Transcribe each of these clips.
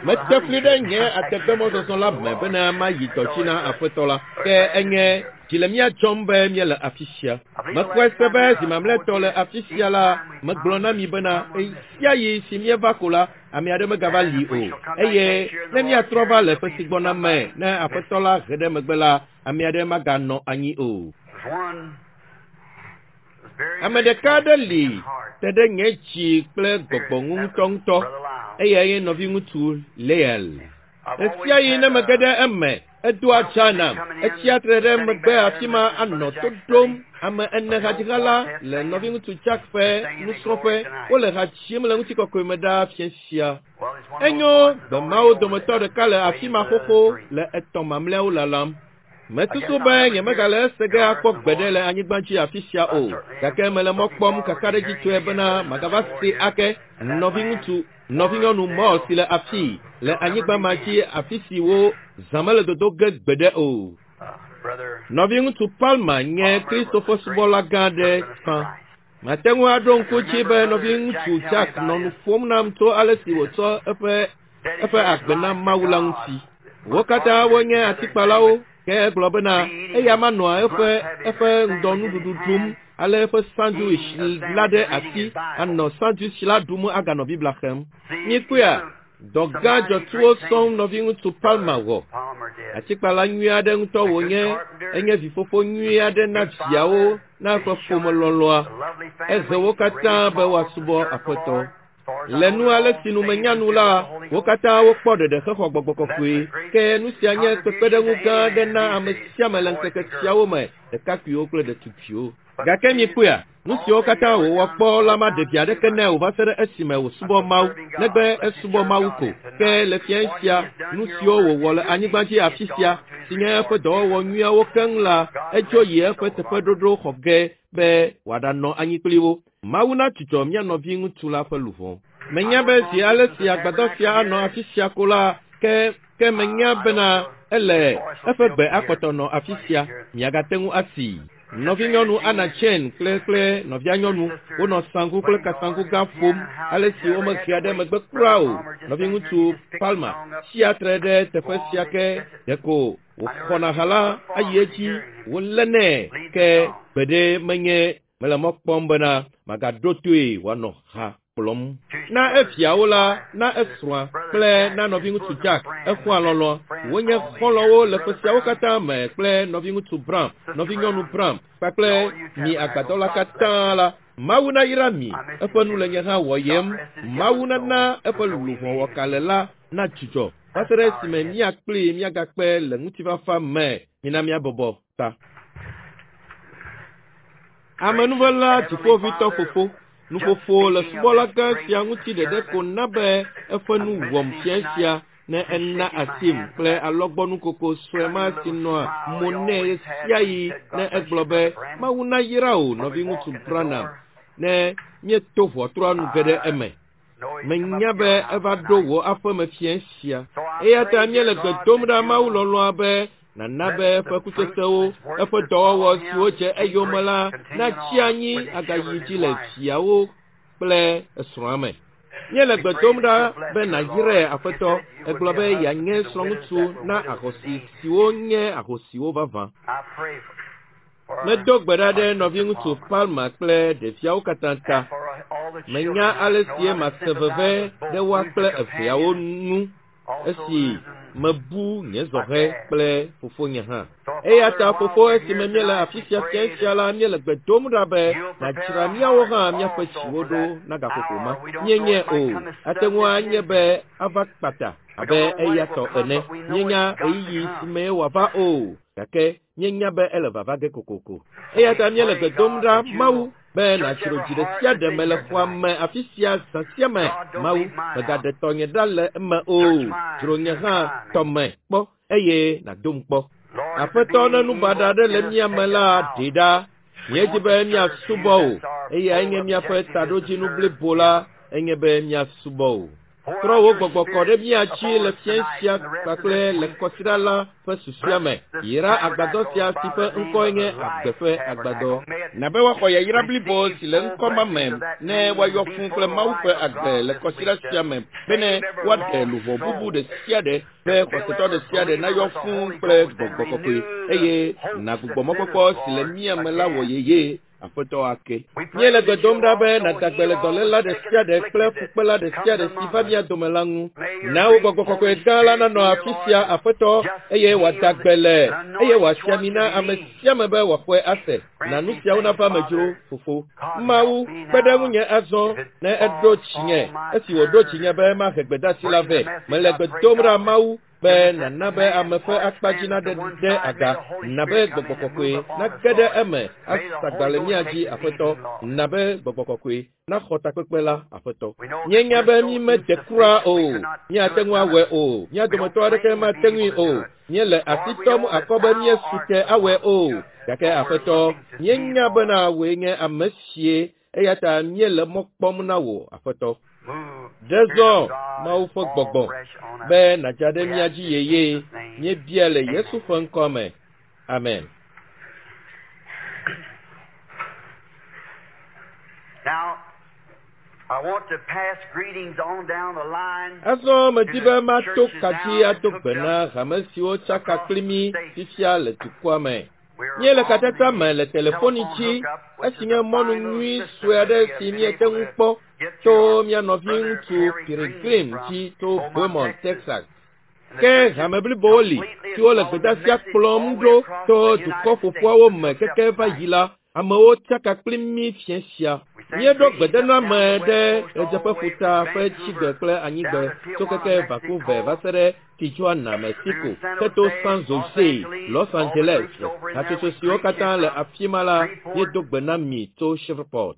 Mete fli ɖe nye ategbemɔzɔzɔ la me bena mayi dɔ dzi na Aƒetɔ la. Ke enye dzi le mía dzɔm be míele afi sia. Mexɔe se be zi mamlɛtɔ le afi sia la, megblɔ na mi bena ɣesiaɣi si míeva ko la, ame aɖe megava li o. Eye ne míatrɔ va le ƒe si gbɔna me, ne Aƒetɔ la he ɖe megbe la, ame aɖe maganɔ anyi o. Ame ɖeka aɖe li te ɖe nye dzi kple gbɔgbɔ ŋu ŋutɔŋutɔ. Eyae nye nɔviŋutsu Leel. Ɣesiaɣi ne mege ɖe eme, edoa dza nam. Etsia tre ɖe megbe afi ma anɔ to ɖom. Ame ene hadziha la le nɔviŋutsu Jack ƒe nusrɔ̃ƒe. Wole ha dzim le ŋutikɔkɔe me ɖaa fiẽ sia. Enyo, gbe mawo dometɔ ɖeka le afi ma xoxo le etɔ̃ mamlɛawo lalam. Mesusu be nyemegale ese ge akpɔ gbeɖe le anyigba dzi afi sia o, gake mele mɔ kpɔm kakaɖedzitɔe bena magava see ake. Nɔviŋutsu, nɔvinyɔnu Moore si le afii, le anyigba ma dzi afi si wo zã mele dodo ge gbeɖe o. Nɔviŋutsu Palmer nye Kristo ƒe subɔla gã aɖe tsã. Mate ŋu aɖo ŋku dzi be nɔviŋutsu Jack nɔ nu ƒom nam tso ale si wòtsɔ eƒe eƒe agbe na Mawu la ŋuti. Wo katã wonye atikpalawo, ke egblɔ bena eya manɔa eƒe eƒe ŋdɔnuɖuɖu ɖum ale eƒe sandwich la ɖe asi anɔ sandwich la ɖum aganɔ Biblia xlẽm. Mikpɔea? Dɔ gã dzɔtsuwo sɔŋ nɔviŋutsu Palmer wɔ. Atikpala nyui aɖe ŋutɔ wònye, enye vifofo nyui aɖe na viawo na eƒe ƒome lɔlɔ̃a. Ehe wo katã be woasubɔ Aƒetɔ. Le nu ale si nu menya nu la, wo katã wokpɔ ɖeɖe hexɔ gbɔgbɔ kɔkɔe. Ke nu sia nye kpekpeɖeŋu gã aɖe na ame sia ame le ŋkeke siawo me, ɖekakpuiwo kple ɖetugbiwo. Gake mikpɔea, nu siwo katã wòwɔ kpɔ la maɖe vi aɖeke nɛ o va se ɖe esime wòsubɔ Mawu, negbe esubɔ Mawu ko. Ke le fiẽ sia, nu siwo wòwɔ le anyigba dzi afi sia, si nye eƒe dɔwɔwɔ nyuiawo keŋ la, edzo yi eƒe teƒeɖoɖo xɔ ge be wòaɖanɔ anyi kpli wo. Mawu nadzudzɔ mía nɔviŋutsu la ƒe luʋɔ. Menya be zi ale si agbadɔ sia anɔ afi sia ko la, ke ke menya bena ele eƒe gbe akpɔtɔ nɔ afi sia. Miagate ŋu asii. Nɔvinyɔnu Anna Chen kple kple nɔvianyɔnu wonɔ saŋku kple kasaŋku gã ƒom ale si womehea ɖe megbe kura o. Nɔviŋutsu Palmer tsia tre ɖe teƒe sia ke ɖeko wòxɔna ha la ayi edzi wòlénɛ ke gbeɖe menye Mele mɔ kpɔm bena magaɖo toe wòanɔ ha kplɔm. Na eviawo la, na esrɔ̃a kple na nɔviŋutsu Jack, exɔa lɔlɔ̃. Wonye xɔlɔ̃wo le ƒe siawo katã me kple nɔviŋutsu Brown, nɔvinyɔnu Brown, kpakple mi agbadɔ la katã la. Mawu nayra mi. Eƒe nu le nye hã wɔyem. Mawu nana eƒe luʋɔ wɔkalẽ la nadzudzɔ va se ɖe esime mía kplii míagakpe le ŋutifafa me. Mina míabɔbɔ ta. Amenuvela Dziƒoʋĩtɔ Fofo, nuƒoƒo le subɔla gã sia ŋuti ɖeɖe ko na be eƒe nu wɔm fiẽ sia ne ena asim kple alɔgbɔnukoko sue ma si nɔa mo nɛ ɣesiaɣi ne egblɔ be, Mawu nayra wò, nɔviŋutsu Branham, ne míeto ʋɔtrua nu ge ɖe eme. Menya be eva ɖo wò aƒeme fiẽ sia. Eya ta míele gbe dom ɖa Mawu lɔlɔ̃a be nàna be eƒe kutsetsewo, eƒe dɔwɔwɔ siwo dze eyome la natsi anyi agayi dzi le viawo kple esrɔ̃a me. Míele gbe dom ɖa be nàyrae, Aƒetɔ. Ègblɔ be yeanye srɔ̃ŋutsu na ahosi siwo nye ahosiwo vavã. Medo gbe ɖa ɖe nɔviŋutsu Palmer kple ɖeviawo katã ta. Menya ale sie mase veve ɖe woa kple eveawo nu esi mebu nye zɔhɛ kple fofonye hã. Eya ta fofo, esime míele afi sia fiẽ sia la, míele gbe dom ɖa be nàdzra míawo hã míaƒe dziwo ɖo na gaƒoƒo ma. Míenyae o, ate ŋu anye be ava kpata abe eya tɔ ene. Míenya ɣeyiɣi si mee wòava o, gake Míenya be ele vava ge kokoko. Eya ta míele gbe dom ɖa, Mawu, be nàdzro dzi ɖe sia ɖe me le xɔa me afi sia zã sia me. Mawu, mègaɖe tɔnye ɖa le eme o. Dzro nye hã tɔ me kpɔ eye nàdom kpɔ. Aƒetɔ, ne nu baɖa aɖe le mía me la, ɖee ɖa. Míedi be míasubɔ wò. Eyae nye míaƒe taɖodzinu blibo la, enye be míasubɔ wò. Trɔ wò gbɔgbɔ kɔ ɖe mía dzi le fiẽ sia kpakple le kɔsiɖa la ƒe susua me. Yra agbadɔ sia si ƒe ŋkɔe nye agbe ƒe agbadɔ. Na be woaxɔ yayra blibo si le ŋkɔ ma me ne woayɔ fũu kple Mawu ƒe agbe le kɔsiɖa sia me bene woaɖe luʋɔ bubu ɖe sia ɖe be xɔsetɔ ɖe sia ɖe nayɔ fũu kple gbɔgbɔ kɔkɔe eye nagbugbɔ mɔkpɔkpɔ si le mía me la wɔ yeye aƒetɔ ake. Míele gbe dom ɖa be nàda gbe le dɔléla ɖe sia ɖe kple fukpela ɖe sia ɖe si va mía dome la ŋu. Na wò gbɔgbɔ kɔkɔe gã la nanɔ afi sia aƒetɔ eye wòada gbe le eye wòasi ami na ame sia ame be wòaxɔe ase. Na nu siawo nava me dzro fofo. Mawu kpe ɖe ŋunye azɔ ne eɖo dzinye esi wòɖo dzinye be mahe gbedeasi la vɛ. Mele gbe dom ɖa Mawu be nana be ame ƒe akpa dzi naɖe ɖe aga na be gbɔgbɔ kɔkɔe nage ɖe eme asagba le mía dzi aƒetɔ na be gbɔgbɔ kɔkɔe naxɔ takpekpe la aƒetɔ. Míenya be mí mede kura o, míate ŋu awɔe o, mía dometɔ aɖeke mate ŋui o, míele asi tɔm akɔ be míesu te awɔe o, gake aƒetɔ, míenya bena wòe nye ame sie eya ta míele mɔ kpɔm na wò aƒetɔ. Ɖe zɔ Mawu ƒe gbɔgbɔ be nàdza ɖe mía dzi yeye. Míebia le Yesu ƒe ŋkɔ me. Amen. Now, I want to pass greetings on down the line. Azɔ medi be mato ka dzi ado gbe na hame siwo tsaka kpli mí fifia le dukɔa me. Míele katata me le telefoni dzi esi nye mɔnu nyui sue aɖe si míete ŋu kpɔ tso mía nɔviŋutsu Peregrine dzi tso Beaumont, Texas. Ke hame blibowo li siwo le gbedeasia kplɔm ɖo tso dukɔ ƒoƒuawo me keke va yi la, amewo tsaka kpli mí fiẽ sia. Míeɖo gbedename ɖe ɣedzeƒeƒuta ƒe tsigbe kple anyigbe tso keke Vancouver va se ɖe Tijuana, Mexico, heto San Jose, Los Angeles. Hatsotso siwo katã le afi ma la, míedo gbe na mi tso Shreveport.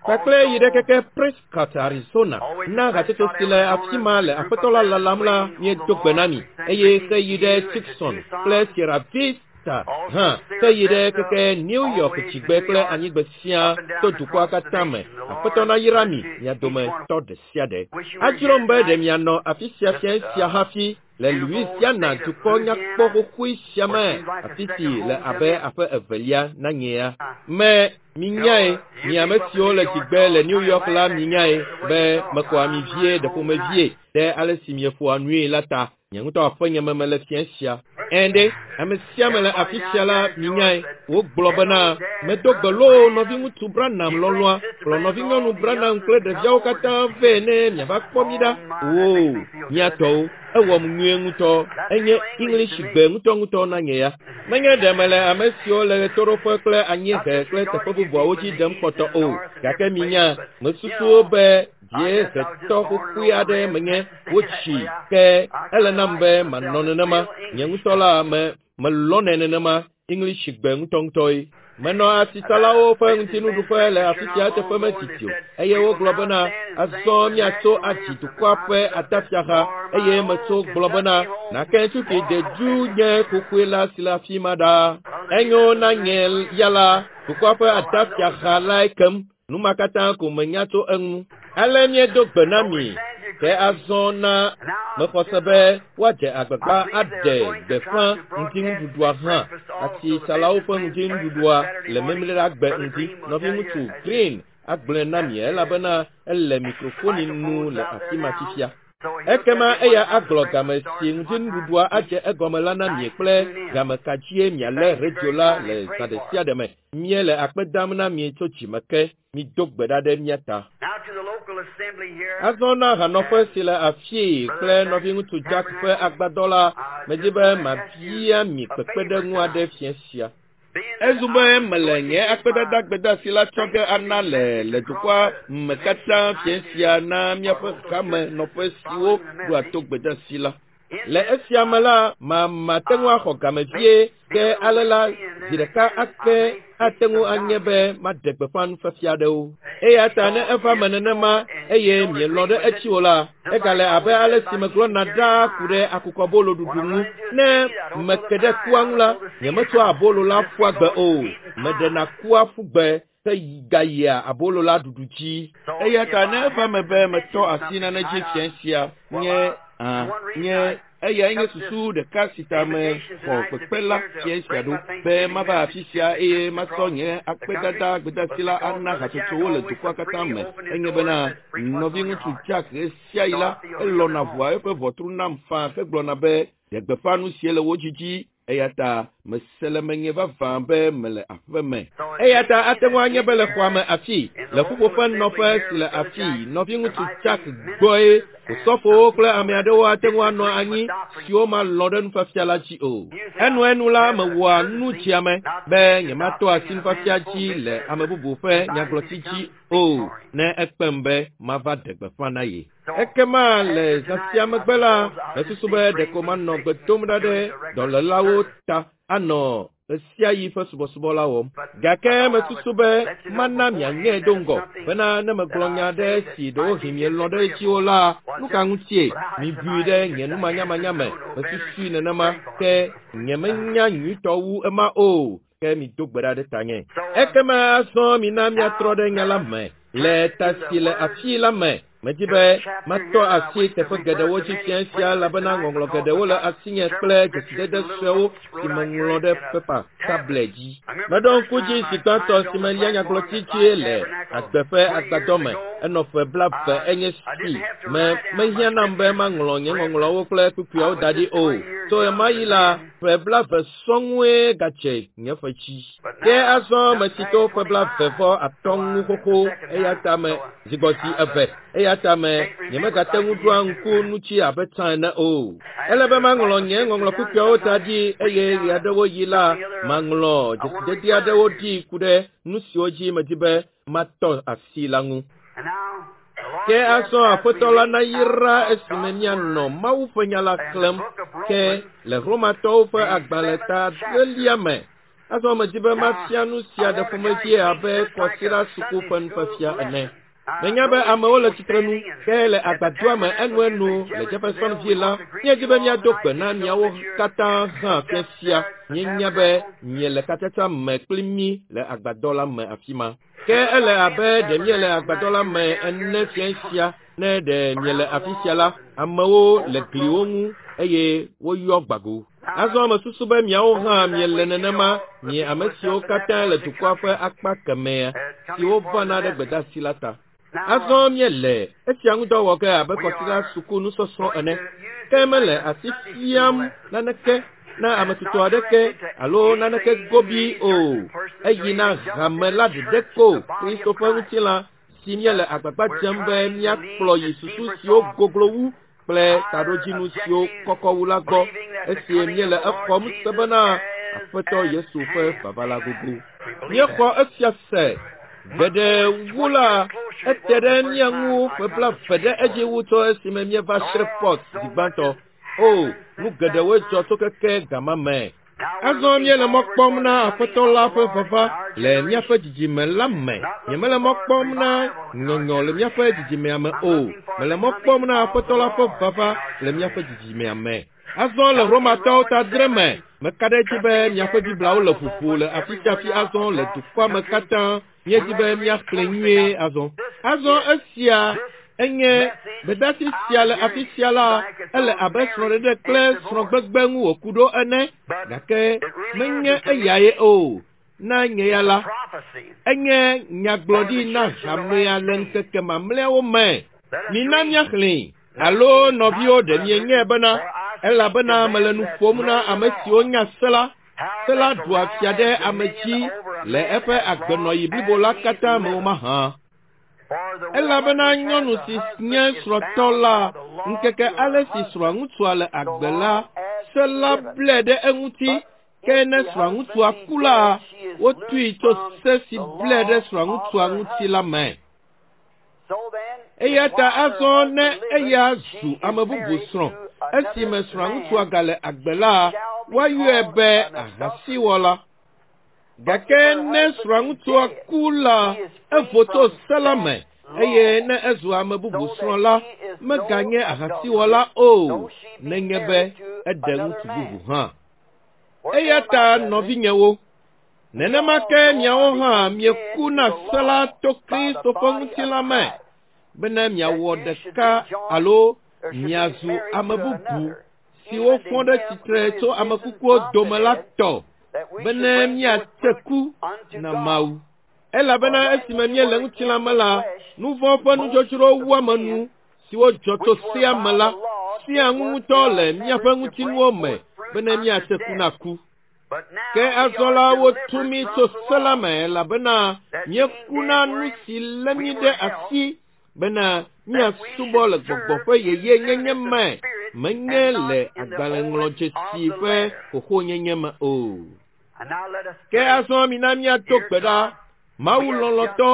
Kpakple yi ɖe keke Prescott, Arizona. Na hatsotso si le afi ma le aƒetɔ la lalam la, míedo gbe na mi eye heyi ɖe Tucson kple Sierra Vista hã heyi ɖe keke New York dzigbe kple anyigbe sia to dukɔa katã me. Aƒetɔ nayra mi mia dometɔ ɖe sia ɖe. Adzrom be ɖe mianɔ afi sia fiẽ sia hafi le Louisiana dukɔ nyakpɔ xoxoe sia me afi si le abe aƒe evelia na nyea. Me minyae, mi ame siwo le dzigbe le New York la minyae be mekɔ ami vie ɖe ƒomevie ɖe ale si mieƒoa nui la ta. Nye ŋutɔ aƒenye me mele fiẽ sia. Ɛ̃ ame sia ame le afi sia la minyae. Wogblɔ bena medo gbe loo nɔviŋutsu Branham lɔlɔ̃a kplɔ nɔvinyɔnu Branham kple ɖeviawo katã vɛ ne miava kpɔ mí ɖa. Oo, mía tɔwo, ewɔm nyuie ŋutɔ. Enye English gbe ŋutɔŋutɔ na nye ya. Menye ɖe mele ame siwo le ɣetoɖoƒe kple anyiehe kple teƒe bubuawo dzi ɖem kpɔtɔ o, gake minya, mesusuwo be dziehetɔ xoxoe aɖe menye wotsi ke ele nam be manɔ nenema. Nye ŋutɔ la me melɔnɛ nenema English gbe ŋutɔŋutɔe. Menɔ asitsalawo ƒe ŋutinuɖuƒe le afi sia teƒe medidi o eye wogblɔ bena azɔ míatso adzi dukɔa ƒe atafiaha eye metso gblɔ bena nake tuki dedu nye xoxoe la si le afi ma ɖa. Enyo na nye ya la dukɔa ƒe atafiaha lae kem. Nu ma katã ko menya tso eŋu. Ale míedo gbe na mi ke azɔ na mexɔ se be woadze agbagba aɖe gbeƒã ŋutinuɖuɖua hã. Asitsalawo ƒe ŋutinuɖuɖua le Memleɖagbe ŋdi. Nɔviŋutsu Green agblɔe na mi elabena ele mikrofoni nu le afi ma fifia. Ekema eya agblɔ game si ŋutinuɖuɖua adze egɔme la na mi kple game ka dzie mialé redio la le zã ɖe sia ɖe me. Míele akpe dam na mi tso dzime ke. Mido gbe ɖa ɖe mía ta. Now to the local assembly here. Azɔ na hanɔƒe si le afii kple nɔviŋutsu Jack ƒe agbadɔ la, medi be mabia mi kpekpeɖeŋu aɖe fiẽ sia. Ezu be mele nye akpedada gbedeasi la tsɔ ge ana le le dukɔa me katã fiẽ sia na míaƒe hame nɔƒe siwo ɖoa to gbedeasi la. Le esia me la, mamate ŋu axɔ game vie ke ale la zi ɖeka ake ate ŋu anye be maɖe gbeƒã nufiafia aɖewo. Eya ta ne eva me nenema eye mielɔ̃ ɖe etsi o la, egale abe ale si megblɔna ɖaa ku ɖe akukɔbolo ɖuɖu ŋu. Ne meke ɖe kua ŋu la, nyemetsɔa abolo la ƒua gbe o. Meɖena kua ƒu gbe. Ke gayia abolo la ɖuɖu dzi. Eya ta ne eva me be metɔ asi nane dzi fia sia nye nye eyae nye susu ɖeka si ta me xɔ kpekpe la fia sia ɖo be mava afi sia eye masɔ nye akpedada gbedasi la ana hatsotsowo le dukɔa katã me. Enye bena nɔviŋutsu Jack ɣesiaɣi la elɔna ʋua eƒe ʋɔtru nam faa hegblɔna be ɖe gbeƒã nu sie le wo dzidzi. Eya ta mese le menye vavã be mele aƒe me. Eya ta ate ŋu anye be le xɔa me afi, le ƒuƒoƒe nɔƒe si le afi, nɔviŋutsu Jack gbɔe osɔfowo kple ame aɖewo ate ŋu anɔ anyi siwo malɔ̃ ɖe nufiafia la dzi o. Enuenu la mewɔa nu dziame be nyematɔ asi nufiafia dzi le ame bubu ƒe nyagblɔti dzi o ne ekpem be mava ɖe gbeƒã na ye. Ekema le zã sia megbe la, mesusu be ɖeko manɔ gbe dom ɖa ɖe dɔlélawo ta anɔ ɣesiaɣi ƒe subɔsubɔ la wɔm. Gake mesusu be mana mianyae do ŋgɔ bena ne megblɔ nya aɖe si ɖewohĩ mielɔ̃ ɖe edzi o la, nu ka ŋutie mibui ɖe nye numanyamanya me? Mesusui nenema ke nyemenya nyuitɔ wu ema o. Ke mido gbe ɖa ɖe tanye. Ekema azɔ mina miatrɔ ɖe nya la me le ta si le afi la me. Medi be matɔ asi teƒe geɖewo dzi fia sia elabena ŋɔŋlɔ geɖewo le asinye kple dzesidede suewo si meŋlɔ ɖe pepa tablet dzi. Meɖo ŋku dzi zi gbãtɔ si melia nyagblɔti dzi le agbe ƒe agbadɔ me. Enɔ ƒe 20 enye si me mehiã nam be maŋlɔ nye ŋɔŋlɔwo kple kpukpuiawo da ɖi o. Tso ɣemaɣi la, ƒe 20 sɔŋue gadze nye ƒe dzi. Ke azɔ metsi to ƒe 23 ŋu xoxo eya ta me zigbɔzi eve eya ta me nyemegate ŋu ɖoa ŋku nu dzi abe tsã ene o. Ele be maŋlɔ nye ŋɔŋlɔ kpukpuiawo da ɖi eye ɣeaɖewoɣi la maŋlɔ dzesidede aɖewo ɖi ku ɖe nu siwo dzi medi be matɔ asi la ŋu. Ke azɔ Aƒetɔ la nayra esime míanɔ Mawu ƒe nya la xlẽm ke le Romatɔwo ƒe agbalẽ ta 7 me. Azɔ medi be mafia nu sia ɖe ƒomevie abe kɔsiɖa suku ƒe nufiafia ene. Menya be amewo le tsitrenu ke le agbadɔa me enuenu le Jeffersonville la, míedi be míado gbe na miawo katã hã fia sia. Míenya be miele katsatsa me kpli mí le agbadɔ la me afi ma. Ke ele abe ɖe míele agbadɔ la me ene fia sia ne ɖe miele afi sia la, amewo le gliwo ŋu eye woyɔ gbago. Azɔ mesusu be miawo hã miele nenema mie ame siwo katã le dukɔa ƒe akpa kemɛa siwo vana ɖe gbedeasi la ta. Azɔ míele esia ŋudɔ wɔ ge abe kɔsiɖa suku nusɔsrɔ̃ ene. Ke mele asi fiam naneke na ame tutɔ aɖeke alo naneke gobi o. Eyi na hame la ɖeɖe ko Kristo ƒe ŋutilã si míele agbagba dzem be míakplɔ yi susu siwo goglo wu kple taɖodzinu siwo kɔkɔ wu la gbɔ esi míele exɔm se bena Aƒetɔ Yesu ƒe vava la gogo. Míexɔ esia se geɖe wu la ete ɖe mía ŋu ƒe 20 ɖe edzi wu tso esime míeva Shreveport zi gbãtɔ. O, nu geɖewoe dzɔ tso keke gama me. Azɔ míele mɔ kpɔm na Aƒetɔ la ƒe vava le míaƒe dzidzime la me. Nyemele mɔ kpɔm na nyɔnyɔ le míaƒe dzidzimea me o. Mele mɔ kpɔm na Aƒetɔ la ƒe vava le míaƒe dzidzimea me. Azɔ le Romatɔwo ta 7 me, meka ɖe edzi be miaƒe Bibliawo le ʋuʋu le afi sia afi azɔ le dukɔa me katã. Míedi be míaxlẽ nyuie azɔ. Azɔ esia enye gbedeasi sia le afi sia la, ele abe srɔ̃ɖeɖe kple srɔ̃gbegbe ŋu wòku ɖo ene, gake menye eyae o. Na nye ya la, enye nyagblɔɖi na hamea le ŋkeke mamlɛawo me. Mina míaxlẽe. Alo nɔviwo ɖe mienyae bena elabena mele nu ƒom na ame siwo nya se la, se la ɖua fia ɖe ame dzi le eƒe agbenɔɣi blibo la katã me o mahã. Elabena nyɔnu si nye srɔ̃tɔ la, ŋkeke ale si srɔ̃ŋutsua le agbe la, se la blɛ ɖe eŋuti. Ke ne srɔ̃ŋutsua ku la, wotui tso se si blɛ ɖe srɔ̃ŋutsua ŋuti la me. Eya ta azɔ ne eya zu ame bubu srɔ̃ esime srɔ̃ŋutsua gale agbe la, woayɔe be ahasiwɔla. Gake ne srɔ̃ŋutsua ku la, evo tso se la me eye ne ezu ame bubu srɔ̃ la, meganye ahasiwɔla o, nenye be eɖe ŋutsu bubu hã. Eya ta nɔvinyewo, Nenema ke miawo hã mieku na se la to Kristo ƒe ŋutilã me bene miawɔ ɖeka alo miazu ame bubu siwo fɔ ɖe tsitre tso ame kukuwo dome la tɔ bene miatse ku na Mawu. Elabena esime míele ŋutilã me la, nu vɔ̃ ƒe nudzodzro wuame nu siwo dzɔ tso sea me la sia ŋu ŋutɔ le míaƒe ŋutinuwo me bene míatse ku na ku. Ke azɔ la wotu mí tso se la me elabena míeku na nu si lé mí ɖe asi bena míasubɔ le gbɔgbɔ ƒe yeyenyenye me, menye le agbalẽŋlɔdzesi ƒe xoxonyenye me o. Ke azɔ mina míado gbe ɖa. Mawu lɔlɔ̃tɔ,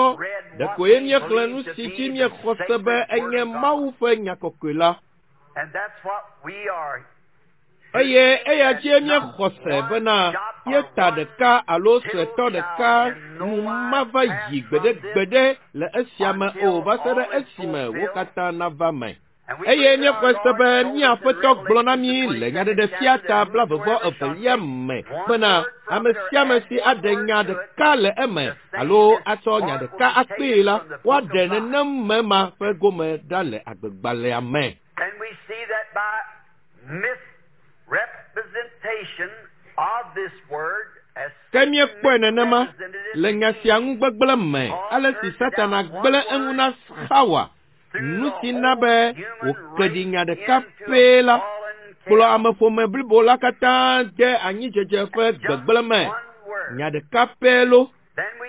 ɖekoe míexlẽ nu si dzi míexɔ se be enye Mawu ƒe nya kɔkɔe la. Eye eya dzie míexɔ se bena míeta ɖeka alo suetɔ ɖeka nu mava yi gbeɖegbeɖe le esia me o va se ɖe esime wo katã nava me. Eye míexɔe se be mía Aƒetɔ gblɔ na mí le Nyaɖeɖefia ta 22 me bena ame sia ame si aɖe nya ɖeka le eme alo atsɔ nya ɖeka akpee la, woaɖe nenem me ma ƒe gome ɖa le agbegbalẽa me. And we see that by misrepresentation of this word as Ke míekpɔe nenema le nya sia ŋu gbegblẽ me ale si Satana gblẽ eŋu na Xawa, nu si na be wòke ɖi nya ɖeka pɛ la, kplɔ ameƒome blibo la katã de anyidzedze ƒe gbegblẽ me. Nya ɖeka pɛ lo. Then we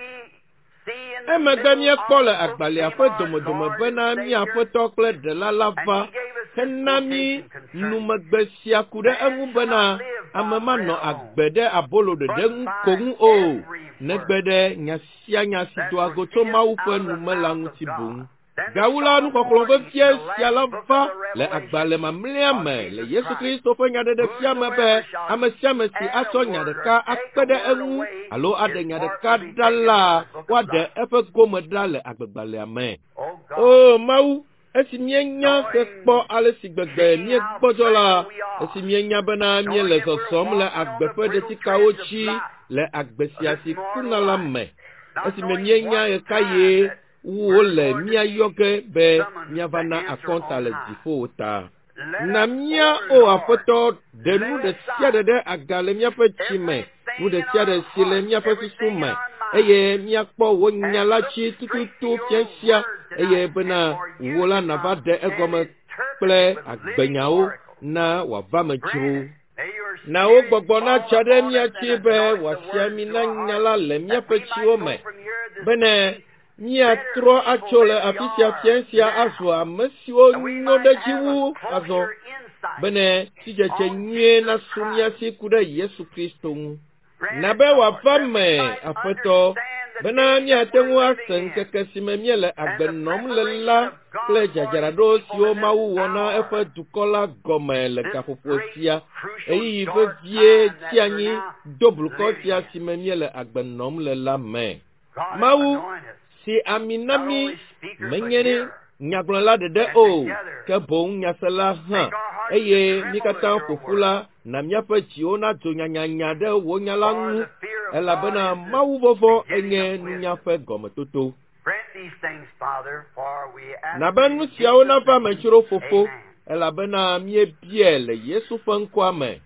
see in the Emegbe middle míekpɔ of le the book, agbalẽa came ƒe our domedome Lord bena and mía Savior, Aƒetɔ kple Ɖela la and va he gave us this hena mí quotation concerning numegbe sia ku ɖe Man eŋu shall bena not live by ame bread manɔ alone, agbe ɖe abolo ɖeɖe but ŋu ko by ŋu o, every negbe word ɖe nya sia nya si that doa go tso proceedeth Mawu ƒe out of the nu me la mouth of ŋuti boŋ. God. Then we Gawu la, saw a nuxɔxlɔ̃ warning in vevie the sia la last book va of the le Revelation agbalẽ mamlɛa of me le Jesus Yesu Christ. Kristo ƒe nyaɖeɖefia me be Whosoever shall ame sia ame si add a atsɔ nya word or ɖeka take akpe a ɖe word eŋu away, alo aɖe his nya part ɖeka will be ɖa taken la, out of the book of woaɖe life. eƒe gome ɖa le agbegbalẽa me. O God, O Mawu, esi míenya hekpɔ knowing, ale si gbegbe seeing how míegbɔdzɔ la, frail we are, esi míenya bena knowing míele that we're zɔzɔm le walking on agbe the ƒe brittle ɖetikawo treads of dzi life, le agbe of sia this si mortal kuna la life, me, not esime knowing míenya what ɣekaɣie time that wole we're going to míayɔ be ge be summoned míava to na answer akɔnta on le high. dziƒo ta. Let Na us, mía O o Lord, Aƒetɔ, ɖe nu lay ɖe sia ɖe aside ɖe aga le míaƒe tsi me, nu everything ɖe in sia ɖe our si le heart, míaƒe susu everything in me, our mind, eye míakpɔ wò nya and la look dzi straight to tututu your fia sia, word eye tonight, and bena for wò you la to nàva come ɖe and egɔme interpret kple it with living agbenyawo oracles. na wòava me Grant dzro. it. May your Na wò Spirit gbɔgbɔ fall natsa ɖe upon mía us dzi and be anoint the wòasia words mi to na our nya hearts, la le that míaƒe we might tsiwo go me from here this bene day míatrɔ better people atso le than we afi sia are fia sia now, azu ame siwo that we nyo might ɖe dzi have a wu azɔ closer insight bene sidzedze on nyuie Jesus nasu mía Christ. si ku ɖe Yesu Kristo ŋu. Grant Na it, be Lord, wòava that we me, might Aƒetɔ, understand the bena day that míate we're ŋu ase living in ŋkeke si me míele and agbe the nɔm le la preparation of kple God for His dzadzraɖo people siwo in this Mawu wɔ na hour, eƒe dukɔ la gɔme le this gaƒoƒo great sia, crucial ɣeyiɣi dark vevie time that tsi we're anyi now do blukɔ living sia in. si me míele agbe nɔm le la me. God, Mawu anoint us, si ami na not mí only speakers but menye hearers, nyagblɔla ɖeɖe and o, together ke boŋ nyasela hã. make our hearts to Eye mí tremble katã at your ƒo ƒu word. la, na míaƒe dziwo nadzo nyanyanya ɖe wò nya la For ŋu, the fear of God elabena is the Mawu vɔvɔ̃ beginning enye of nunya wisdom. ƒe gɔmetoto. Grant these things, Father, for we ask Na be it nu in siawo Jesus' nava me name. dzro fofo, Amen. elabena míebiae le Yesu ƒe ŋkɔa me.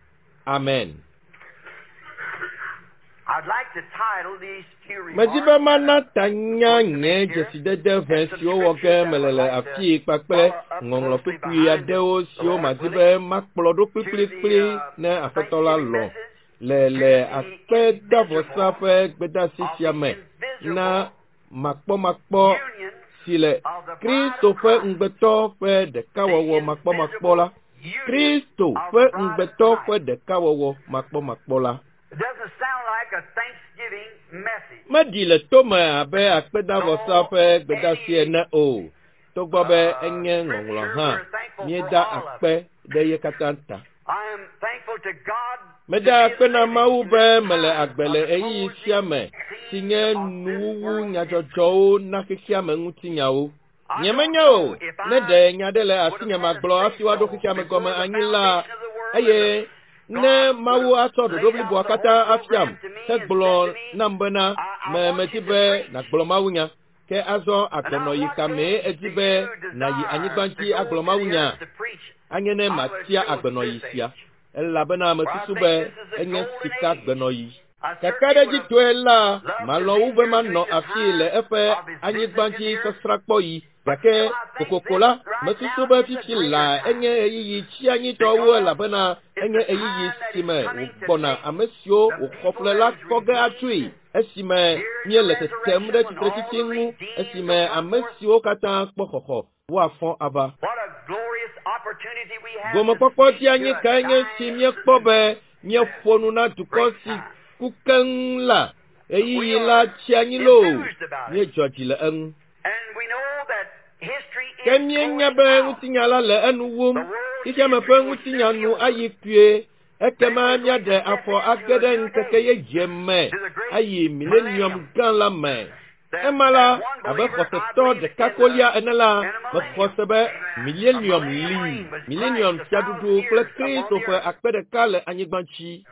Amen. I'd like to title these few Medi remarks be that mana I'm tanya going to nye make here dzesidede ʋɛ and some siwo wɔ ge scriptures that mele I'd le like to afii kpakple follow up ŋɔŋlɔ closely kpukpui behind it, aɖewo the siwo Lord madi willing, be makplɔ ɖo to the kplikplikpli ne Aƒetɔ la Thanksgiving lɔ̃ message, le to le the akpedavɔsa invisible ƒe gbedeasi of sia the me na invisible makpɔmakpɔ union si le of the bride Kristo of ƒe Christ. ŋugbetɔ ƒe The ɖekawɔwɔ makpɔmakpɔ invisible la. union Kristo of ƒe the bride of ŋugbetɔ ƒe Christ. ɖekawɔwɔ makpɔmakpɔ la. It doesn't sound like a Thanksgiving message. Meɖi le tome abe akpedavɔsa Though ƒe gbedeasi any ene o, togbɔ be enye ŋɔŋlɔ scripture, hã, we're thankful for míeda all of akpe it. ɖe ye katã ta. I am thankful to God to Meda be akpe na living Mawu in be this mele time agbe of le the ɣeyiɣi sia closing me si scene nye of this nuwuwu world history. nyadzɔdzɔwo na xexeame ŋutinyawo. I don't Nyemenya o, know if ne I ɖe nya ɖe le would have asinye had a magblɔ hafi woaɖo say-so xexeame before gɔme the anyi la, foundation of the world and eye the Ne Mawu atsɔ ɖoɖo bliboa katã afiam hegblɔ nam bena me medi be nàgblɔ mawunya. Ke azɔ agbenɔyi ka mee edi be nàyi anyigba dzi agblɔ mawunya? Anye ne matia agbenɔyi sia. Elabena mesusu be enye sikagbenɔyi. Kakaɖedzitɔe la, malɔ̃ wu be manɔ afii le eƒe anyigbadzisasrãkpɔɣi. Gake kokoko la, mesusu be fifi laa enye ɣeyiɣi tsianyitɔ wu elabena enye ɣeyiɣi si me wògbɔna ame siwo wòxɔ ƒle la kɔ ge atsoe esime míele tetem ɖe tsitretsitsi ŋu esime ame siwo katã kpɔ xɔxɔ woafɔ ava. What a glorious opportunity we have to Gomekpɔkpɔ speak to dzianyi a kae nye si dying míekpɔ be míeƒo nu na dukɔ si ku keŋ la. Ɣeyiɣi la tsi anyi loo. Enthused about it. Míedzɔ dzi le eŋu. And we know that history Ke is míenya going be out. ŋutinya la le enu wum. The world's Xexeame ƒe history will ŋutinya soon be nu over. ayi kpuie. Ekema míaɖe afɔ age ɖe ŋkeke yeye me To the great ayi millennium millennium. gã la me. That Ema as la, one abe believer, I xɔsetɔ believe ɖeka in kolia the ene la, in a mexɔ millennium. se be A millennium millennium li, reign with millennium Christ, 1,000 fiaɖuɖu kple years upon Kristo the ƒe earth. akpe ɖeka le anyigba dzi.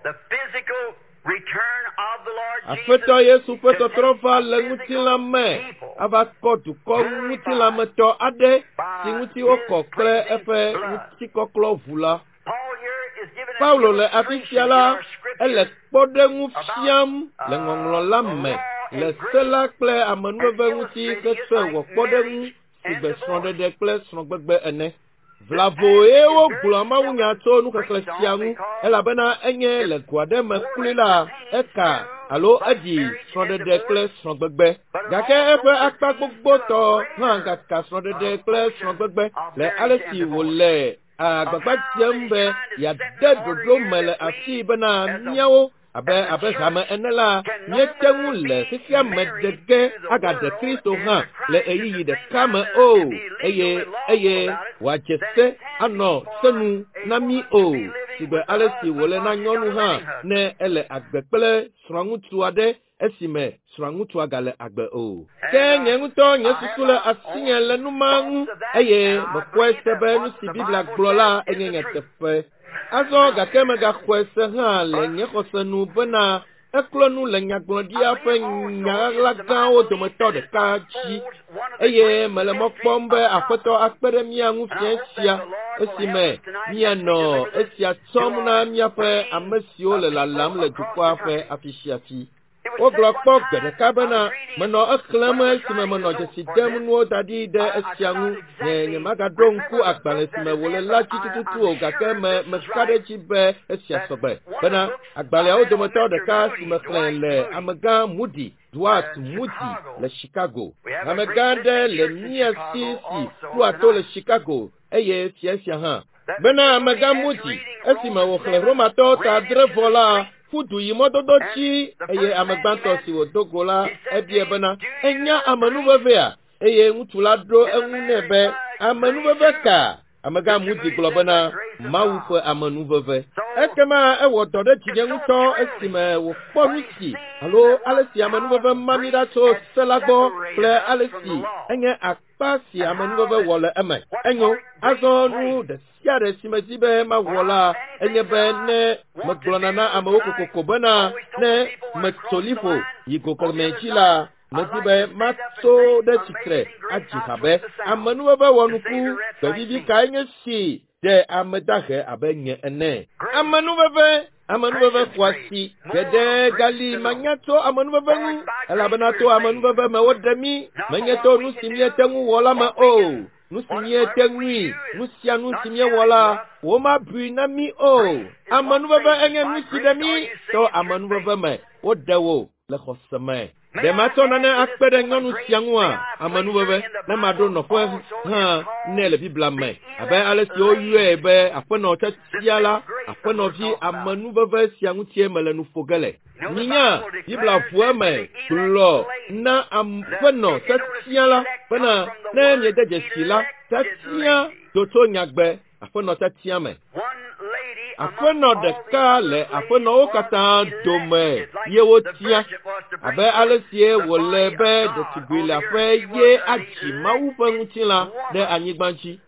The physical return of the Lord Aƒetɔ Jesus Yesu ƒe to take tɔtrɔ va a le physical ŋutilã me people ava kɔ dukɔ ŋutilãmetɔ aɖe si by ŋuti his wokɔ kple cleansing eƒe blood. ŋutikɔklɔ ʋu la. Paul here is giving an Paulo le afi sia illustration in la, our ele scripture kpɔɖeŋu about fiam le ŋɔŋlɔ la the me law le and se grace la kple and amenuveve ŋuti illustrating it hetsɔe like wɔ kpɔɖeŋu marriage si and gbe divorce. srɔ̃ɖeɖe kple srɔ̃gbegbe ene. This Vlavoe passage is very wogblɔa mawunya seldom tso nuxexlẽ preached sia on ŋu because elabena enye it le go aɖe me more or kloe less la, pertains eka to alo both eɖi marriage and srɔ̃ɖeɖe kple divorce, srɔ̃gbegbe. but it Gake also eƒe akpa pertains to a gbogbotɔ hã greater gaka srɔ̃ɖeɖe kple portion srɔ̃gbegbe of le marriage ale and si divorce. wòle Of agbagba how dzem that he's be trying to set yeade in order ɖoɖo here me le that we, afii bena as a míawo abe as a abe hame church, ene la can no míete ŋu more le be xexea me married de to ge the agaɖe world Kristo and hã to le Christ at the ɣeyiɣi same ɖeka time me and, o and be legal eye and lawful eye about it wòadze than se it can anɔ be se for nu a na mí woman to o be living sigbe with a ale si husband wòle na while she's got nyɔnu a hã living husband. ne ele agbe kple srɔ̃ŋutsu aɖe esime srɔ̃ŋutsua gale agbe o. Ke And nye ŋutɔ nye I have susu le my asinye le own nu ma ŋu thoughts of that, eye and I mexɔe believe se that be nu what si the Biblia Bible gblɔ la says is enye the truth. nyateƒe. Azɔ gake megaxɔe se hã le nye xɔse nu bena eklɔ nu le I nyagblɔɖia ƒe believe also nya is ɣaɣla to my gãwo belief dometɔ that it ɖeka dzi unfolds one of the eye great mele mɔ mysteries kpɔm be of Aƒetɔ prophecy. akpe ɖe mía ŋu And I fiẽ hope that sia the Lord will help esime us tonight as we míanɔ deliver this esia to tsɔm na our míaƒe waiting ame siwo le lalam people le across dukɔa the ƒe country. afi sia afi. It was said Wogblɔ one kpɔ gbe time, ɖeka I bena was reading menɔ exlẽm when I was esime writing the menɔ note dzesi for dem this. nuwo da ɖi ɖe I esia could ŋu. not Nye exactly nyemagaɖo ŋku remember the agbalẽ book si that me is wòle in, la but dzi tututu I'm o gake sure me this is meka ɖe right. edzi be esia That sɔgbe one of bena the books I agbalẽawo read on dometɔ Mr. ɖeka si Moody, mexlẽ Dwight le Moody, amegã Moody, Dwight in Moody Chicago. le Chicago. We have a Amegã great aɖe listening le church in mía si Chicago si also ɖoa to le tonight. Chicago eye fia sia hã. That Bena Mr. Moody, amegã after Moody reading esime Romans wòxlẽ 7, Romatɔwo ta ran adre into vɔ the la, street, ƒu du yi mɔdodo and dzi the eye first ame man he gbãtɔ met, si wòdo go la he said to ebia him, bena Do enya you amenuvevea? Eye ŋutsu la ɖo And the eŋu man nɛ be replied, Grace amenuveve who? ka? Amegã Mr. Moody Moody gblɔ said, bena The grace of Mawu God. ƒe amenuveve. So Ekema ewɔ dɔ ɖe dzinye it's so ŋutɔ thrilling esime wòkpɔ when nu he si seen alo that ale what si how amenuveve ma mí ɖa grace tso had se la gbɔ kple separated us ale from the si law enye akpa si and how amenuveve that wɔ le eme. what Enyo part grace azɔ nu played. ɖe sia ɖe si medi be mawɔ When la I enye anything be that I ne want to megblɔna na do amewo tonight, kokoko bena always told ne people when I metso cross the liƒo line yi go on the kemɛ other dzi side, la I medi like be to stand up and matso sing ɖe tsitre Amazing Grace, adzi how ha be sweet the sound amenuveve to wɔnuku save a wretch like gbevivi me. kae nye si ɖe ame dahe abe nye ene. Grace, Amenuveve amenuveve precious xɔ grace, asi more geɖe of grace gali to know. manya tso amenuveve For ŋu it's by grace elabena we're to saved, amenuveve me woɖe mí not for menye what to we nu can si do, míete ŋu wɔ la me what we o. can, Nu si what míete whatever we ŋui, do nu is sia nu not si míewɔ counted to la, us. womabui na mí o. Grace is what Amenuveve saves us. enye By nu si grace ɖe are mí you to saved through amenuveve faith. me. Woɖe wò le xɔse me. May Ɖe I matsɔ add nane to this akpe ɖe woman nyɔnu grace? sia ŋua? May I place her Amenuveve in the ne maɖo Bible nɔƒe also hã is nɛ le called Biblia the me abe elect ale si woyɔe lady. be aƒenɔ The tiatia la, same grace that we're aƒenɔvi talking about. amenuveve sia ŋutie mele nu ƒo ge le. You know, the Minya Bible Biblia declares ʋu that eme to the elect gblɔ lady, na that aƒenɔ if you notice, tiatia la elect comes bena from the ne word miede dzesi la, elected tiatia lady. do tso nyagbe aƒenɔ tiatia me. One lady amongst Aƒenɔ all the ɖeka other le ladies aƒenɔwo was katã dome elected, like ye the wotia virgin was to abe bring ale forth sie the wòle body be of God ɖetugbui on the leaƒe earth. She ye was an adzi Mawu ƒe elected ŋutilã ɖe woman. anyigba dzi.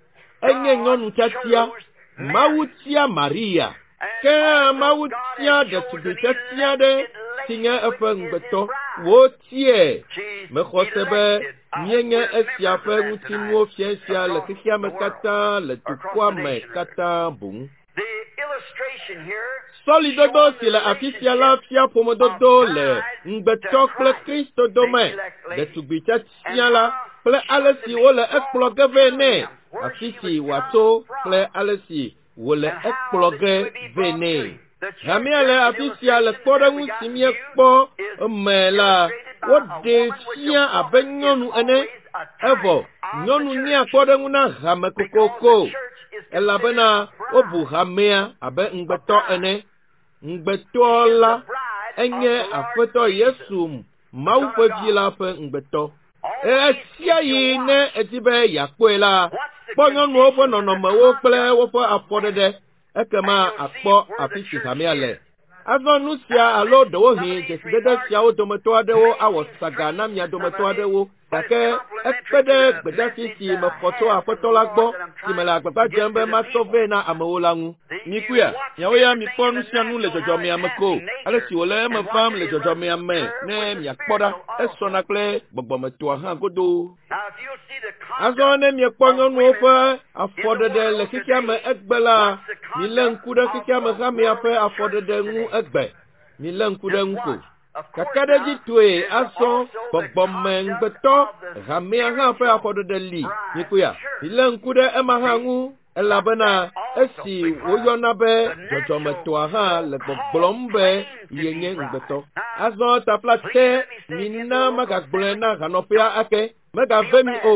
Enye God nyɔnu tiatia. chose Mawu Mary. tia Maria. And Ke hã Mawu tia ɖetugbi tiatia aɖe si nye eƒe ŋugbetɔ. Wotiae. Mexɔ se be míenye esia ƒe ŋutinuwo fia sia le xexea me katã le dukɔa me katã boŋ. Sɔlidodo si le afi sia la fia ƒomedodo le ŋugbetɔ kple Kristo dome, ɖetugbi tiatia la kple ale si wole ekplɔ ge vɛ nɛ, afi si wòatso kple ale si wòle ekplɔ ge vɛ nɛ. Hamea le afi sia le kpɔɖeŋu si míekpɔ me la, woɖee fia abe nyɔnu ene, evɔ nyɔnu nyea kpɔɖeŋu na hame kokoko elabena wobu hamea abe ŋugbetɔ ene. Ŋugbetɔ la enye Aƒetɔ Yesu Mawu ƒe Vi la ƒe ŋugbetɔ. Ɣesiaɣi ne èdi be yeakpɔe la, kpɔ nyɔnuwo ƒe nɔnɔmewo kple woƒe afɔɖeɖe, ekema àkpɔ afi si hamea le. Azɔ nu sia alo ɖewohĩ dzesidede siawo dometɔ aɖewo awɔ saga na mia dometɔ aɖewo, gake ekpe ɖe gbedeasi si mexɔ tso Aƒetɔ la gbɔ si mele agbagba dzem be matsɔ vɛ na amewo la ŋu. Mikuia, miawo ya mikpɔ nu sia nu le dzɔdzɔmea me ko, ale si wòle eme vam le dzɔdzɔmea me ne miakpɔ ɖa, esɔna kple gbɔgbɔmetɔa hã godoo. Azɔ ne miekpɔ nyɔnuwo ƒe afɔɖeɖe le xexea me egbe la, milé ŋku ɖe xexea me hamea ƒe afɔɖeɖe ŋu egbe. Milé ŋku ɖe eŋu ko. Kakaɖedzitɔe azɔ gbɔgbɔme ŋugbetɔ hamea hã ƒe afɔɖeɖe li. Mikpɔea? Milé ŋku ɖe ema hã ŋu elabena esi woyɔna be dzɔdzɔmetɔa hã le gbɔgblɔm be yenye ŋugbetɔ. Azɔ taflatse mina magagblɔe na hanɔƒea ake. Megave mi o.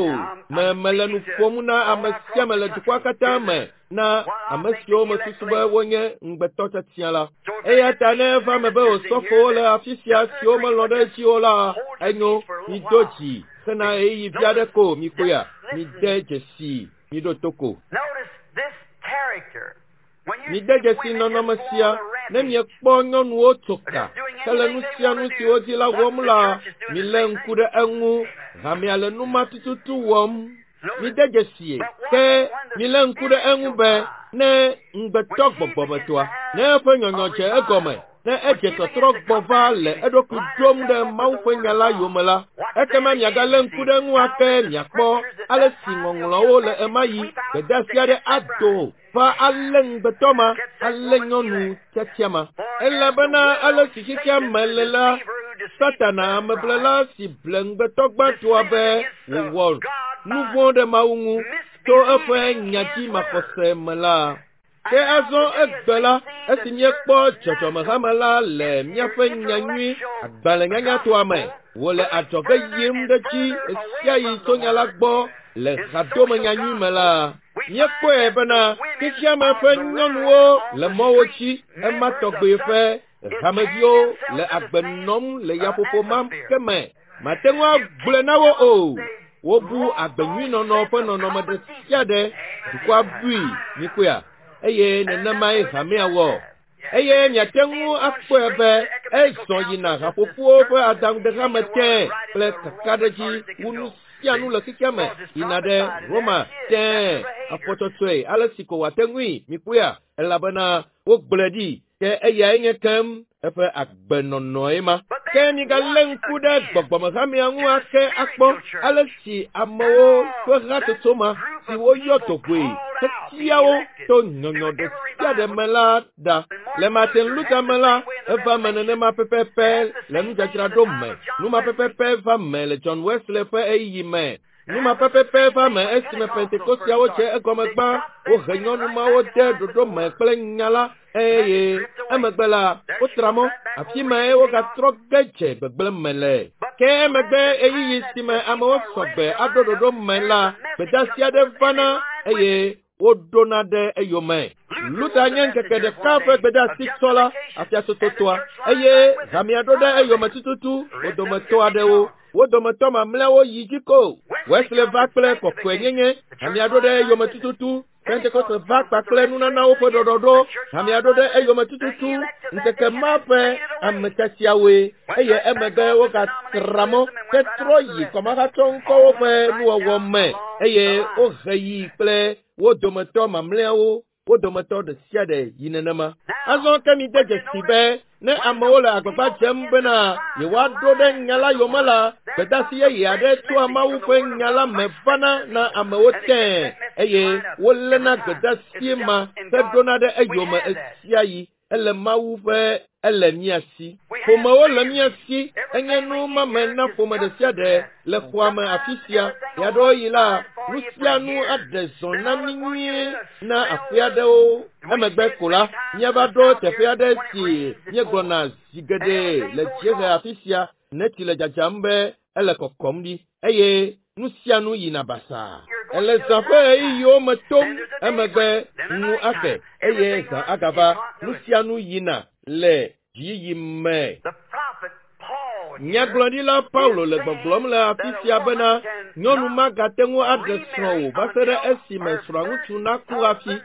Me mele nu ƒom na ame sia ame le dukɔa katã me na ame siwo mesusu be wonye ŋugbetɔ tiatia la. Eya ta ne eva eme be osɔfowo le afi sia siwo melɔ̃ ɖe edzi o la, enyo, mido dzi hena ɣeyiɣi vi aɖe ko mikpɔea, mide dzesii, miɖo to ko. Mide dzesi nɔnɔme sia, ne miekpɔ nyɔnuwo tso ka hele nu sia nu si wodi la wɔm la, milé ŋku ɖe eŋu. Hamea le nu ma tututu wɔm. Mide dzesie. Ke milé ŋku ɖe eŋu be ne ŋugbetɔ gbɔgbɔmetɔa, ne eƒe nyɔnyɔ dze egɔme, ne edze tɔtrɔ gbɔ va le eɖokui ɖom ɖe Mawu ƒe nya la yome la, ekema miagalé ŋku ɖe eŋu ake miakpɔ ale si ŋɔŋlɔawo le ɣemaɣi gbedeasi aɖe ado va alé ŋugbetɔ ma, alé nyɔnu tiatia ma. Elabena ale si xexea me le la, Satana ameblela si ble ŋugbetɔ gbãtɔa be wòwɔ nu vɔ̃ ɖe Mawu ŋu to eƒe nyadzimaxɔse me la, Ke azɔ egbe la, esi míekpɔ dzɔdzɔmehame la le míaƒe nyanyui agbalẽnyanyatɔa me, wòle adzɔge yim ɖe edzi ɣesiaɣi tso nya la gbɔ le hadome nyanyui me la, míekpɔe bena xexeame ƒe nyɔnuwo le mɔwo dzi ema tɔgbe ƒe hameviwo le agbe nɔm le yaƒoƒo ma ke me. Mate ŋu agblɔe na wo o. Wobu agbenyuinɔnɔ ƒe nɔnɔme ɖe sia ɖe dukɔa bui, mikpɔea, eye nenemae hamea wɔ. Eye miate ŋu akpɔe be ezɔ yina haƒoƒowo ƒe adaŋudehame tẽ kple kakaɖedzi wu nu sia nu le xexea me yina ɖe Roma tẽ afɔtsɔtsɔe ale si ko wòate ŋui, mikpɔea, elabena wogblɔe ɖi ke eyae nye kem eƒe agbenɔnɔe ma. Ke migalé ŋku ɖe gbɔgbɔmehamea ŋu ake akpɔ ale si amewo ƒe hatsotso ma si woyɔ dɔgɔe hetia wo to nyɔnyɔ ɖe sia ɖe me la ɖa. Le Martin Luther me la, eva eme nenema pɛpɛpɛ le nudzadzraɖo me. Nu ma pɛpɛpɛ va me le John Wesley ƒe ɣeyiɣi me. Nu ma pɛpɛpɛ va me esime Pentekosteawo dze egɔme gbã. Wohe nyɔnu mawo de ɖoɖo me kple nya la eye emegbe la, wotra mɔ. Afi mae wogatrɔ ge dze gbegblẽ me le. Ke emegbe ɣeyiɣi si me amewo sɔ gbe aɖo ɖoɖo me la, gbedeasi aɖe vana eye woɖona ɖe eyome. Luther nye ŋkeke ɖeka ƒe gbedeasi tsɔla afiatsotsotoa eye hamea ɖo ɖe eyome tututu wo dometɔ aɖewo. Wo dometɔ mamlɛawo yi dzi ko. Wesley va kple kɔkɔenyenye, hamea ɖo ɖe eyome tututu. Pentekoste va kpakple nunanawo ƒe ɖɔɖɔɖo, hamea ɖo ɖe eyome tututu. Ŋkeke ma ƒe ame tiatiawoe eye emegbe wogatra mɔ hetrɔ yi kɔmahatsɔŋkɔwo ƒe nuwɔwɔ me eye wohe yi kple wo dometɔ mamlɛawo. Wo dometɔ ɖe sia ɖe yi nenema. Azɔ ke mi de dzesi be ne amewo le agbagba dzem bena yewoaɖo ɖe nya la yome la, gbedasi yeye aɖe tsoa Mawu ƒe nya la me vana na amewo tẽe eye woléna gbedasi ma heɖona ɖe eyome ɣesiaɣi. Ele Mawu ƒe ele mía si. Ƒomewo le mía si. Enye nu mame na ƒome ɖe sia ɖe le xɔa me afi sia. Ɣeaɖewoɣi la, nu sia nu aɖe zɔ na mí nyuie na aƒe aɖewo. Emegbe ko la, míava ɖo teƒe aɖe si míegblɔna zi geɖe le dziehe afi sia ne tsi le dzadzam be ele kɔkɔm ɖi eye nu sia nu yina basaa. Ele zã ƒe ɣeyiɣiwo me tom, emegbe ŋu ake eye zã agava. Nu sia nu yina le dziyiyi me. Nyagblɔɖila Paulo le gbɔgblɔm le afi sia bena nyɔnu magate ŋu aɖe srɔ̃ o va se ɖe esime srɔ̃aŋutsu naku hafi.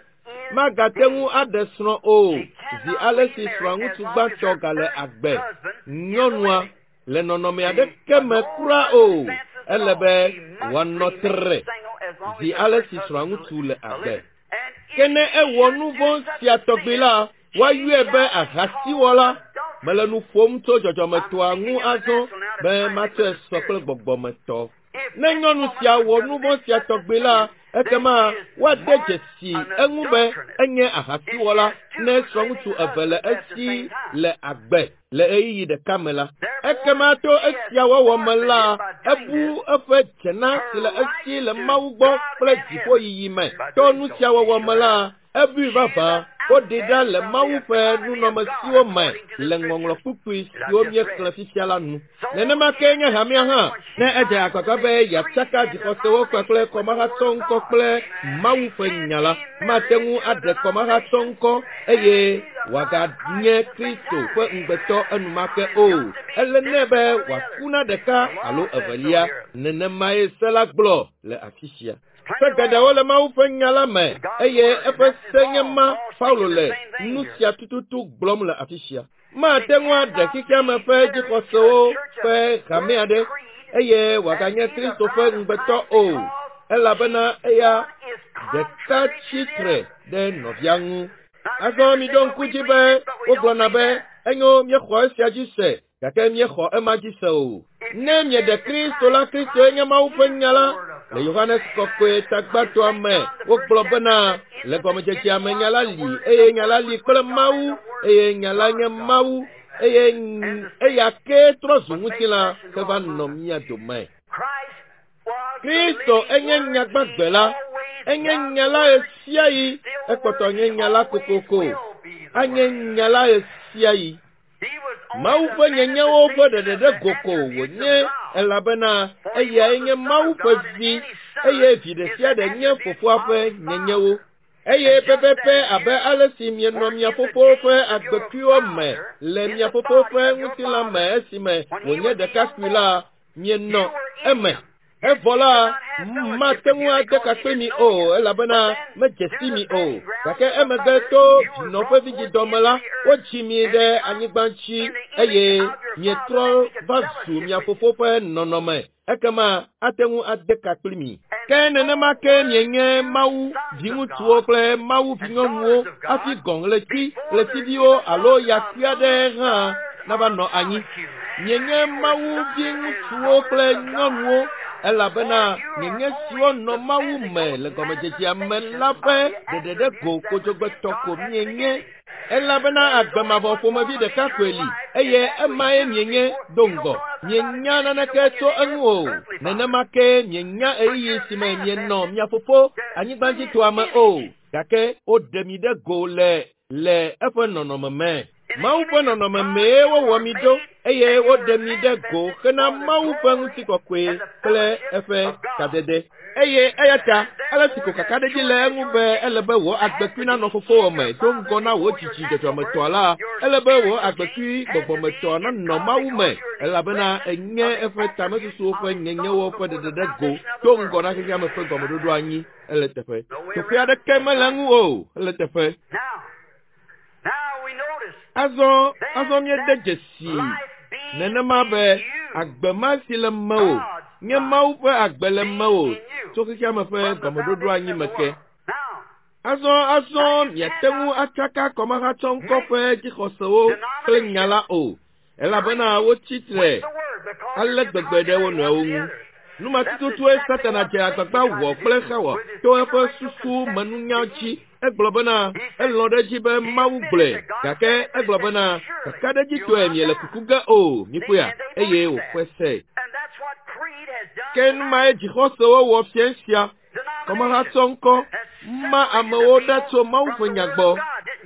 Magate ŋu aɖe srɔ̃ o zi ale si srɔ̃aŋutsu gbãtɔ gale agbe. Nyɔnua le nɔnɔme aɖeke me kura o. Ele be wòanɔ tre zi ale si srɔ̃aŋutsu le agbe. Ke ne ewɔ nu vɔ̃ sia tɔgbi la, woayɔe be ahasiwɔla. Mele nu ƒom tso dzɔdzɔmetɔa ŋu azɔ be matsɔe sɔ kple gbɔgbɔmetɔ. Ne nyɔnu sia wɔ nu vɔ̃ sia tɔgbi la, ekema woade dzesi eŋu be enye ahasiwɔla ne srɔ̃ŋutsu eve le esi le agbe le ɣeyiɣi ɖeka me la. Ekema to esia wɔwɔ me la, ebu eƒe dzena si le esi le Mawu gbɔ kple dziƒoyiyi me. To nu sia wɔwɔ me la, ebui vavã woɖi ɖa le Mawu ƒe nunɔamesiwo me le ŋɔŋlɔ kpukpui siwo míexlẽ fifia la nu. Nenema kee nye hamea hã, ne edze agbagba be yeatsaka dzixɔsewo kpakple kɔmahatsɔŋkɔ kple Mawu ƒe nya la, mate ŋu aɖe kɔmahatsɔŋkɔ eye wòaganye Kristo ƒe ŋugbetɔ enumake o. Ele nɛ be wòaku na ɖeka alo evelia. Nenemae se la gblɔ le afi sia. Se geɖewo le Mawu ƒe nya la me eye eƒe se nye ma Paulo le nu sia tututu gblɔm le afi sia. Mate ŋu aɖe xexeame ƒe dzixɔsewo ƒe hame aɖe eye wòaganye Kristo ƒe ŋugbetɔ o, elabena eya ɖeka tsi tre ɖe nɔvia ŋu. Azɔ miɖo ŋku dzi be wogblɔna be enyo míexɔ esia dzi se gake míexɔ ema dzi se o. Ne mieɖe Kristo la, Kristoe nye Mawu ƒe nya la. Le Yohanes kɔkɔe tagbãtɔa me, wogblɔ bena le gɔmedzedzea me nya la li eye nya la li kple Mawu eye nya la nye Mawu eye eya kee trɔ zu ŋutilã heva nɔ mía dome. Kristo enye nya gbagbe la, enye nya la ɣesiaɣi, ekpɔtɔ nye nya la kokoko, anye nya la ɣesiaɣi. Mawu ƒe nyenyewo ƒe ɖeɖe ɖe go ko wònye elabena eyae nye Mawu ƒe vi eye vi ɖe sia ɖe nye fofoa ƒe nyenyewo. Eye pɛpɛpɛ abe ale si mienɔ mia fofowo ƒe agbekuiwo me le mia fofowo ƒe ŋutilã me esime wònye ɖekakpui la, mienɔ eme. Evɔ la, mate ŋu ade ka kpli mi o, elabena medze si mi o. Gake emegbe to vinɔ ƒe vidzidɔ me la, wodzi mi ɖe anyigba dzi eye mietrɔ va zu mia fofo ƒe nɔnɔme. Ekema ate ŋu ade ka kpli mi. Ke nenema ke mienye Mawu viŋutsuwo kple Mawu vinyɔnuwo hafi gɔ̃ ɣleti, ɣletiviwo alo yakui aɖe hã nava nɔ anyi. Mienye Mawu viŋutsuwo kple nyɔnuwo elabena mienye siwo nɔ Mawu me le gɔmedzedzea me la ƒe ɖeɖe ɖe go kodzogbetɔ ko mienye. Elabena agbe mavɔ ƒomevi ɖeka koe li eye emae mienye do ŋgɔ. Mienya naneke tso eŋu o. Nenema ke mienya ɣeyiɣi si me mienɔ mia fofo anyigbadzitɔa me o, gake woɖe mi ɖe go le le eƒe nɔnɔme me. Mawu ƒe nɔnɔme mee wowɔ mi ɖo eye woɖe mi ɖe go hena Mawu ƒe ŋutikɔkɔe kple eƒe kadede. Eye eya ta ale si ko kakaɖedzi le eŋu be ele be wò agbekui nanɔ fofowò me do ŋgɔ na wò dzidzi dzɔdzɔmetɔa la, ele be wò agbekui gbɔgbɔmetɔa nanɔ Mawu me elabena enye eƒe tamesusuwo ƒe nyenyewo ƒe ɖeɖe ɖe go do ŋgɔ na xexeame ƒe gɔmeɖoɖo anyi. Ele teƒe. Teƒe aɖeke mele eŋu o. Ele teƒe. Azɔ, azɔ míede dzesi nenema be agbe ma si le mewò nye Mawu ƒe agbe le mewò tso xexeame ƒe gɔmeɖoɖo anyi me ke. Azɔ miate ŋu atsaka kɔmahatsɔŋkɔ ƒe dzixɔsewo kple nya la o, elabena wotsi tre ale gbegbe ɖe wo nɔewo ŋu. Numatututue Satana dze agbagba wɔ kple Xawa to eƒe susu menunya dzi. Egblɔ bena elɔ̃ ɖe edzi be Mawu gblɔe, gake egblɔ bena kakaɖedzitɔe miele kuku ge o, mikpɔea, eye wòxɔe se. Ke numae dzixɔsewo wɔ fia sia. Kɔmahatsɔŋkɔ ma amewo ɖa tso Mawu ƒe nya gbɔ.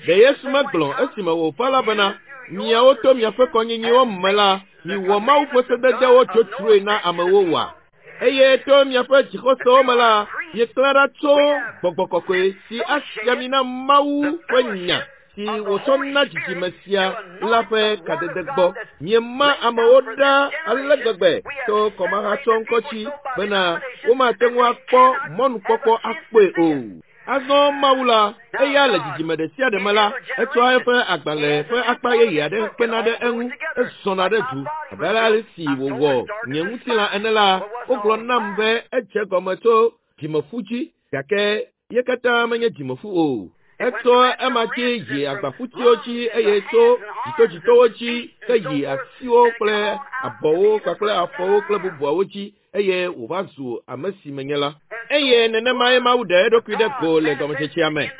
Ɖe Yesu megblɔ esime wòva la bena, miawo to miaƒe kɔnyinyiwo me la, miwɔ Mawu ƒe sededewo dzodzroe na amewo wa. Eye to miaƒe dzixɔsewo me la, mieklã ɖa tso gbɔgbɔ kɔkɔe si asia mi na Mawu ƒe nya si wòtsɔ na dzidzime sia la ƒe kadede gbɔ. Miema amewo ɖa ale gbegbe to kɔmahatsɔŋkɔ dzi bena womate ŋu akpɔ mɔnukpɔkpɔ akpɔe o. Azɔ Mawu la, eya le dzidzime ɖe sia ɖe me la, etsɔa eƒe agbalẽ ƒe akpa yeye aɖe kpena ɖe eŋu, ezɔna ɖe du. Abe ale si wòwɔ nye ŋutilã ene la, wogblɔ nam be edze gɔme tso dzimeƒu dzi, gake ye katã menye dzimeƒu o. Etso ema dzi yi agbaƒutiwo dzi eye tso dzitodzitowo dzi ke yi asiwo kple abɔwo kpakple afɔwo kple bubuawo dzi eye wòva zu ame si menye la. Eye nenemae Mawu ɖe eɖokui ɖe go le gɔmetsetsea me.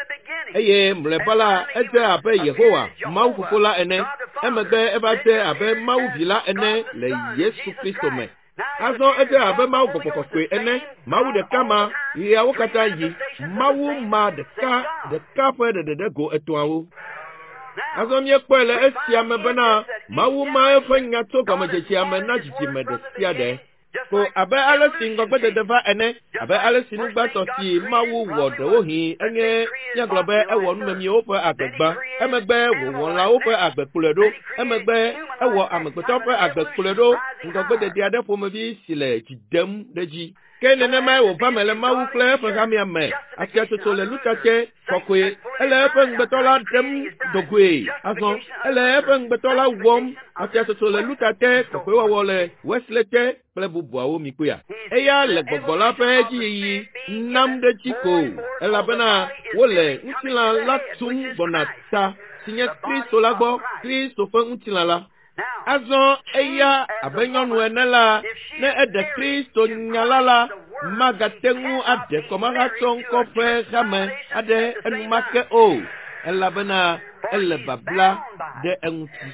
Eye mlɔeba la, edze abe Yehowa, Mawu Fofo la ene. Emegbe eva dze abe Mawu Vi la ene le Yesu Kristo me. Azɔ edze abe Mawu Gbɔgbɔ Kɔkɔe ene. Mawu ɖeka ma, ɣeawo katã yi. Mawu ma ɖeka ɖeka ƒe ɖeɖeɖe go etɔ̃awo. Azɔ míekpɔe le esia me bena Mawu ma eƒe nya tso gɔmedzedzea me na dzidzime ɖe sia ɖe. Ko abe ale si ŋgɔgbedede va ene, abe ale si nugbãtɔ si Mawu wɔ ɖewohĩ enye míagblɔ be ewɔ numemiwo ƒe agbe gbã, emegbe wòwɔ lãwo ƒe agbe kplɔe ɖo, emegbe ewɔ amegbetɔ ƒe agbe kplɔe ɖo, ŋgɔgbedede aɖe ƒomevi si le dzi dem ɖe dzi. Ke nenemae wòva me le Mawu kple eƒe hamea me. Afiatsotso le lutsatse kɔkɔe. Ele eƒe ŋugbetɔ la ɖem dogoe. Azɔ ele eƒe ŋugbetɔ la wɔm. Afiatsotso le lutsatse kɔkɔewɔwɔ le Wesley te kple bubuawo mikpɔea. Eya le gbɔgbɔ la ƒe dziyiyi nam ɖe dzi ko, elabena wole ŋutilã la tum gbɔna ta si nye Kristo la gbɔ, Kristo ƒe ŋutilã la. Azɔ eya abe nyɔnu ene la, ne eɖe Kristo nya la la, magate ŋu aɖe kɔmahatsɔŋkɔ ƒe hame aɖe enumake o, elabena ele babla ɖe eŋuti.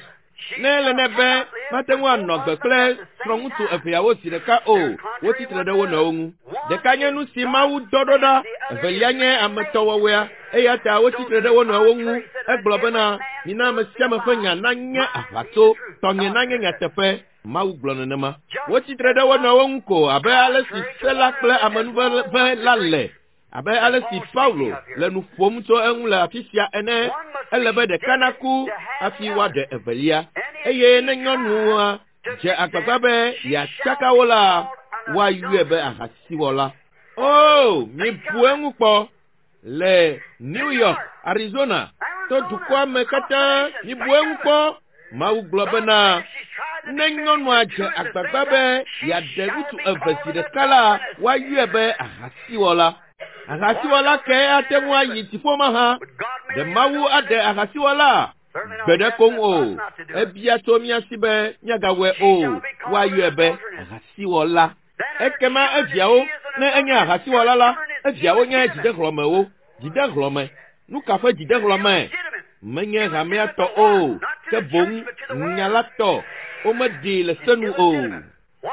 Ne ele nɛ be mate ŋu anɔ agbe kple srɔ̃ŋutsu eveawo zi ɖeka o, wotsi tre ɖe wo nɔewo ŋu. Ɖeka nye nu si Mawu dɔ ɖo ɖa, evelia nye ametɔwɔwɔea, eya ta wotsi tre ɖe wo nɔewo ŋu. Egblɔ bena, mina ame sia ame ƒe nya nanye aʋatso, tɔnye nanye nyateƒe. Mawu gblɔ nenema. Wotsi tre ɖe wo nɔewo ŋu ko abe ale si se la kple amenuveve la le, abe ale si Paulo le nu ƒom tso eŋu le afi sia ene. Ele be ɖeka naku hafi woaɖe evelia. Eye ne nyɔnua dze agbagba be yeatsaka wo la, woayɔe be ahasiwɔla. O, mibu eŋu kpɔ. Le New York, Arizona, to dukɔa me katã, mibu eŋu kpɔ. Mawu gblɔ bena, ne nyɔnua dze agbagba be yeaɖe ŋutsu eve zi ɖeka la, woayɔe be ahasiwɔla. Ahasiwɔla kae ate ŋu ayi dziƒo mahã? Ɖe Mawu aɖe ahasiwɔla? Gbe ɖe koŋ o. Ebia tso mía si be míagawɔe o. Woayɔe be ahasiwɔla. Ekema eviawo, ne enye ahasiwɔla la, eviawo nye dzidehlɔ̃mewo. Dzidehlɔ̃me. Nu ka ƒe dzidehlɔ̃me? Menye hamea tɔ o, ke boŋ nya la tɔ. Womeɖee le se nu o.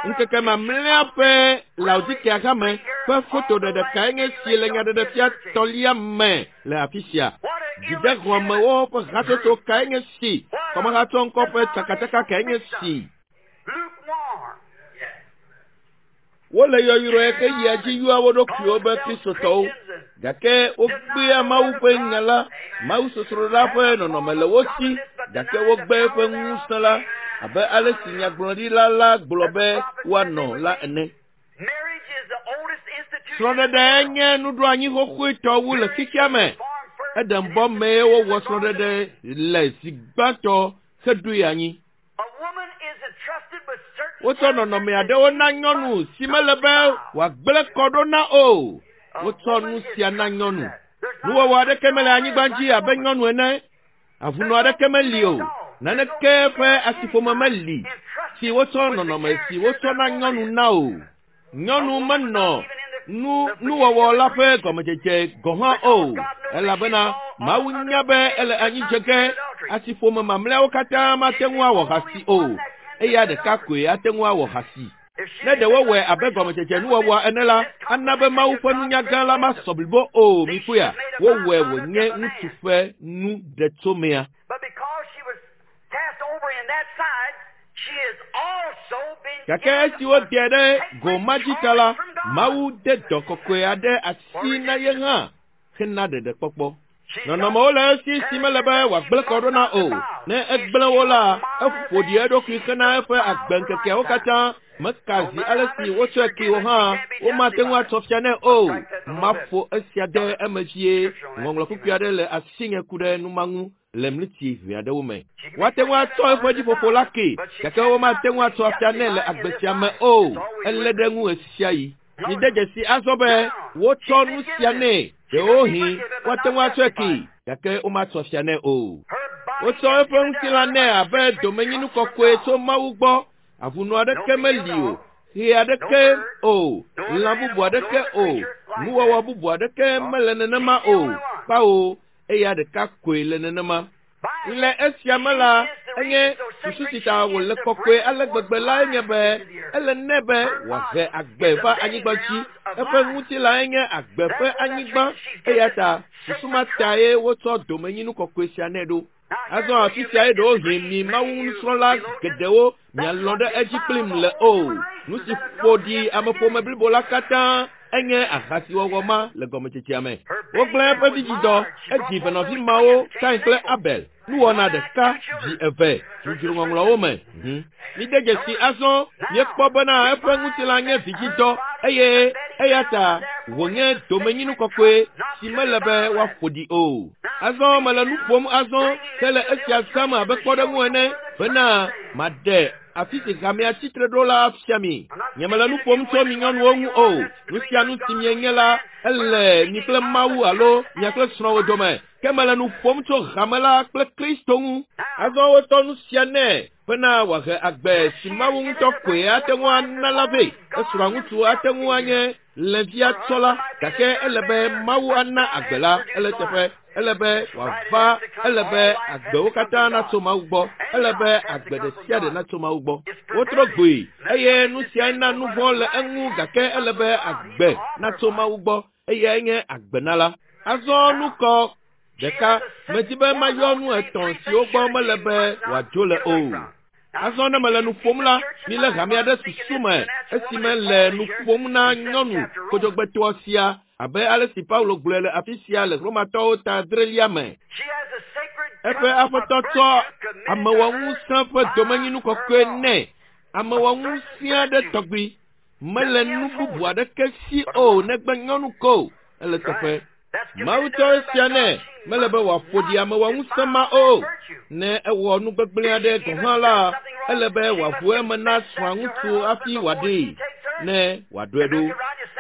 Ŋkeke mamlɛa ƒe Laodikea hame ƒe fotoɖeɖe kae nye si le nyaɖeɖefia tɔlia me le afi sia? Dzidehlɔ̃mewo ƒe hatsotso kae nye si? Kɔmahatsɔŋkɔ ƒe tsakatsaka kae nye si? Wole yɔyrɔe ke yia dzi yɔa wo ɖokuiwo be Kristotɔwo, gake wogbea Mawu ƒe nya la. Mawu sosroɖa ƒe nɔnɔme le wo si, gake wogbe eƒe ŋusẽ la, abe ale si nyagblɔɖila la gblɔ be woanɔ la ene. Srɔ̃ɖeɖe nye nuɖoanyi xoxoetɔ wu le xexea me. Eɖembɔ mee wowɔ srɔ̃ɖeɖe le zi gbãtɔ heɖoe anyi. Wotsɔ nɔnɔme aɖewo na nyɔnu si mele be wòagblẽ kɔ ɖo na o. Wotsɔ nu sia na nyɔnu. Nuwɔwɔ aɖeke mele anyigba dzi abe nyɔnu ene. Avunɔ aɖeke meli o. Naneke ƒe asiƒome meli si wotsɔ nɔnɔme si wotsɔ na nyɔnu na o. Nyɔnu menɔ nu nuwɔwɔ la ƒe gɔmedzedze gɔ̃ hã o elabena Mawu nya be ele anyi dze ge asiƒome mamlɛawo katã mate ŋu awɔ hasi o. Eya ɖeka koe ate ŋu awɔ hasi. Ne ɖe wowɔe abe gɔmedzedze nuwɔwɔa ene la, ana be Mawu ƒe nunya gã la masɔ blibo o. Mikpɔea, wowɔe wònye ŋutsu ƒe nu ɖetsomea. But because she was cast over in that side, she has also been Gake given esi woɖe ɖe a go ma dzi ta la, Mawu de dɔ kɔkɔe aɖe asi na ye hã hena ɖeɖekpɔkpɔ. Nɔnɔmewo le esi si mele be wòagblẽ kɔ ɖo na o. Ne egblẽ wo la, eƒo ɖi eɖokui hena eƒe agbeŋkekeawo katã. Meka zi ale si wotsɔe kee o hã, womate ŋu atsɔ fia nɛ o. Maƒo esia ɖe eme vie. Ŋɔŋlɔ kpukpui aɖe le asinye ku ɖe nu ma ŋu le mliti ʋɛ aɖewo me. Woate ŋu atsɔ eƒe dziƒoƒo la kee, gake womate ŋu atsɔ afia nɛ le agbe sia me o. Elé ɖe ŋu ɣesiaɣi. Mide dzesi azɔ be wotsɔ nu sia nɛ. Ɖewohĩ woate ŋu atsɔe kee, gake womatsɔ fia nɛ o. Wotsɔ eƒe ŋutilã nɛ abe domenyinu kɔkɔe tso Mawu gbɔ. Avunɔ aɖeke meli o, ɣe aɖeke o, lã bubu aɖeke o, nuwɔwɔ bubu aɖeke mele nenema o. Kpawo, eya ɖeka koe le nenema. Le esia me la, enye susu si ta wòle kɔkɔe ale gbegbe la enye be ele nɛ be wòahe agbe va anyigba dzi. Eƒe ŋutilãe nye agbe ƒe anyigba eya ta susu ma tae wotsɔ domenyinu kɔkɔe sia nɛ ɖo. Azɔ afi siae ɖewohĩ mi Mawu nusrɔ̃la geɖewo mialɔ̃ ɖe edzi kplim le o. Nu si ƒo ɖi ameƒome blibo la katã enye ahasiwɔwɔ ma le gɔmedzedzea me. Wogblẽ eƒe vidzidɔ, edzi venɔvi mawo, Kain kple Abel. Nuwɔna ɖeka dzi eve dzodzro ŋɔŋlɔwo me. Mide dzesi azɔ míekpɔ bena eƒe ŋutilã nye vidzidɔ eye eya ta wònye domenyinu kɔkɔe si mele be woaƒo ɖi o. Azɔ mele nu ƒom azɔ hele esia zãm abe kpɔɖeŋu ene bena maɖe afi si hamea tsitre ɖo la fia mi. Nyemele nu ƒom tso mi nyɔnuwo ŋu o. Nu sia nu si mienye la, ele mi kple Mawu alo mia kple srɔ̃wò dome. Ke mele nu ƒom tso hame la kple Kristo ŋu. Azɔ wotsɔ nu sia nɛ bena wòahe agbe si Mawu ŋutɔ koe ate ŋu ana la vɛ. Esrɔ̃a ŋutsu ate ŋu anye lẽvia tsɔla gake ele be Mawu ana agbe la ele teƒe. Ele be wòava, ele be agbewo katã natso Mawu gbɔ. Ele be agbe ɖe sia ɖe natso Mawu gbɔ. Wotrɔ gboe eye nu siae na nu vɔ̃ le eŋu gake ele be agbe natso Mawu gbɔ eyae nye agbenala. Azɔ nukɔ ɖeka medi be mayɔ nu etɔ̃ siwo gbɔ mele be wòadzo le o. Azɔ ne mele nu ƒom la, milé hamea ɖe susu me esime le nu ƒom na nyɔnu kodzogbetɔa sia abe ale si Paulo gblɔe le afi sia le Romatɔwo ta adrelia me. She has a sacred Eƒe aƒetɔ tsɔ amewɔŋusẽ ƒe domenyinu kɔkɔe nɛ. Amewɔŋusẽ aɖe tɔgbi mele nu bubu aɖeke si o negbe nyɔnu ko ele teƒe. Mawu tsɔ esia nɛ mele be wòaƒo ɖi amewɔŋusẽ ma o. Ne ewɔ nu gbegblẽ aɖe gɔ̃ hã la, ele be wòaʋu eme na srɔ̃a ŋutsu hafi wòaɖee ne wòaɖɔe ɖo.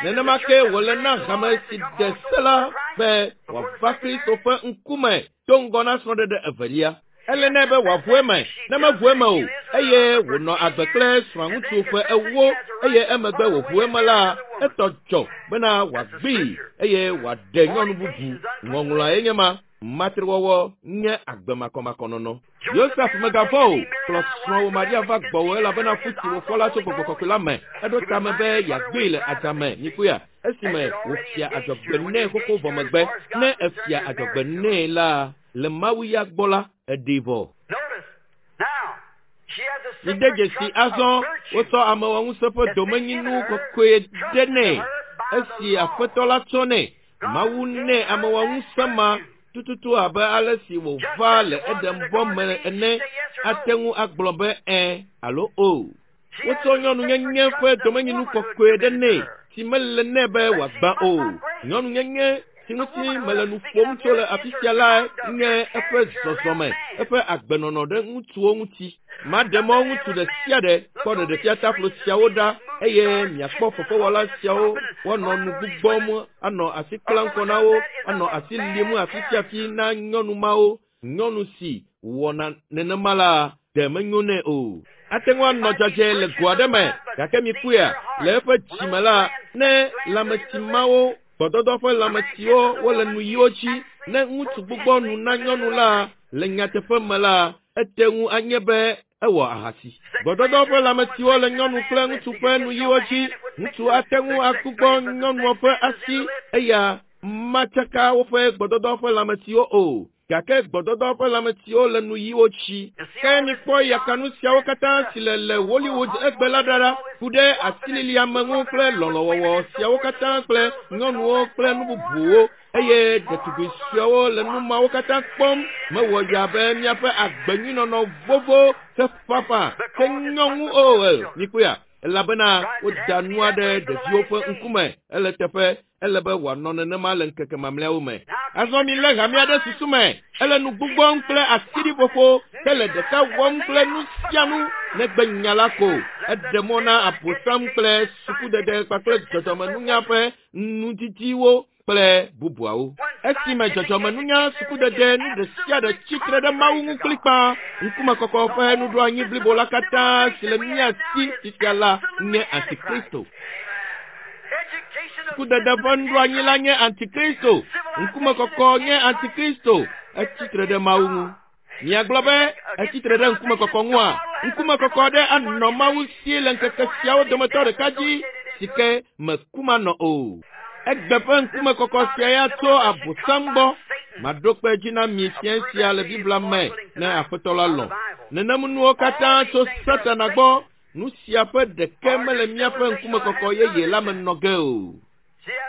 Nenema ke wòle na hame si de se la be wòava Kristo ƒe ŋkume do ŋgɔ na srɔ̃ɖeɖe evelia. Ele nɛ be wòaʋu eme, ne meʋu eme o eye wònɔ agbe kple srɔ̃a ŋutsu ƒe ewo eye emegbe wòʋu eme la, etɔ dzɔ bena wòagbee eye wòaɖe nyɔnu bubu. Ŋɔŋlɔae nye ma. Matrewɔwɔ nye agbe makɔmakɔnɔnɔ. Yosef megavɔ̃ o, kplɔ srɔ̃wò Maria va gbɔwò elabena fu si wòfɔ la tso gbɔgbɔ kɔkɔe la me. Eɖo tame be yeagbee le adzame, mikpɔea, esime wòfia adzɔgbe nɛ xoxo vɔ megbe. Ne efia adzɔgbe nɛ la, le Mawu ya gbɔ la, eɖee vɔ. Notice, now, she has a Mide sacred dzesi trust azɔ of virtue. wotsɔ amewɔŋusẽ ƒe domenyinu kɔkɔe ɖe nɛ esi aƒetɔ la tsɔ nɛ. Mawu nɛ amewɔŋusẽ ma tututu abe ale si wòva le Edenbɔ me ene ate ŋu agblɔ be ẽ alo o. Wotsɔ nyɔnunyenye ƒe domenyinu kɔkɔe ɖe nɛ si mele nɛ be wòagbã o. Nyɔnunyenye si ŋuti mele nu ƒom tso le afi sia la nye eƒe zɔzɔme, eƒe agbenɔnɔ ɖe ŋutsuwo ŋuti. Maɖe mɔ ŋutsu ɖe sia ɖe kpɔ ɖeɖefiataflo siawo ɖa eye miakpɔ fefewɔla siawo woanɔ nu gbugbɔm, anɔ asi kplam kɔ na wo, anɔ asi lim afi sia afi na nyɔnu mawo. Nyɔnu si wɔna nenema la, ɖe menyo nɛ o. Ate ŋu anɔ dzadzɛ le go aɖe me, gake mikpɔea, le eƒe dzime la, ne lãmetsi mawo, gbɔdɔdɔ ƒe lãmetsiwo wole nuyiwo dzi, ne ŋutsu gbugbɔ nu na nyɔnu la, le nyateƒe me la, ete ŋu anye be ewɔ ahasi. Gbɔdɔdɔ ƒe lãmetsiwo le nyɔnu kple ŋutsu ƒe nuyiwo dzi. Ŋutsu ate ŋu agbugbɔ nyɔnua ƒe asi, eya matsaka woƒe gbɔdɔdɔ ƒe lãmetsiwo o. Gake gbɔdɔdɔ ƒe lãmetsiwo le nuyiwo dzi. Ke mikpɔ yakanu siawo katã si le le Hollywood egbe la ɖa ɖa, ku ɖe asililiame ŋu kple lɔlɔ̃wɔwɔ siawo katã kple nyɔnuwo kple nu bubuwo, eye ɖetugbui suewo le nu mawo katã kpɔm. Mewɔ ya be míaƒe agbenyuinɔnɔ vovo heƒaƒã ke nyɔŋu o. Mikpɔea? Elabena woda nua ɖe ɖeviwo ƒe ŋkume. Ele teƒe, ele be wòanɔ nenema le ŋkeke mamlɛawo me. Azɔ milé hamea ɖe susu me. Ele nu gbugbɔm kple asiɖiƒoƒo, ke le ɖeka wɔm kple nu sia nu negbe nya la ko. Eɖe mɔ na Abosam kple sukudede kpakple dzɔdzɔmenunya ƒe nudidiwo kple bubuawo. Esime dzɔdzɔmenunya, sukudede, nu ɖe sia ɖe tsitre ɖe Mawu ŋu kplikpaa, ŋkumekɔkɔ ƒe nuɖoanyi blibo la katã si le mía si fifia la nye Antikristo. Sukudede ƒe nuɖoanyi la nye Antikristo. Ŋkumekɔkɔ nye Antikristo. Etsitre ɖe Mawu ŋu. Miagblɔ be etsitre ɖe ŋkumekɔkɔ ŋua? Ŋkumekɔkɔ aɖe anɔ Mawu si le ŋkeke siawo dometɔ ɖeka dzi si ke meku manɔ o. Egbe ƒe ŋkumekɔkɔ sia ya tso Abosam gbɔ. Maɖo kpe edzi na mi fiẽ sia le Biblia me ne Aƒetɔ la lɔ̃. Nenem nuwo katã tso Satana gbɔ. Nu sia ƒe ɖeke mele míaƒe ŋkumekɔkɔ yeye la me nɔ ge o.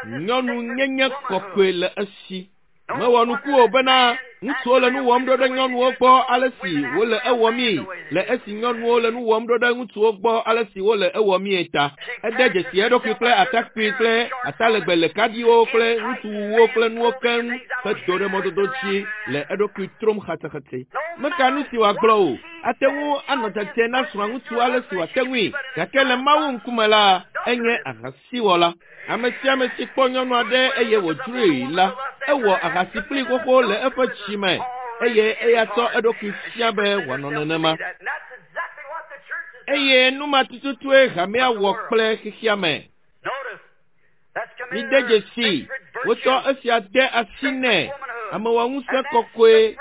Nyɔnu nyenye kɔkɔe le esi. Mewɔ nuku o bena ŋutsuwo le nu wɔm ɖo ɖe nyɔnuwo gbɔ ale si wole ewɔmii, le esi nyɔnuwo le nu wɔm ɖo ɖe ŋutsuwo gbɔ ale si wole ewɔmii ta. Ede dzesi eɖokui kple atakpui kple atalegbe le kaɖiwo kple ŋutsuwuwo kple nuwo keŋ hedo ɖe mɔdodo dzi le eɖokui trom xatsexatse. Meka nu si wòagblɔ o. Ate ŋu anɔ dzadzɛ na srɔ̃aŋutsu ale si wòate ŋui, gake le Mawu ŋkume la, enye ahasiwɔla. Ame sia ame si kpɔ nyɔnu aɖe eye wòdzroe la, ewɔ ahasi kplii xoxo le eƒe dzi me, eye eya tsɔ eɖokui fia be wòanɔ nenema. Eye nu ma tututue hamea wɔ kple xexea me. Mide dzesii, wotsɔ esia de asi nɛ, amewɔŋusẽ kɔkɔe,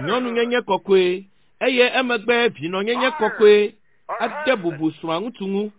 nyɔnunyenye kɔkɔe, eye emegbe vinɔnyenye kɔkɔe ade bubu srɔ̃aŋutsu ŋu.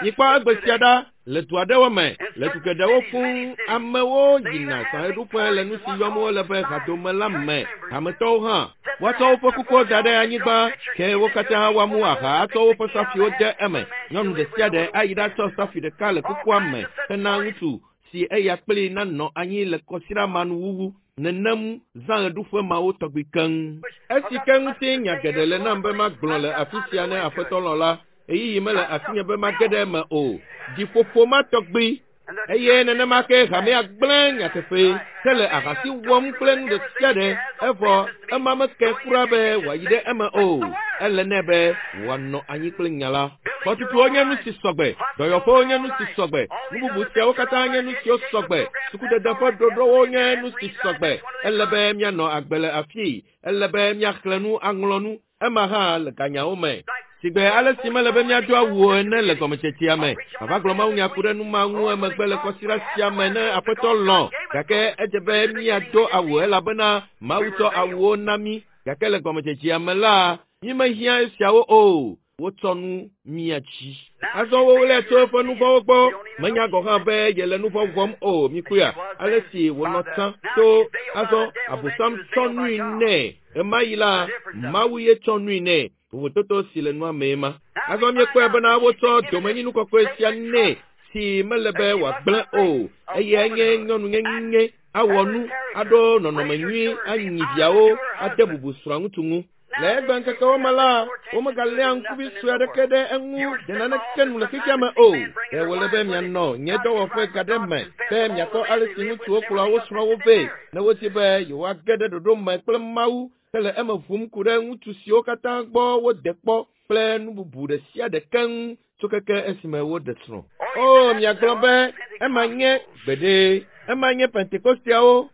Mikpɔ egbe sia ɖa le du aɖewo me, le du geɖewo fũu, amewo yina sɔhɛɖuƒe le nu si yɔm wole be hadome la me. Hametɔwo hã, woatsɔ woƒe kukuwo da ɖe anyigba, ke wo katã woamu aha atsɔ woƒe safiwo de eme. Nyɔnu ɖe sia ɖe ayi ɖatsɔ safi ɖeka le kukua me hena ŋutsu si eya kplii nanɔ anyi le kɔsiɖa ma nuwuwu. Nenem zãɣeɖuƒe mawo tɔgbi keŋ. Esi ke ŋuti nya geɖe le nam be magblɔ le afi sia ne Aƒetɔ lɔ̃ la, ɣeyiɣi mele asinye be mage ɖe eme o. Ɖiƒoƒo ma tɔgbi. Eye nenema ke hamea gblẽ nyateƒee ke le ahasi wɔm kple nu ɖe sia ɖe, evɔ ema meke kura be wòayi ɖe eme o. Ele nɛ be wòanɔ anyi kple nya la. Xɔtutuwo nye nu si sɔgbe, dɔyɔƒewo nye nu si sɔgbe, nu bubu siawo katã nye nu siwo sɔgbe, sukudede ƒe ɖoɖowo nye nu si sɔgbe. Ele be míanɔ agbe le afii, ele be míaxlẽ nu aŋlɔ nu, ema hã le ganyawo me. Sigbe ale si mele be míado awu o ene le gɔmetsetsea me. Mava gblɔ mawunya ku ɖe nu ma ŋu emegbe le kɔsiɖa sia me ne Aƒetɔ lɔ̃. Gake edze be míado awu elabena Mawu tsɔ awuwo na mí. Gake le gɔmedzedzea me la, mímehiã esiawo o. Wotsɔ nu mía dzi. Azɔ woɣlae tso eƒe nu vɔ̃wo gbɔ. Menya gɔ̃ hã be yele nu vɔ̃ wɔm o. Mikpɔea? Ale si wònɔ tsã to azɔ Abosam tsɔ nui nɛ. Ɣemaɣi la, Mawu ye tsɔ nui nɛ. Vovototo si le nua mee ma. Azɔ míekpɔe bena wotsɔ domenyinu kɔkɔe sia nɛ si mele be wòagblẽ o, eye enye nyɔnunyenye, awɔ nu, aɖo nɔnɔme nyui, anyi viawo, ade bubu srɔ̃aŋutsu ŋu. Le egbeŋkekewo me la, womegaléa ŋkuvi sue aɖeke ɖe eŋu ɖe naneke nu le xexea me o. Ɖe wòle be mianɔ nye dɔwɔƒe ga ɖe me be miakpɔ ale si ŋutsuwo kplɔa wo srɔ̃wo vɛ ne wodi be yewoage ɖe ɖoɖo me kple Mawu hele eme ʋum ku ɖe ŋutsu siwo katã gbɔ wode kpɔ kple nu bubu ɖe sia ɖe keŋ tso keke esime woɖe srɔ̃. O, miagblɔ be ema nye gbeɖe, ema nye Pentekosteawo,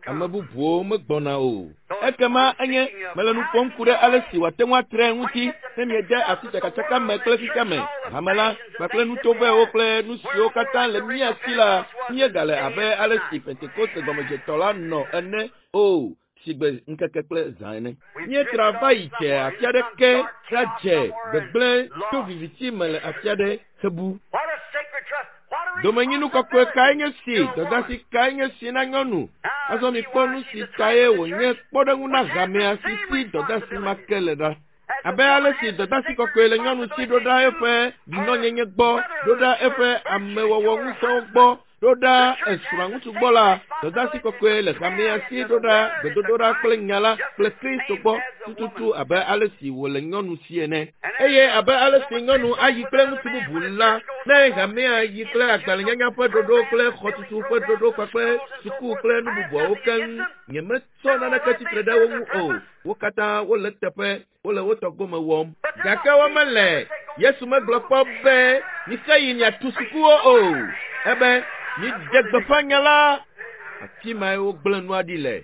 ame bubuwo megbɔna o. Ekema enye mele nu ƒom ku ɖe ale si wòate ŋu atre ŋuti ne miede asi tsakatsaka me kple xexea me, hame la kpakple nutovɛwo kple nu siwo katã le mía si la, míegale abe ale si Pentekoste gɔmedzetɔ la nɔ ene o. Sigbe ŋkeke kple zã ene. Míetra va yi dze afi aɖeke ɖadze gbegblẽ to viviti me le afi aɖe hebu. Domenyinu kɔkɔe kae nye si, dɔdeasi kae nye si na nyɔnu? Azɔ mikpɔ nu si tae wònye kpɔɖeŋu na hamea si si dɔdeasi ma ke le ɖa. Abe ale si dɔdeasi kɔkɔe le nyɔnu si ɖo ɖa eƒe vinɔnyenye gbɔ, ɖo ɖa eƒe amewɔwɔ ŋusẽwo gbɔ, ɖo ɖa esrɔ̃a ŋutsu gbɔ la, dɔdeasi kɔkɔe le hamea si ɖo ɖa gbedodoɖa kple nya la kple Kristo gbɔ tututu abe ale si wòle nyɔnu si ene. Eye abe ale si nyɔnu ayi kple ŋutsu bubu la, ne hamea yi kple agbalẽnyanya ƒe ɖoɖo kple xɔtutu ƒe ɖoɖo kpakple suku kple nu bubuawo keŋ, nyemetsɔ naneke tsitre ɖe wo ŋu o. Wo katã wole teƒe, wole wo tɔ gome wɔm. Gake womele. Yesu megblɔ kpɔ be mixe yi miatu sukuwo o. Ebe miɖe gbeƒã nya la. Afi mae wogblẽ nua ɖi le.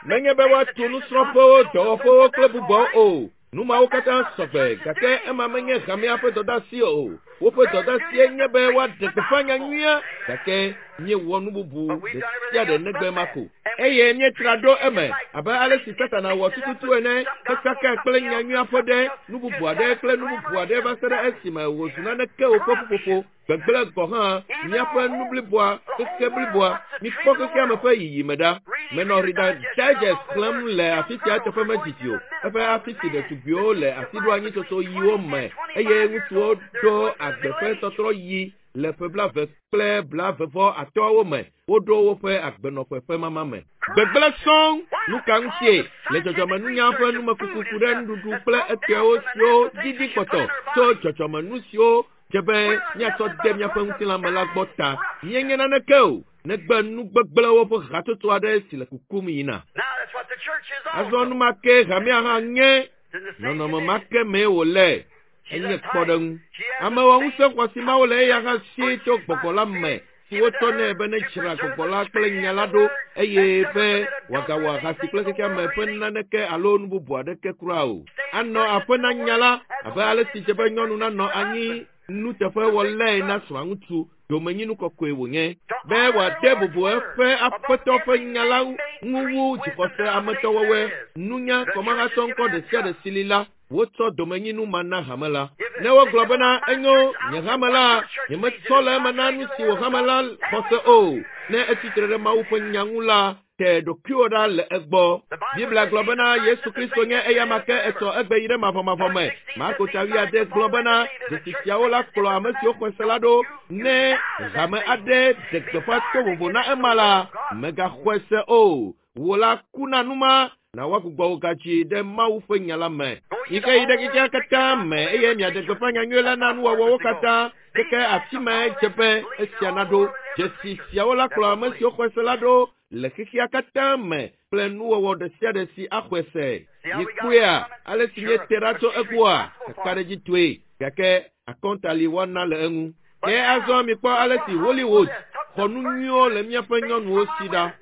Menye be woatu nusrɔ̃ƒewo, dɔwɔƒewo kple bubuawo o. Nu mawo katã sɔgbe, gake ema menye hamea ƒe dɔdeasi o. Woƒe dɔdeasie nye be woaɖe gbeƒã nya nyuia, gake míewɔ nu bubu ɖe sia ɖe negbe ma ko. Eye míetra ɖo eme abe ale si Satana wɔ tututu ene, hetsakae kple nya nyuia ƒe ɖe, nu bubu aɖe kple nu bubu aɖe va se ɖe esime wòzu naneke o ƒe ƒuƒoƒo, gbegblẽ gɔ̃ hã, míaƒe nu bliboa, xexe bliboa. Mikpɔ xexea me ƒe yiyime ɖa. Menɔ Reader's Digest xlẽm le afi sia eteƒe medidi o. Eƒe afi si ɖetugbiwo le asiɖoanyitsotso ɣiwo me eye ŋutsuwo ɖo agbe ƒe tɔtrɔ ɣi le ƒe blaeve kple blaeve-vɔ-atɔ̃awo me. Woɖo woƒe agbenɔƒe ƒe mama me. Gbegblẽ sɔŋ! Nuka ŋutie? Le dzɔdzɔmenunya ƒe numekuku ku ɖe nuɖuɖu kple etɔewo siwo didi kpɔtɔ tso dzɔdzɔmenu siwo dze be míatsɔ de míaƒe ŋutilã me la gbɔ ta. Míenye naneke o, negbe nu gbegblẽwo ƒe hatsotso aɖe si le kukum yina. Azɔ nu ma ke hamea hã nye. Nɔnɔme ma ke mee wòle. Enye kpɔɖeŋu. Amewɔŋusẽ xɔasi mawo le eya hã si tso gbɔgbɔ la me si wotsɔ nɛ be nedzra gbɔgbɔ la kple nya la ɖo eye be wòagawɔ ahasi kple xexea me ƒe naneke alo nu bubu aɖeke kura o. Anɔ aƒe na nya la abe ale si dze be nyɔnu nanɔ anyi nuteƒewɔlae na srɔ̃aŋutsu domenyinu kɔkɔe wònye be wòade bubu eƒe aƒetɔ ƒe nya la ŋu wu dzixɔse ametɔwɔwɔe, nunya, kɔmahatɔ ŋkɔ ɖe sia ɖe si li la. Wotsɔ domenyinu ma na hame la. Ne wogblɔ bena, Enyo, nye hame la, nyemetsɔ le eme na nu si wò hame la xɔ se o. Ne etsi tre ɖe Mawu ƒe nya ŋu la, te ɖokuiwò ɖa le egbɔ. Biblia gblɔ bena Yesu Kristo nye eyama ke etsɔ egbe yi ɖe mavɔmavɔ me. Marko ta wuiade gblɔ bena dzesi siawo la kplɔ ame siwo xɔe se la ɖo. Ne hame aɖe ɖe gbeƒã to vovo na ema la, mègaxɔe se o. Wò la ku na nu ma, na woagbugbɔ wò gadzi ɖe Mawu ƒe nya la me. Mike yi ɖe xexea katã me eye miaɖe gbeƒã nyanyui la na nuwɔwɔwo katã. Keke afi mae dze be esia naɖo. Dzesi siawo la kplɔ ame siwo xɔe se la ɖo le xexea katã me kple nuwɔwɔ ɖe sia ɖe si axɔe se. Mikpɔea ale si míete ɖa tso egbɔa? Kakaɖedzitɔe, gake akɔnta li woana le eŋu. Ke azɔ mikpɔ ale si Hollywood xɔ nu nyuiwo le míaƒe nyɔnuwo si ɖa.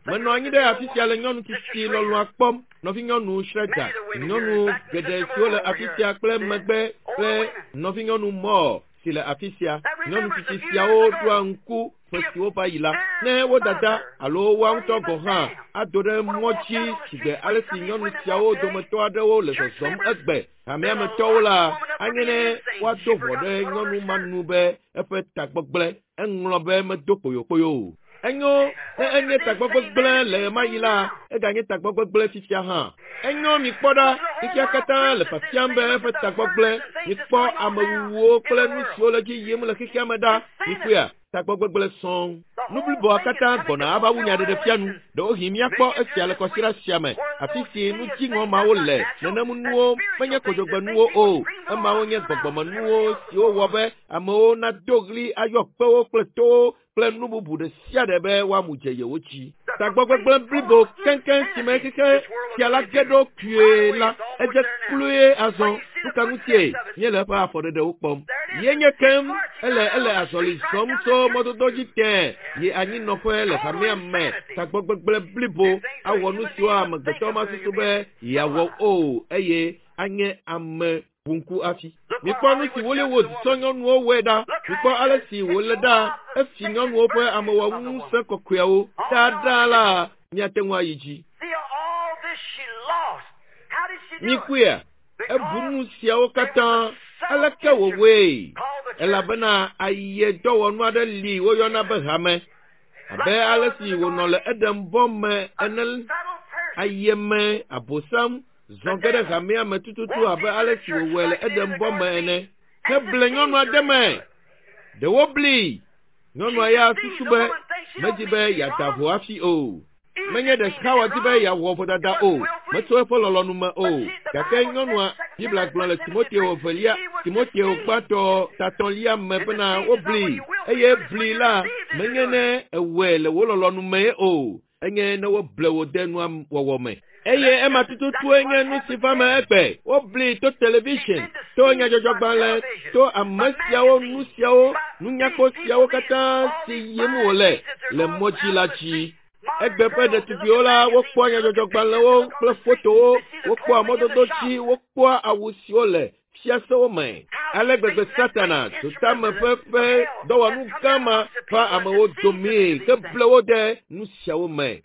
Menɔ anyi ɖe afi sia le nyɔnu tsitsi lɔlɔ̃a kpɔm, nɔvinyɔnu Schroeder, nyɔnu geɖe siwo le afi sia kple megbe kple nɔvinyɔnu Moore si le afi sia. Nyɔnu tsitsi siawo ɖoa ŋku ƒe siwo va yi la, ne wo dada alo woa ŋutɔ gɔ̃ hã ado ɖe mɔ dzi sigbe ale si nyɔnu siawo dometɔ aɖewo le zɔzɔm egbe hamea me tɔwo la, anye ne woado ʋɔ ɖe nyɔnu ma nu be eƒe tagbɔ gblẽ. Eŋlɔ be medo kpoyokpoyo o. Enyo, ne enye tagbɔ gbegblẽ le ɣemaɣi la, eganye tagbɔ gbegblẽ fifia hã. Enyo, mikpɔ ɖa, xexea katã le fiafiam be eƒe tagbɔ gblẽ. Mikpɔ amewuwuwo kple nu siwo le edzi yim le xexea me ɖa. Mikpɔea? Tagbɔ gbegblẽ sɔŋ. Nu bliboa katã gbɔna ava wu nyaɖeɖefia nu. Ɖewohĩ míakpɔ esia le kɔsiɖa sia me, afi si nu dziŋɔ mawo le. Nenem nuwo menye kodzogbenuwo o. Emawo nye gbɔgbɔmenuwo siwo wɔ be amewo nado ɣli ayɔ kpewo kple towo kple nu bubu ɖe sia ɖe be woamu dze yewo dzi. Tagbɔgbegblẽ blibo keŋkeŋ si me xexe sia la ge ɖo kpuie la, edze kloe azɔ. Nu ka ŋutie míele eƒe afɔɖeɖewo kpɔm? Ye nye keŋ ele ele azɔli zɔm tso mɔdodo dzi tẽe yi anyinɔƒe le hamea me. Tagbɔgbegblẽ blibo awɔ nu siwo amegbetɔ masusu be yeawɔ o eye anye ame ʋu ŋku hafi. Mikpɔ nu si Hollywood tsɔ nyɔnuwo wɔe ɖa. Mikpɔ ale si wòle ɖa efi nyɔnuwo ƒe amewɔŋusẽ kɔkɔeawo. Taɖa la míate ŋu ayi dzi. See all this she lost. How did she do it? Mikpɔea, ebu nu siawo katã aleke wòwɔe? Elabena ayedɔwɔnu aɖe li woyɔna be hame. Abe ale si wònɔ le Edenbɔ me ene Subtle person. ayeme abosam zɔ ge ɖe hamea me tututu abe ale si wòwɔe le Edenbɔ me ene. Heble nyɔnu aɖe me. Ɖewo bli. Nyɔnua ya susu be medzi be yeada vo hafi o. Menye ɖe Xawa di be yeawɔ vodada o, metso eƒe lɔlɔ̃nu me o. Gake nyɔnua, Biblia gblɔ le Timoteo evelia, Timoteo gbãtɔ tatɔ̃lia me bena wobli eye bli la menye ne ewɔe le wò lɔlɔ̃nu mee o, enye ne woble wò de nua wɔwɔ me. Eye ema tututue nye nu si va me egbe. Wobli to television, to nyadzɔdzɔgbalẽ, to ame siawo, nu siawo, nunyakpɔ siawo katã si yim wòle le mɔ dzi la dzi. Egbe ƒe ɖetugbiwo la, wokpɔa nyadzɔdzɔgbalẽwo kple fotowo, wokpɔa mɔdodo dzi, wokpɔa awu siwo le fiasewo me. Ale gbegbe Satana dotame ƒe ƒe dɔwɔnu gã ma va amewo domee heble wo ɖe nu siawo me.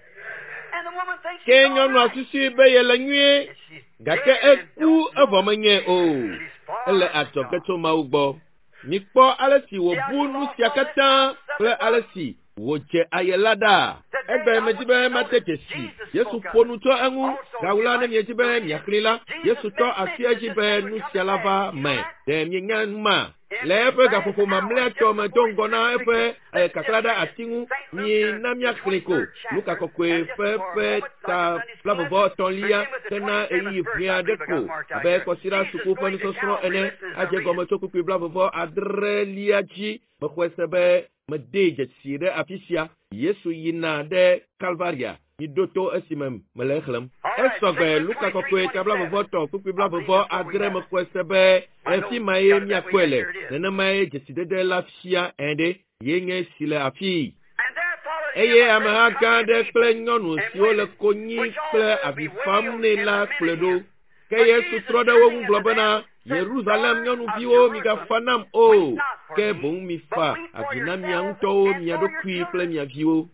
And the woman thinks Ke she's all nyɔnua right. susui be yele nyuie, And she's gake dead and eku don't know evɔ it. menye o. She's far Ele from adzɔge God. tso Mawu gbɔ. Mikpɔ ale si wòbu nu sia katã kple ale si wòdze aye la ɖa. Egbe medzi be mate dzesi. Yesu ƒo nu tso eŋu. Gawu la ne miedzi be miaxlẽe la, Yesu tɔ asi edzi be nu sia la va me. Ɖe mienya nu ma? Le eƒe gaƒoƒo mamlɛatɔ me do ŋgɔ na eƒe kakla ɖe ati ŋu, mina míaxlẽe ko. Luka kɔkɔe ƒe ƒe ta blavevɔ etɔ̃lia hena ɣeyiɣi ʋɛ aɖe ko abe kɔsiɖa suku ƒe nusɔsrɔ̃ ene adze gɔme tso kpukpui blavevɔ adrelia dzi. Mexɔe se be medee dzesi ɖe afi sia. Yesu yina ɖe Kalvaria. Miɖo to esime mele exlẽm. Esɔgbe Luka kɔkɔe ta blavevɔ tɔ kpukpui blavevɔ adre mexɔe se be efi ma ye míakpɔe le. Nenemae dzesidede la fia ene ye nye si le afii. And there followed him Eye a great ameha gã aɖe kple congregation nyɔnu and siwo le women, konyi which all kple were avi fam bewailed nɛ and la lamented kplɔe ɖo. him. Ke But Yesu Jesus trɔ ɖe wo ŋu turning gblɔ unto bena, them said, Yerusalem Daughters of nyɔnuviwo migafa Jerusalem, nam o, weep not for ke me, boŋ mifa but weep for avi na mia yourselves ŋutɔwo, and mia for your ɖokui kple children. mia viwo.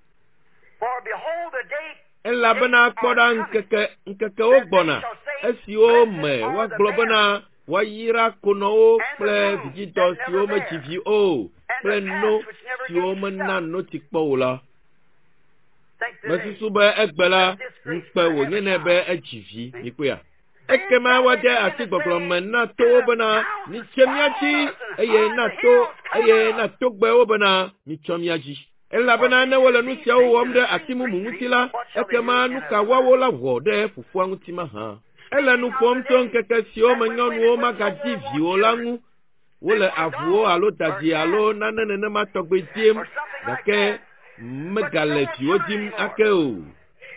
For behold, the day Elabena days kpɔ are ɖa coming ŋkeke ŋkekewo that they gbɔna shall say, esiwo Blessed me are the woagblɔ bena barren, woayra konɔwo and the kple wombs vidzidɔ that never siwo medzi bare, vi o and kple the no calves which never siwo gave mena suck. notsi kpɔ o la. Think today Mesusu be egbe la that this grace ŋukpe could have a wònye nɛ be child. edzi vi. See? Mikpɔea? Then Ekema shall they woade begin asi to gbɔgblɔ say me na to towo the bena mountains, mitse mía Fall dzi on us, and eye hide na the to hills, cover eye na us. togbewo bena mitsɔ mía dzi. For Elabena if ne they wole do nu these siawo things wɔm to ɖe the ati tree, mumu tree, ŋuti la, what shall they do ekema in nu a ka vine? woawo la wɔ ɖe fofoa ŋuti mahã? Ele nu Speaking of ƒom the tso days ŋkeke siwo that me when nyɔnuwo women would no magadzi more want viwo la children, ŋu. they Wole want avuwo dogs alo or dadi alo cats nane nenema tɔgbe dim or something like gake that, but no megale more viwo children dim anymore. ake o.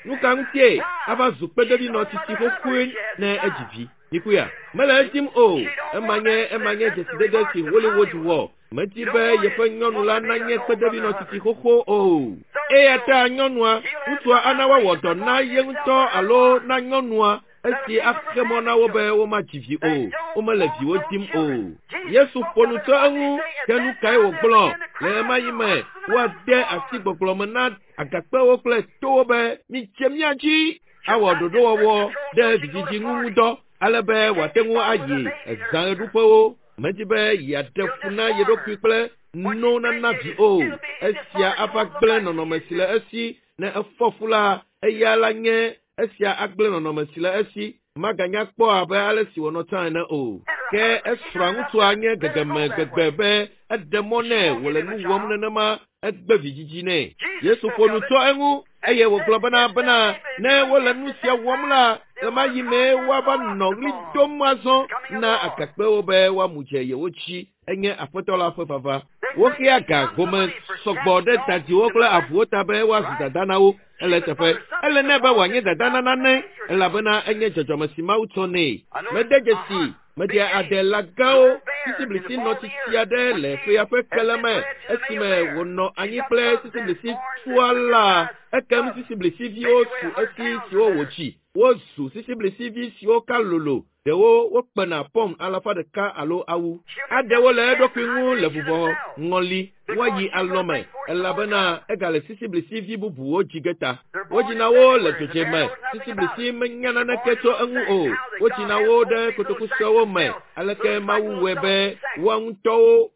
Nu ka ŋutie Why? ava zu She's kpedevinɔ a tsitsi mother xoxoe hubbard. She has ne a edzi child. vi. Mikuya, mele edim o. She don't Ema want nye that. ema nye That's the dzesidede remarks si of Hollywood Hollywood. wɔ. Medi No be one yeƒe is nyɔnu la want to be nanye an old mother kpedevinɔ tsitsi hubbard. xoxo o. So Eya she'll ta nyɔnua, he'll have ŋutsua some ana woawɔ operation dɔ na before ye himself ŋutɔ or her alo wife na nyɔnua that'll esi keep her axe from mɔ na having wo be children. womadzi vi They o. don't Womele want viwo no dim o. children. Jesus Yesu spoke ƒo of nu it. tso What did eŋu he say? At ke nu that kae time they wògblɔ began to le cry ɣemaɣi out, me rocks and the woade mountains asi fall on us. gbɔgblɔ me na agakpewo kple towo be mitse mía dzi She'll awɔ not get birth ɖoɖowɔwɔ control ɖe so she go vidzidzi to ŋu parties. ŋudɔ ale be She wòate can't be ŋu bothered with ayi her babies or ezã her. ɣeɖuƒewo. Medi be yeaɖe It'll fu na ye disform ɖokui her. kple When no she's nana pregnant, vi o. it'll be Esia disformed. She ava won't look gblẽ like she nɔnɔme used si le to. esi. Ne efɔ fu la, eya la nye esia agblẽ nɔnɔme si le esi. Maganya kpɔ abe ale si wònɔ tsã ene o. And her Ke esrɔ̃a ŋutsua nye gegeme gbegbe be eɖe mɔ nɛ wòle nu wɔm nenema egbe vidzidzi nɛ. Yesu ƒo nu tso eŋu eye wògblɔ bena bena ne wole nu sia wɔm la, ɣemaɣi mee woava nɔ ɣli dom azɔ na agakpewo be woamu dze yewo dzi. Enye Aƒetɔ la ƒe vava. Woxea ga home sɔgbɔ ɖe dadiwo kple avuwo ta be woazu dada na wo. Ele eteƒe. Ele nɛ be wòanye dada na nane elabena enye dzɔdzɔme si Mawu tsɔ nɛ. Mede dzesi meɖea adela gãwo sisiblisi nɔ tsitsi aɖe le ƒea ƒe kele me esime wònɔ anyi kple sisiblisi tua la. Ekem sisiblisiviwo su esi siwo wòdzi. Wozu sisiblisivi siwo ka lolo. Ɖewo wokpena pɔm 100 alo awu. Aɖewo le eɖokui ŋu le vuvɔ ŋɔli woayi alɔme elabena egale sisiblisivi bubuwo dzi ge ta. Wodzina wo le dzodze me. Sisiblisi menya naneke tso eŋu o. Wodzina wo ɖe kotoku suewo me. Aleke Mawu wɔe be woa ŋutɔwo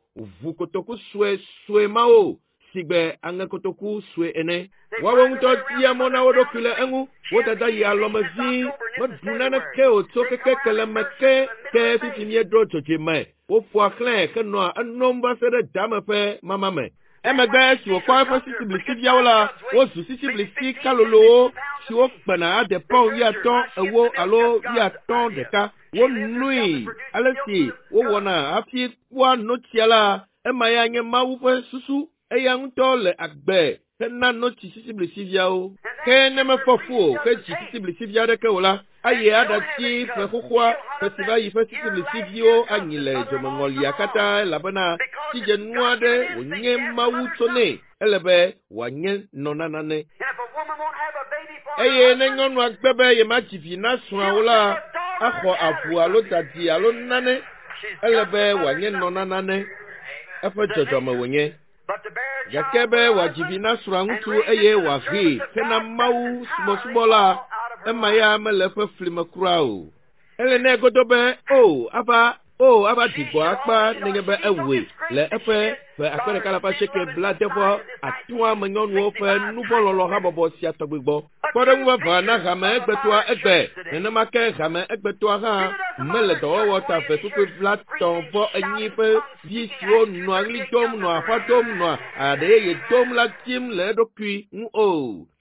ʋu kotoku sue sue mawo sigbe aŋekotoku sue ene. Woawo ŋutɔ dia mɔ na wo ɖokui le eŋu. Wo dada yi alɔme vi meɖu naneke o tso keke keleme ke ke fifi míeɖo dzodze me. Woƒoa xlẽe henɔa enom va se ɖe dame ƒe mama me. Emegbe esi wòkpɔ eƒe sisiblisiviawo la, wozu sisiblisi kalolowo siwo kpena ade pɔn 50, 40 alo 51. Wonoe ale si wowɔna hafi kpɔa notsia la, ema ya nye Mawu ƒe susu. Eya ŋutɔ le agbe hena notsi sisiblisiviawo. Ke ne mefɔ fu o hedzi sisiblisivi aɖeke o la, ayi aɖatsi ƒe xoxoa ƒe si va yi ƒe sisiblisiviwo anyi le dzomeŋɔlia katã elabena tsidzenu aɖe wònye Mawu tso nɛ. Ele be wòanye nɔ na nane. Eye ne nyɔnua gbe be yemadzi vi na srɔ̃a o la, axɔ avu alo dadi alo nane. Ele be wòanye nɔ na nane. Eƒe dzɔdzɔme wònye. Gake be wòadzi vi na srɔ̃a ŋutsu eye wòahee hena Mawu subɔsubɔ la, ema ya mele eƒe fli me kura o. Ele nɛ godo be o ava o ava ɖi gbɔ akpa nenye be ewɔe le eƒe ƒe 1850 me nyɔnuwo ƒe nuvɔ̃lɔlɔ habɔbɔ sia tɔgbi gbɔ. Kpɔɖeŋu vavã na hame egbetɔa egbe. Nenema ke hame egbetɔa hã mele dɔwɔwɔ ta ve kpukpui 34 ƒe vi siwo nɔa ɣli dom, nɔa aƒa dom, nɔa aɖe yeye dom la dim le eɖokui ŋu o.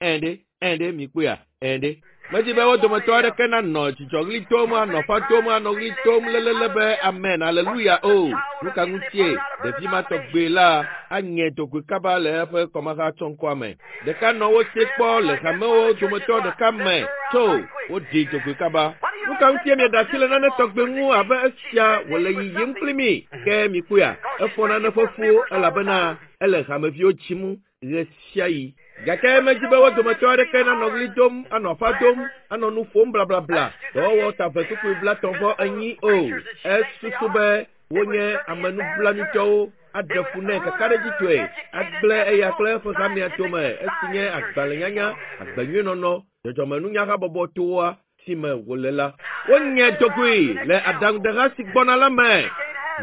Ɛ̃ ɖe, ɛ̃ ɖe, mikpɔea? Ɛ̃ ɖe. Medi be wo dometɔ aɖeke nanɔ dzidzɔɣli dom, anɔ aƒa dom, anɔ ɣli dom lelele be amen, aleluya o. Nu ka ŋutie ɖevi ma tɔgbe la anye dogoe kaba le eƒe kɔmaha tsɔŋkɔa me? Ɖeka nɔ wo si kpɔ le hamewo dometɔ ɖeka me tso woɖi dzogoe kaba. Nu ka ŋutie mieɖe asi le nane tɔgbe ŋu abe esia wòle yiyim kpli mi? Ke mikpɔea, efɔ nane ƒe fu elabena ele hameviwo dzim ɣesiaɣi. Gake medi be wo dometɔ aɖeke nanɔ ɣli dom, anɔ aƒa dom, anɔ nu ƒom blablabla, dɔwɔwɔ ta ve kpukpui 34 o. Esusu be wonye ame nublanuitɔwo aɖe fu nɛ kakaɖedzitɔe, agblẽ eya kple eƒe hamea dome esi nye agbalẽnyanya, agbenyuinɔnɔ, dzɔdzɔmenunyahabɔbɔ toa si me wòle la. Wonye dogoe le aɖaŋudeha si gbɔna la me.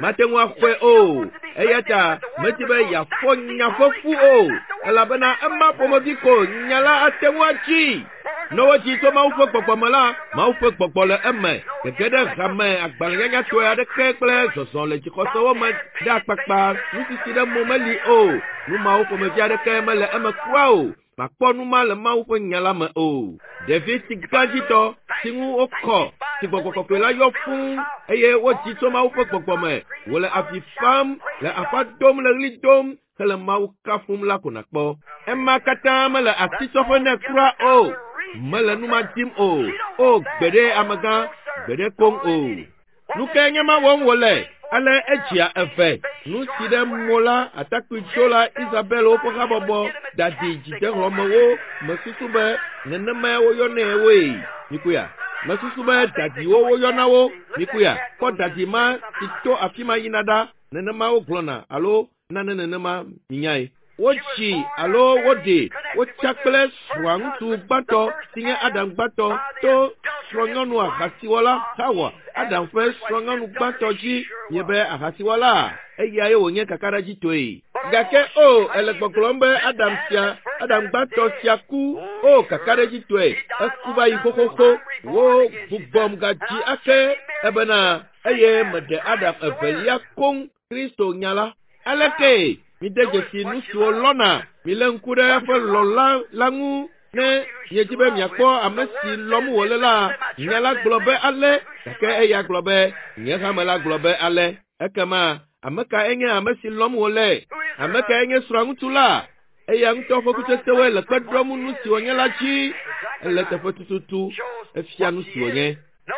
Mate ŋu axɔe o. Eya ta medi be yeafɔ nya ƒe fu o, elabena ema ƒomevi ko nya la ate ŋu atsi. Ne wodzi tso Mawu ƒe gbɔgbɔ me la, Mawu ƒe gbɔgbɔ le eme. Gege ɖe hame agbalẽnyanyatɔe aɖeke kple zɔzɔ le dzixɔsewo me ɖe akpakpa nusisi ɖe mo meli o. Nu mawo ƒomevi aɖeke mele eme kura o. Màkpɔ nu ma le Mawu ƒe nya la me o. Ɖevi si gãdzitɔ si ŋu wokɔ si gbɔgbɔ kɔkɔe la yɔ fũu eye wodzi tso Mawu ƒe gbɔgbɔ me wòle avi fam, le aƒa dom, le ɣli dom hele Mawu kafum la ko nàkpɔ. Ema katã mele asitsɔƒe nɛ kura o. Mele nu ma dim o. O gbeɖe amegã, gbeɖe koŋ o. Nu kae nye ma wɔm wòle? Ale edzia eve. Nu si ɖe mo la, atakpui tso la, Isabel woƒe habɔbɔ dadi dzidehlɔ̃mewo mesusu be nenemae woyɔnɛ woe. Mikpɔea? Mesusu be dadiwo woyɔna wo. Mikpɔea? Kpɔ dadi ma si to afi ma yina ɖa. Nenema wogblɔna alo nane nenema minyae. Wotsi alo woɖe wotsa kple srɔ̃a ŋutsu gbãtɔ si nye Adam gbãtɔ to srɔ̃nyɔnu ahasiwɔla Xawa, Adam ƒe srɔ̃nyɔnu gbãtɔ dzi nye be ahasiwɔla eyae wònye kakaɖedzitɔe. Gake o, ele gbɔgblɔm be Adam sia, Adam gbãtɔ sia ku, o kakaɖedzitɔe, eku va yi xoxoxo, wo gbugbɔm gadzi ake ebena. Eye meɖe Adam evelia koŋ, Kristo nya la. Aleke mide dzesi nu siwo lɔna? Milé ŋku ɖe eƒe lɔla la ŋu ne miedi be miakpɔ ame si lɔm wòle la. Nya la gblɔ be ale, gake eya gblɔ be, nye hame la gblɔ be ale. Ekema ame kae nye ame si lɔm wòle? Ame kae nye srɔ̃ŋutsu la? Eya ŋutɔ ƒe kutsetsewoe le kpe ɖom nu si wònye la dzi. Ele teƒe tututu, efia nu si wònye.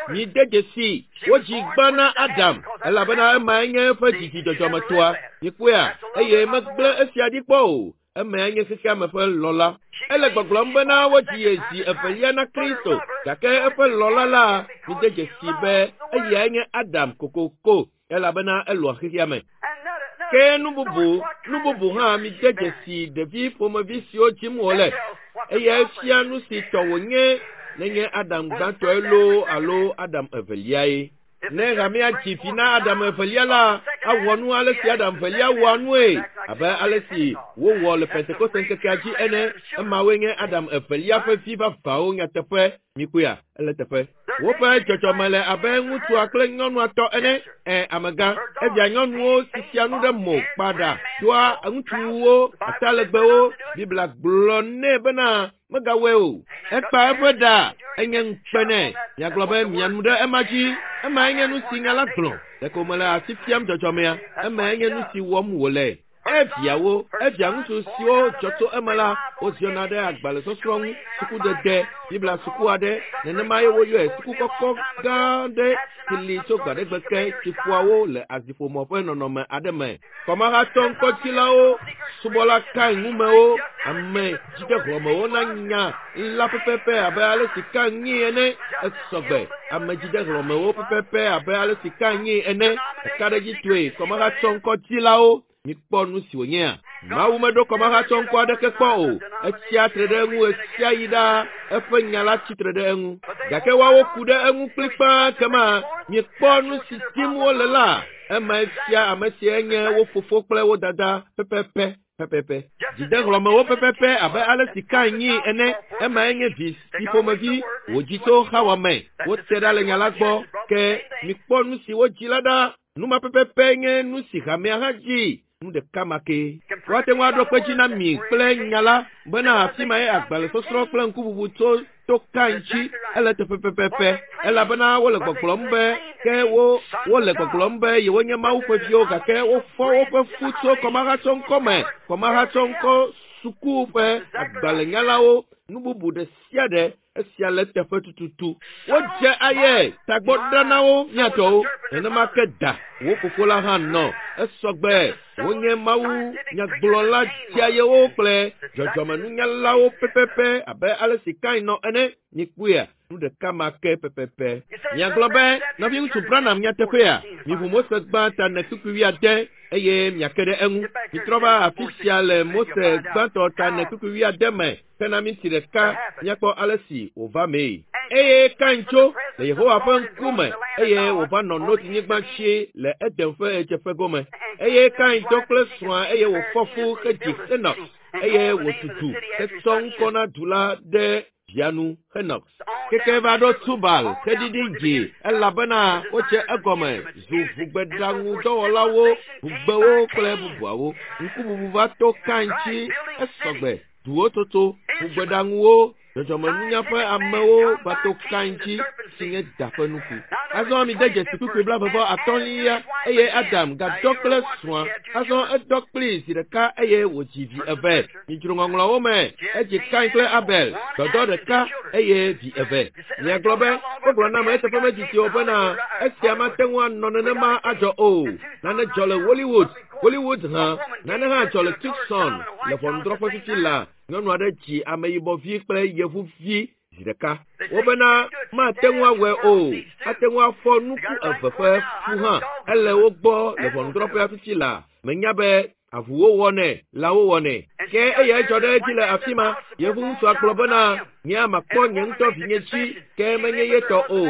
Mide dzesi, wodzi gbã na Adam, elabena emae nye eƒe dzidzi dzɔdzɔmetɔa. Mikpɔea? Eye megblẽ esia ɖi kpɔ o. Emae nye xexeame ƒe lɔla. Ele gbɔgblɔm bena wodzi ye zi evelia na Kristo, gake eƒe lɔla la, mide dzesi be eyae nye Adam kokoko, elabena elɔa xexeame. Ke nu bubu, nu bubu hã mide dzesi ɖevi ƒomevi siwo dzim wòle. Eyae fia nu si tɔ wònye nenye Adam gbãtɔe loo alo Adam eveliae. Ne hamea dzi vi na Adam evelia la, awɔ nu ale si Adam evelia wɔa nue, abe ale si wowɔ le Pentekoste ŋkekea dzi ene. Emawoe nye Adam evelia ƒe vi vavãwo nyateƒe. Mikpɔea? Ele teƒe. Woƒe dzɔdzɔme le abe ŋutsua kple nyɔnua tɔ ene. Ɛ, amegã, evia nyɔnuwo sisia nu ɖe mo kpaɖa doa ŋutsuwo atalegbewo. Biblia gblɔ nɛ bena megawɔe o. Ekpa eƒe ɖa, enye ŋukpe nɛ. Miagblɔ be mianu ɖe ema dzi. Emae nye nu si nya la gblɔ. Ɖeko mele asi fiam dzɔdzɔmea. Emae nye nu si wɔm wòle. Eviawo, evia ŋutsu siwo dzɔ tso eme la, woziɔna ɖe agbalẽsɔsrɔ̃ ŋu, sukudede, Biblia suku aɖe, nenema ye woyɔe, suku kɔkɔ gã aɖe si li tso gbaɖegbe ke si ƒoa wo le aziƒomɔ ƒe nɔnɔme aɖe me. Kɔmahatɔ ŋkɔtsilawo, subɔla Kain ŋumewo, ame dzidehlɔ̃mewo na nya la pɛpɛpɛ abe ale si Kain nyii ene. Esɔgbe, ame dzidehlɔ̃mewo pɛpɛpɛ abe ale si Kain nyii ene. Kakaɖedzitɔe, kɔmahatɔ ŋkɔtsilawo, mikpɔ nu si wònyea. Mawu meɖo kɔmahatsɔ ŋkɔ aɖeke kpɔ o. Etsia tre ɖe eŋu ɣesiaɣi ɖaa. Eƒe nya la tsi tre ɖe eŋu. Gake woawo ku ɖe eŋu kplikpaa kema miekpɔ nu si dim wole la. Emae fia ame sie nye wo fofo kple wo dada pɛpɛpɛ, pɛpɛpɛ. Dzidehlɔ̃mewo pɛpɛpɛ abe ale si Kain nyii ene. Emae nye vi si ƒomevi wòdzi tso Xawa me. Wote ɖa le nya la gbɔ. Ke mikpɔ nu si wodzi la ɖa. Nu ma pɛpɛpɛ nye nu si hamea hã dzi. Nu ɖeka ma ke. Woate ŋu aɖo kpe dzi na mi kple nya la bena afi mae agbalẽsɔsrɔ̃ kple ŋkuʋuʋu tso to Kain dzi ele teƒe pɛpɛpɛ, elabena wole gbɔgblɔm be ke wo wole gbɔgblɔm be yewonye Mawu ƒe viwo, gake wofɔ woƒe fu tso kɔmahatsɔŋkɔ me, kɔmahatsɔŋkɔ suku ƒe agbalẽnyalawo, nu bubu ɖe sia ɖe. Esia le teƒe tututu. Wodze aye tagbɔ ɖa na wo miatɔwo. Nenema ke da wo fofo la hã nɔ. Esɔgbe wonye Mawu nyagblɔla dzeayewo kple dzɔdzɔmenunyalawo pɛpɛpɛ abe ale si Kain nɔ ene. Mikpɔea? Nu ɖeka ma ke pɛpɛpɛ. Miagblɔ be, Nɔviŋutsu Branham, nyateƒea? Miʋu Mose gbã ta ene kpukpui wuiade eye miake ɖe eŋu. Mitrɔ va afi sia le Mose gbãtɔ ta ene kpukpui wuiade me. Hena minti ɖeka míakpɔ ale si wòva mee. Eye Kain tso le Yehowa ƒe ŋkume eye wòva nɔ Nod-nyigba dzi le Eden ƒe ɣedzeƒe gome. Eye Kain dɔ kple srɔ̃a eye wòfɔ fu hedzi Henox, eye wòtu du hetsɔ ŋkɔ na du la ɖe via nu, Henox. Keke va ɖo Tubal xeɖiɖi dzi, elabena wodze egɔme zu ʋugbeɖaŋudɔwɔlawo, ʋugbewo kple bubuawo. Ŋkuʋuʋu va to Kain dzi, esɔgbe, duwo toto, ʋugbeɖaŋuwo, dzɔdzɔmenunya ƒe amewo va to Kain dzi, si nye da ƒe nuku. Azɔ mide dzesi kpukpui blaeve-vɔ-atɔ̃lia, eye Adam gadɔ kple srɔ̃a. Azɔ edɔ kplii zi ɖeka eye wòdzi vi eve. Midzro ŋɔŋlɔawo me, edzi Kain kple Abel, dɔdɔ ɖeka eye vi eve. Miagblɔ be, wogblɔ nam eteƒe medidi o bena, esia mate ŋu anɔ nenema adzɔ o. Nane dzɔ le Hollywood, Hollywood hã. Nane hã dzɔ le Tucson, le ʋɔnudrɔ̃ƒe fifi la. Nyɔnu aɖe dzi ameyibɔvi kple yevuvi zi ɖeka. Wobena mate ŋu awɔe o. Ate ŋu afɔ nuku eve ƒe fu hã. Ele wo gbɔ le ʋɔnudrɔ̃ƒea fifi la. Menya be avuwo wɔnɛ, lãwo wɔnɛ. Ke eyae dzɔ ɖe edzi le afi ma. Yevu ŋutsua gblɔ bena, Nye makpɔ nye ŋutɔ vinye dzi, ke menye ye tɔ o.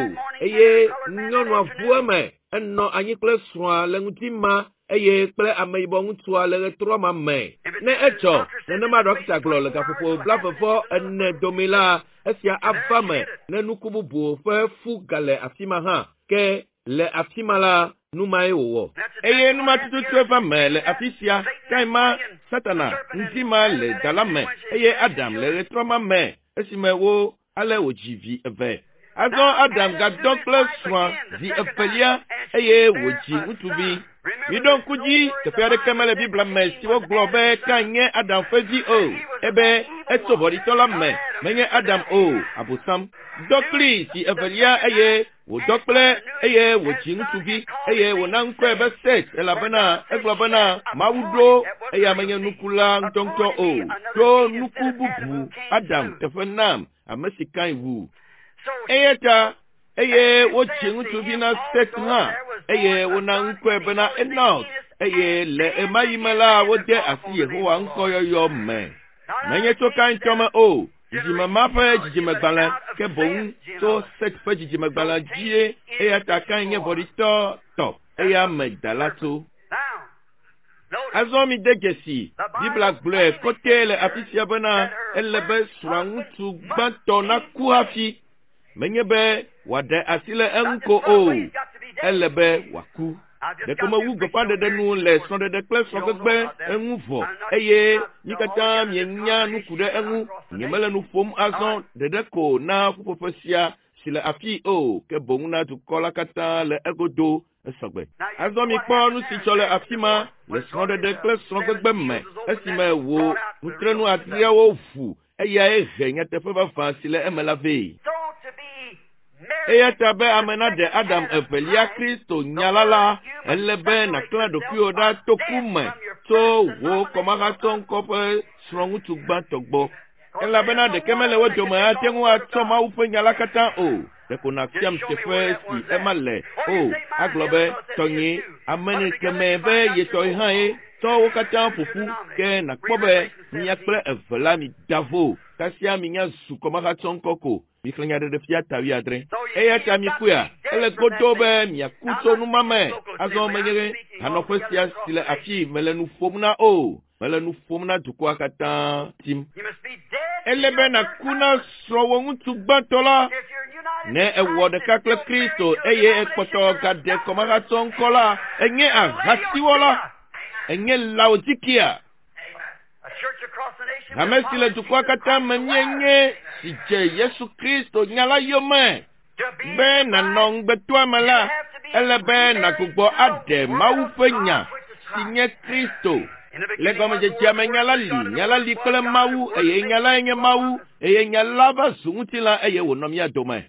Eye nyɔnua ʋu eme, enɔ anyi kple srɔ̃a le ŋdi ma eye kple ameyibɔ ŋutsua le ɣetrɔ ma me. Ne edzɔ nenema ɖɔkita gblɔ le gaƒoƒo 44 dome la, esia ava me ne nuku bubu ƒe fu gale afi ma hã. Ke Le afi ma la, nu mae wòwɔ. Eye nu ma tututue va me le afi sia. Kain ma, Satana, ŋdi ma le da la me eye Adam le ɣetrɔ ma me esime wo ale wòdzi vi eve. Azɔ Adam gadɔ kple srɔ̃a zi evelia eye wòdzi ŋutsuvi. Miɖo ŋku dzi, teƒe aɖeke mele Biblia me si wogblɔ be Kain nye Adam ƒe vi o. Ebe etso vɔ̃ɖitɔ la me, menye Adam o, Abosam. Dɔ kplii zi evelia eye wòdɔ kple eye wòdzi ŋutsuvi eye wòna ŋkɔe be Set elabena egblɔ bena Mawu ɖo eya menye nuku la ŋutɔŋutɔ o, ɖo nuku bubu Adam teƒe nam, ame si Kain wu. Eya ta eye wodzi ŋutsuvi na Set hã eye wona ŋkɔe bena Enos eye le ɣemaɣi me la wode asi Yehowa ŋkɔyɔyɔ me. Menye tso Kain tɔ me o, dzidzime ma ƒe dzidzimegbalẽ ke boŋ tso Set ƒe dzidzimegbalẽ dzie eya ta Kain nye vɔ̃ɖitɔ tɔ eya me da la tso. Azɔ mide dzesi, Biblia gblɔe kɔtɛ le afi sia bena ele be srɔ̃aŋutsu gbãtɔ naku hafi. Menye be wòaɖe asi le eŋu ko o, ele be wòaku. Ɖeko mewu gbeƒãɖeɖe nu le srɔ̃ɖeɖe kple srɔ̃gbegbe eŋu vɔ eye mí katã mienya nu ku ɖe eŋu. Nyemele nu ƒom azɔ ɖeɖe ko na ƒuƒoƒe sia si le afii o, ke boŋ na dukɔ la katã le egodo esɔgbe. Azɔ mikpɔ nu si dzɔ le afi ma le srɔ̃ɖeɖe kple srɔ̃gbegbe me esime wò nutrenu adreawo ʋu eyae he nyateƒe vavã si le eme la vɛ. Eya ta be ame naɖe Adam evelia Kristo nya la la, ele be nàklã ɖokuiwò ɖa to ku me tso wò kɔmahatsɔ ŋkɔ ƒe srɔ̃ŋutsu gbãtɔ gbɔ. Elabena ɖeke mele wo dome ate ŋu atsɔ Mawu ƒe nya la katã o. Ɖeko nàfiam teƒe si ema le o. Agblɔ be, tɔnyee, ame kemɛ be ye tɔe hã ye. Tsɔ wo katã ƒo ƒu, ke nàkpɔ be mia kple eve la mida vo. Kasia minya zu kɔmahatsɔ ŋkɔ ko. Mixlẽ Nyaɖeɖefia ta wuiadre. Eya ta mikpɔea, ele godoo be miaku tso nu ma me. Azɔ menye hanɔƒe sia si le afii mele nu ƒom na o. Mele nu ƒom na dukɔa katã tim. Ele be nàku na srɔ̃wò ŋutsu gbãtɔ la. Ne èwɔ ɖeka kple Kristo eye èkpɔtɔ gaɖe kɔmahatsɔ ŋkɔ la, ènye ahasiwɔla. Ènye Laodikia. Hame si le dukɔa katã me míenye si dze Yesu Kristo nya la yome. Be nànɔ ŋugbetɔa me la, ele be nàgbugbɔ aɖe Mawu ƒe nya si nye Kristo. Le gɔmedzedzea me nya la li, nya la li kple Mawu eye nya lae nye Mawu eye nya la va zu ŋutilã eye wònɔ mía dome.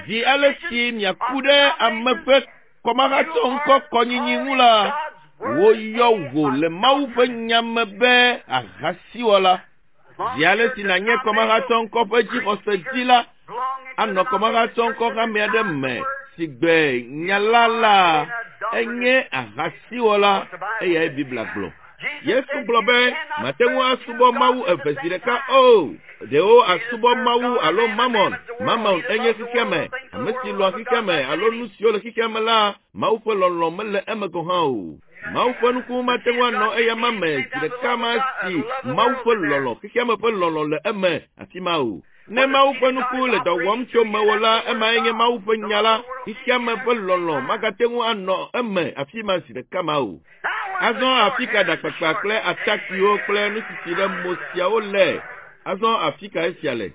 Zi ale si miaku ɖe ame ƒe kɔmahatsɔ ŋkɔ kɔnyinyi ŋu la, woyɔ wò le Mawu ƒe nya me be ahasiwɔla. Zi ale si nànye kɔmahatsɔ ŋkɔ ƒe dzixɔse dzi la, anɔ kɔmahatsɔ ŋkɔ hame aɖe me si gbe nya la la, enye ahasiwɔla, eyae Biblia gblɔ. Yesu gblɔ be mate ŋu asubɔ Mawu eve zi ɖeka o. Ɖewo asubɔ Mawu alo Mamon. Mamon enye xexea me. Ame si lɔ̃a xexea me alo nu siwo le xexea me la, Mawu ƒe lɔlɔ̃ mele eme gɔ̃ hã o. Mawu ƒe nuku mate ŋu anɔ eyama me zi ɖeka ma si Mawu ƒe lɔlɔ̃, xexea me ƒe lɔlɔ̃ le eme afi ma o. Ne Mawu ƒe nuku le dɔ wɔm tso mewò la, emae nye Mawu ƒe nya la. Xexea me ƒe lɔlɔ̃ magate ŋu anɔ eme afi ma zi ɖeka ma o. Azɔ afi ka ɖakpakpa kple atakpuiwo kple nusisi ɖe mo siawo le? Azɔ afi ka esia le?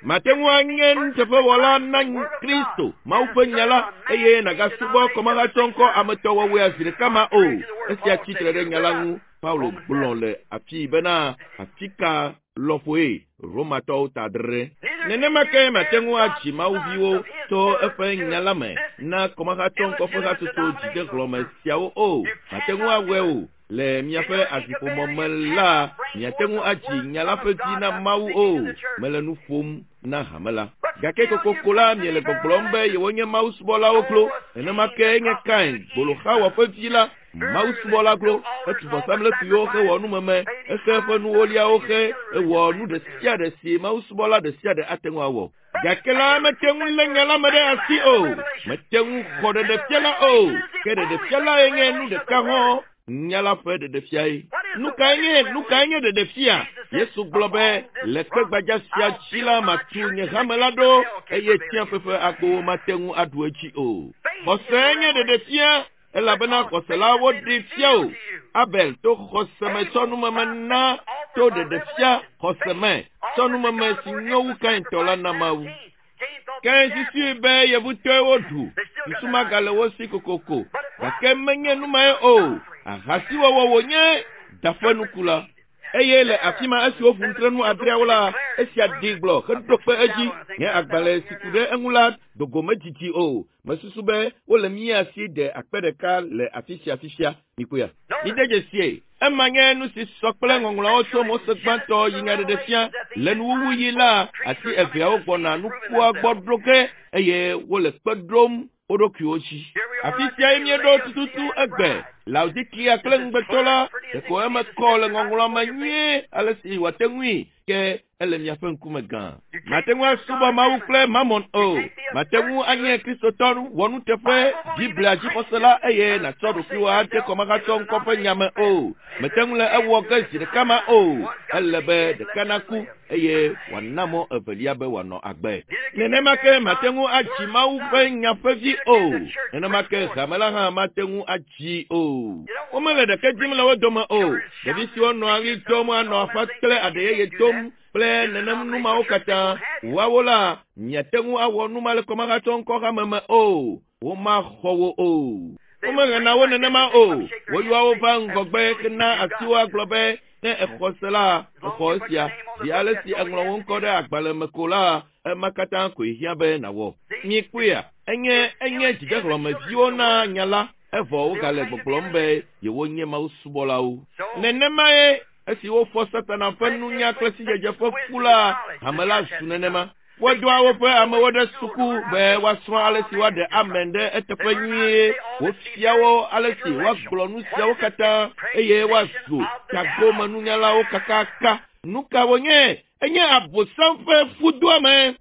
Mate ŋu anye nuteƒewɔla na Kristo, Mawu ƒe nya la, eye nàgasubɔ kɔmahatsɔ ŋkɔ ametɔwɔwɔea zi ɖeka ma o. Esia tsi tre ɖe nya la ŋu. Paulo gblɔ le afii bena, afi ka lɔƒoe Romatɔwo ta adre. Nenema ke mate ŋu adzi Mawuviwo to eƒe nya la me na kɔmahatsɔ ŋkɔ ƒe hatsotso dzidehlɔ̃me siawo o. Mate ŋu awɔe o. Le miaƒe aziƒomɔ me la, miate ŋu adzi nya la ƒe vi na Mawu o. Mele nu ƒom na hame la. Gake kokoko la, miele gbɔgblɔm be yewonye Mawu subɔlawo klo. Nenema ke nye Kain, gboloxawɔ ƒe vi la, Mawu subɔla klo, etu vɔsamlekpuiwo hewɔ numeme, exe eƒe nuwoliawo xe, ewɔ nu ɖe sia ɖe si Mawu subɔla ɖe sia ɖe ate ŋu awɔ. Gake la mete ŋu lé nya la me ɖe asi o, mete ŋu xɔ ɖeɖefia la o, ke ɖeɖefia lae nye nu ɖeka hɔ̃, nya la ƒe ɖeɖefiae. Nu kae nye nu kae nye ɖeɖefia? Yesu gblɔ be le kpe gbadza sia dzi la matu nye hame la ɖo eye tsiaƒe ƒe agbowo mate ŋu aɖu edzi o. Xɔse nye ɖeɖefia elabena xɔse la woɖee fia o. Abel to xɔse me tsɔ numeme na to ɖeɖefia xɔse me tsɔ numeme si nyo wu Kain tɔ la na Mawu. Kain susui be yevutɔe woɖu. Susu magale wo si kokoko. Gake menye nu mae o. Ahasiwɔwɔ wònye da ƒe nuku la. Eye le afi ma esi woƒu nutrenu adreawo la, esia ɖi gblɔ heɖo kpe edzi. Nye agbalẽ si ku ɖe eŋu la dogo medzidzi o. Mesusu be wole mía si de akpe ɖeka le afi sia fifia. Mikpɔea? Mide dzesie. Ema nye nu si sɔ kple ŋɔŋlɔawo tso Mose gbãtɔ yi nyaɖeɖefia. Le nuwuwuɣi la, ati eveawo gbɔna nukua gbɔ ɖo ge eye wole kpe ɖom wo ɖokuiwo dzi. Afi siae míeɖo tututu egbe. Laodikia kple ŋugbetɔ la, ɖeko eme kɔ le ŋɔŋlɔa me nyuie ale si wòate ŋui ke ele miaƒe ŋkume gã. Mate ŋu asubɔ Mawu kple Mamon o. Mate ŋu anye Kristotɔ wɔnuteƒe Biblia dzixɔsela eye nàtsɔ ɖokuiwò ade kɔmahatsɔ ŋkɔ ƒe nya me o. Mete ŋu le ewɔ ge zi ɖeka ma o. Ele be ɖeka naku eye wòana mɔ evelia be wòanɔ agbe. Nenema ke mate ŋu adzi Mawu ƒe nya ƒe vi o. Nenema ke hame la hã mate ŋu adzii o. Womele ɖeke dim le wo dome o. Ɖevi siwo nɔa ɣli dom anɔ aƒa kple aɖe yeye dom kple nenem nu mawo katã. Woawo la, miate ŋu awɔ nu ma le kɔmahatsɔ ŋkɔ hame me o. Womaxɔ wo o. Womehena wo nenema o. Woyɔa wo va ŋgɔgbe hena asiwo agblɔ be ne exɔ se la, exɔ esia. Zi ale si eŋlɔ wo ŋkɔ ɖe agbalẽ me ko la, ema katã koe hiã be nàwɔ. Mikpɔea? Enye enye dzidehlɔ̃meviwo na nya la evɔ wogale gbɔgblɔm be yewonye mawusubɔlawo. Nenemae esi wofɔ Satana ƒe nunya kple sidzedze ƒe fu la, hame la zu nenema. Wodoa woƒe amewo ɖe suku be woasrɔ̃ ale si woaɖe amen ɖe eteƒe nyuie. Wofia wo ale si woagblɔ nu siawo katã eye woazu tagomenunyalawo kakaka. Nu ka wònye? Enye Abosam ƒe fudoame.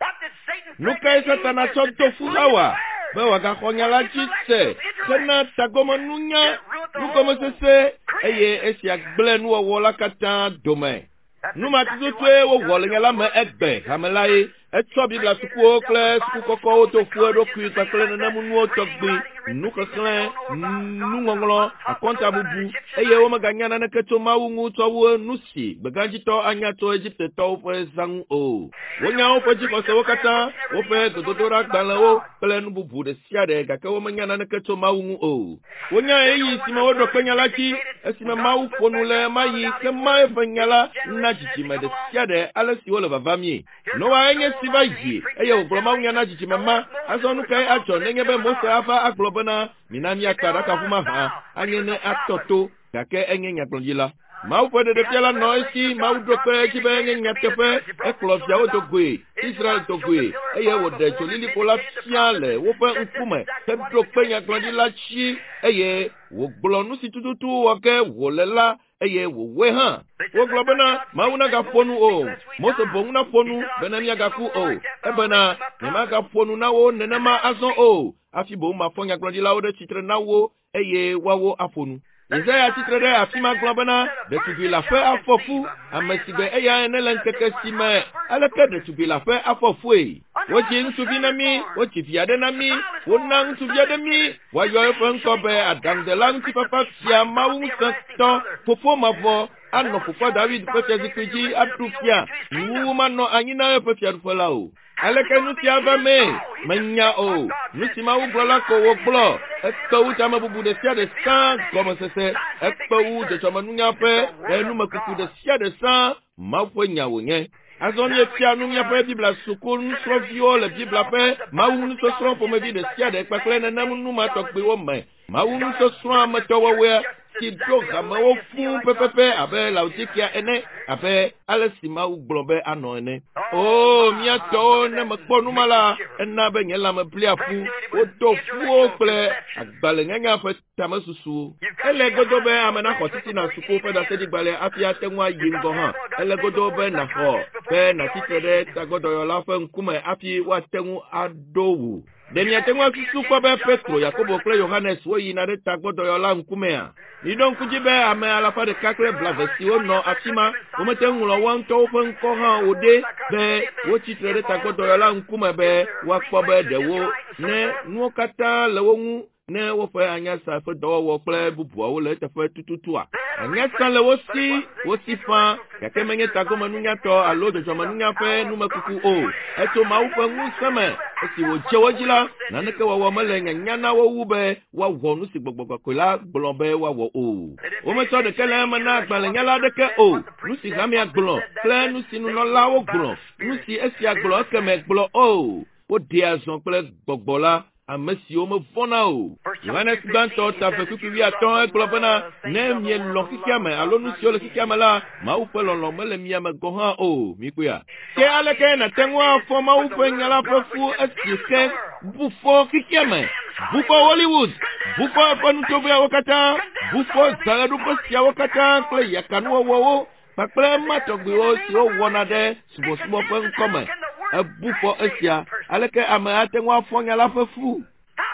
Nu kae Satana tsɔ do fu Xawa? Be wòagaxɔ nya la dzi se hena tagomenunya, nugɔmesese eye esia gblẽ nuwɔwɔ la katã dome. Nu ma tututue wowɔ le nya la me egbe hame lae. Etsɔ Biblia sukuwo kple suku kɔkɔwo do fu eɖokui kpakple nenem nuwo tɔgbi, nuxexlẽ, nuŋɔŋlɔ, akɔntabubu eye womeganya naneke tso Mawu ŋu tsɔ wu nu si gbegãdzitɔ anya tso Egiptetɔwo ƒe zã ŋu o. Wonya woƒe dzixɔsewo katã, woƒe gbedodoɖagbalẽwo kple nu bubu ɖe sia ɖe gake womenya naneke tso Mawu ŋu o. Wonya ɣeyiɣi si me woɖo kpe nya la dzi esime Mawu ƒo nu le ɣemaɣi ke ma eƒe nya la na dzidzime ɖe sia ɖe ale si wole vavamie. Noa enye si va yi eye wògblɔ mawunya na dzidzime ma. Azɔ nu kae adzɔ nenye be Mose ava agblɔ bena mina míakpa aɖakaʋu mahã anye ne atɔ to gake enye nyagblɔɖila. Mawu ƒe ɖeɖefia la nɔ esi Mawu ɖo kpe edzi be enye nyateƒe. Ekplɔ viawo do goe, Israel do goe eye wòɖe dzolilikpo la fia le woƒe ŋkume heɖo kpe nyagblɔɖila dzi eye wògblɔ nu si tututu wɔ ge wòle la eye wòwɔe hã. Wogblɔ bena Mawu nagaƒo nu o. Mose boŋ naƒo nu bene míagaku o. Ebena nyemagaƒo nu na wo nenema azɔ o. Hafi boŋ mafɔ nyagblɔɖilawo ɖe tsitre na wo eye woawo aƒo nu. Yesaya tsitre ɖe afi ma gblɔ bena ɖetugbi la ƒe afɔ fu ame si gbe eya ene le ŋkeke si me aleke ɖetugbi la ƒe afɔ fue. Wodzi ŋutsuvi na mí, wodzi vi aɖe na mí, wona ŋutsuvi aɖe mí, woayɔ eƒe ŋkɔ be aɖaŋudela ŋutifafa fia Mawu ŋusẽtɔ, fofo mavɔ, anɔ fofoa David ƒe fiazikpui dzi aɖu fia, nuwuwu manɔ anyi na eƒe fiaɖuƒe la o. Aleke nu sia va mee? Menya o. Nu si Mawu gblɔ la ko wògblɔ. Ekpe wu tamebubu ɖe sia ɖe sã gɔmesese. Ekpe wu dzɔdzɔmenunya ƒe numekuku ɖe sia ɖe sã. Mawu ƒe nya wònye. Azɔ míefia nu míaƒe Biblia suku nusrɔ̃viwo le Biblia ƒe Mawu nusɔsrɔ̃ ƒomevi ɖe sia ɖe kpakple nenem nu ma tɔgbiwo me. Mawu nusɔsrɔ̃ ametɔwɔwɔea si ɖo hamewo fũu pɛpɛpɛ abe Laodikea ene, abe ale si Mawu gblɔ be anɔ ene. Oo, mía tɔwo, ne mekpɔ nu ma la, ena be nye lãme blia ƒu. Wodo ƒuwo kple agbalẽnyanya ƒe tamesusuwo. Ele godo be ame naxɔ titina suku ƒe ɖaseɖigbalẽ hafi ate ŋu ayi ŋgɔ hã. Ele godo be nàxɔ be nàtsi tre ɖe tagbɔdɔyɔla ƒe ŋkume hafi woate ŋu aɖo wò. Ɖe miate ŋu asusu kpɔ be Petro, Yakobo kple Yohanes woyina ɖe tagbɔdɔyɔla ŋkumea? Miɖo ŋku dzi be ame 120 siwo nɔ afi ma, womete ŋu ŋlɔ woa ŋutɔwo ƒe ŋkɔ hã o ɖe be wotsi tre ɖe tagbɔdɔyɔla ŋkume be woakpɔ be ɖewo ne nuwo katã le wo ŋu ne woƒe anyasa ƒe dɔwɔwɔ kple bubuawo le eteƒe tututua. Anyasa le wo si, wo si faa, gake menye tagomenunyatɔ alo dzɔdzɔmenunya ƒe numekuku o. Etso Mawu ƒe ŋusẽ me. Esi wòdze wo dzi la, naneke wɔwɔ mele nyanya na wo wu be woawɔ nu si Gbɔgbɔ Kɔkɔe la gblɔ be woawɔ o. Wometsɔ ɖeke le eme na agbalẽnyala aɖeke o. Nu si hamea gblɔ kple nu si nunɔlawo gblɔ, nu si esia gblɔ ekeme gblɔ o. Woɖea zɔ kple Gbɔgbɔ la, ame siwo mevɔ̃na o. Yohanes Gbãtɔ ta eve kpukpui wuiatɔ̃ egblɔ bena, Ne mielɔ̃ xexea me alo nu siwo le xexea me la, Mawu ƒe lɔlɔ̃ mele mia me gɔ̃ hã o. Mikpɔea? Ke aleke nàte ŋu afɔ Mawu ƒe nya la ƒe fu esi ke bu fɔ xexea me, bu fɔ Hollywood, bu fɔ eƒe nutovoeawo katã, bu fɔ zãɣeɖuƒe siawo katã kple yakanuwɔwɔwo kpakple ema tɔgbiwo siwo wɔna ɖe subɔsubɔ ƒe ŋkɔ me. Ebu fɔ esia. Aleke ame ate ŋu afɔ nya la ƒe fu?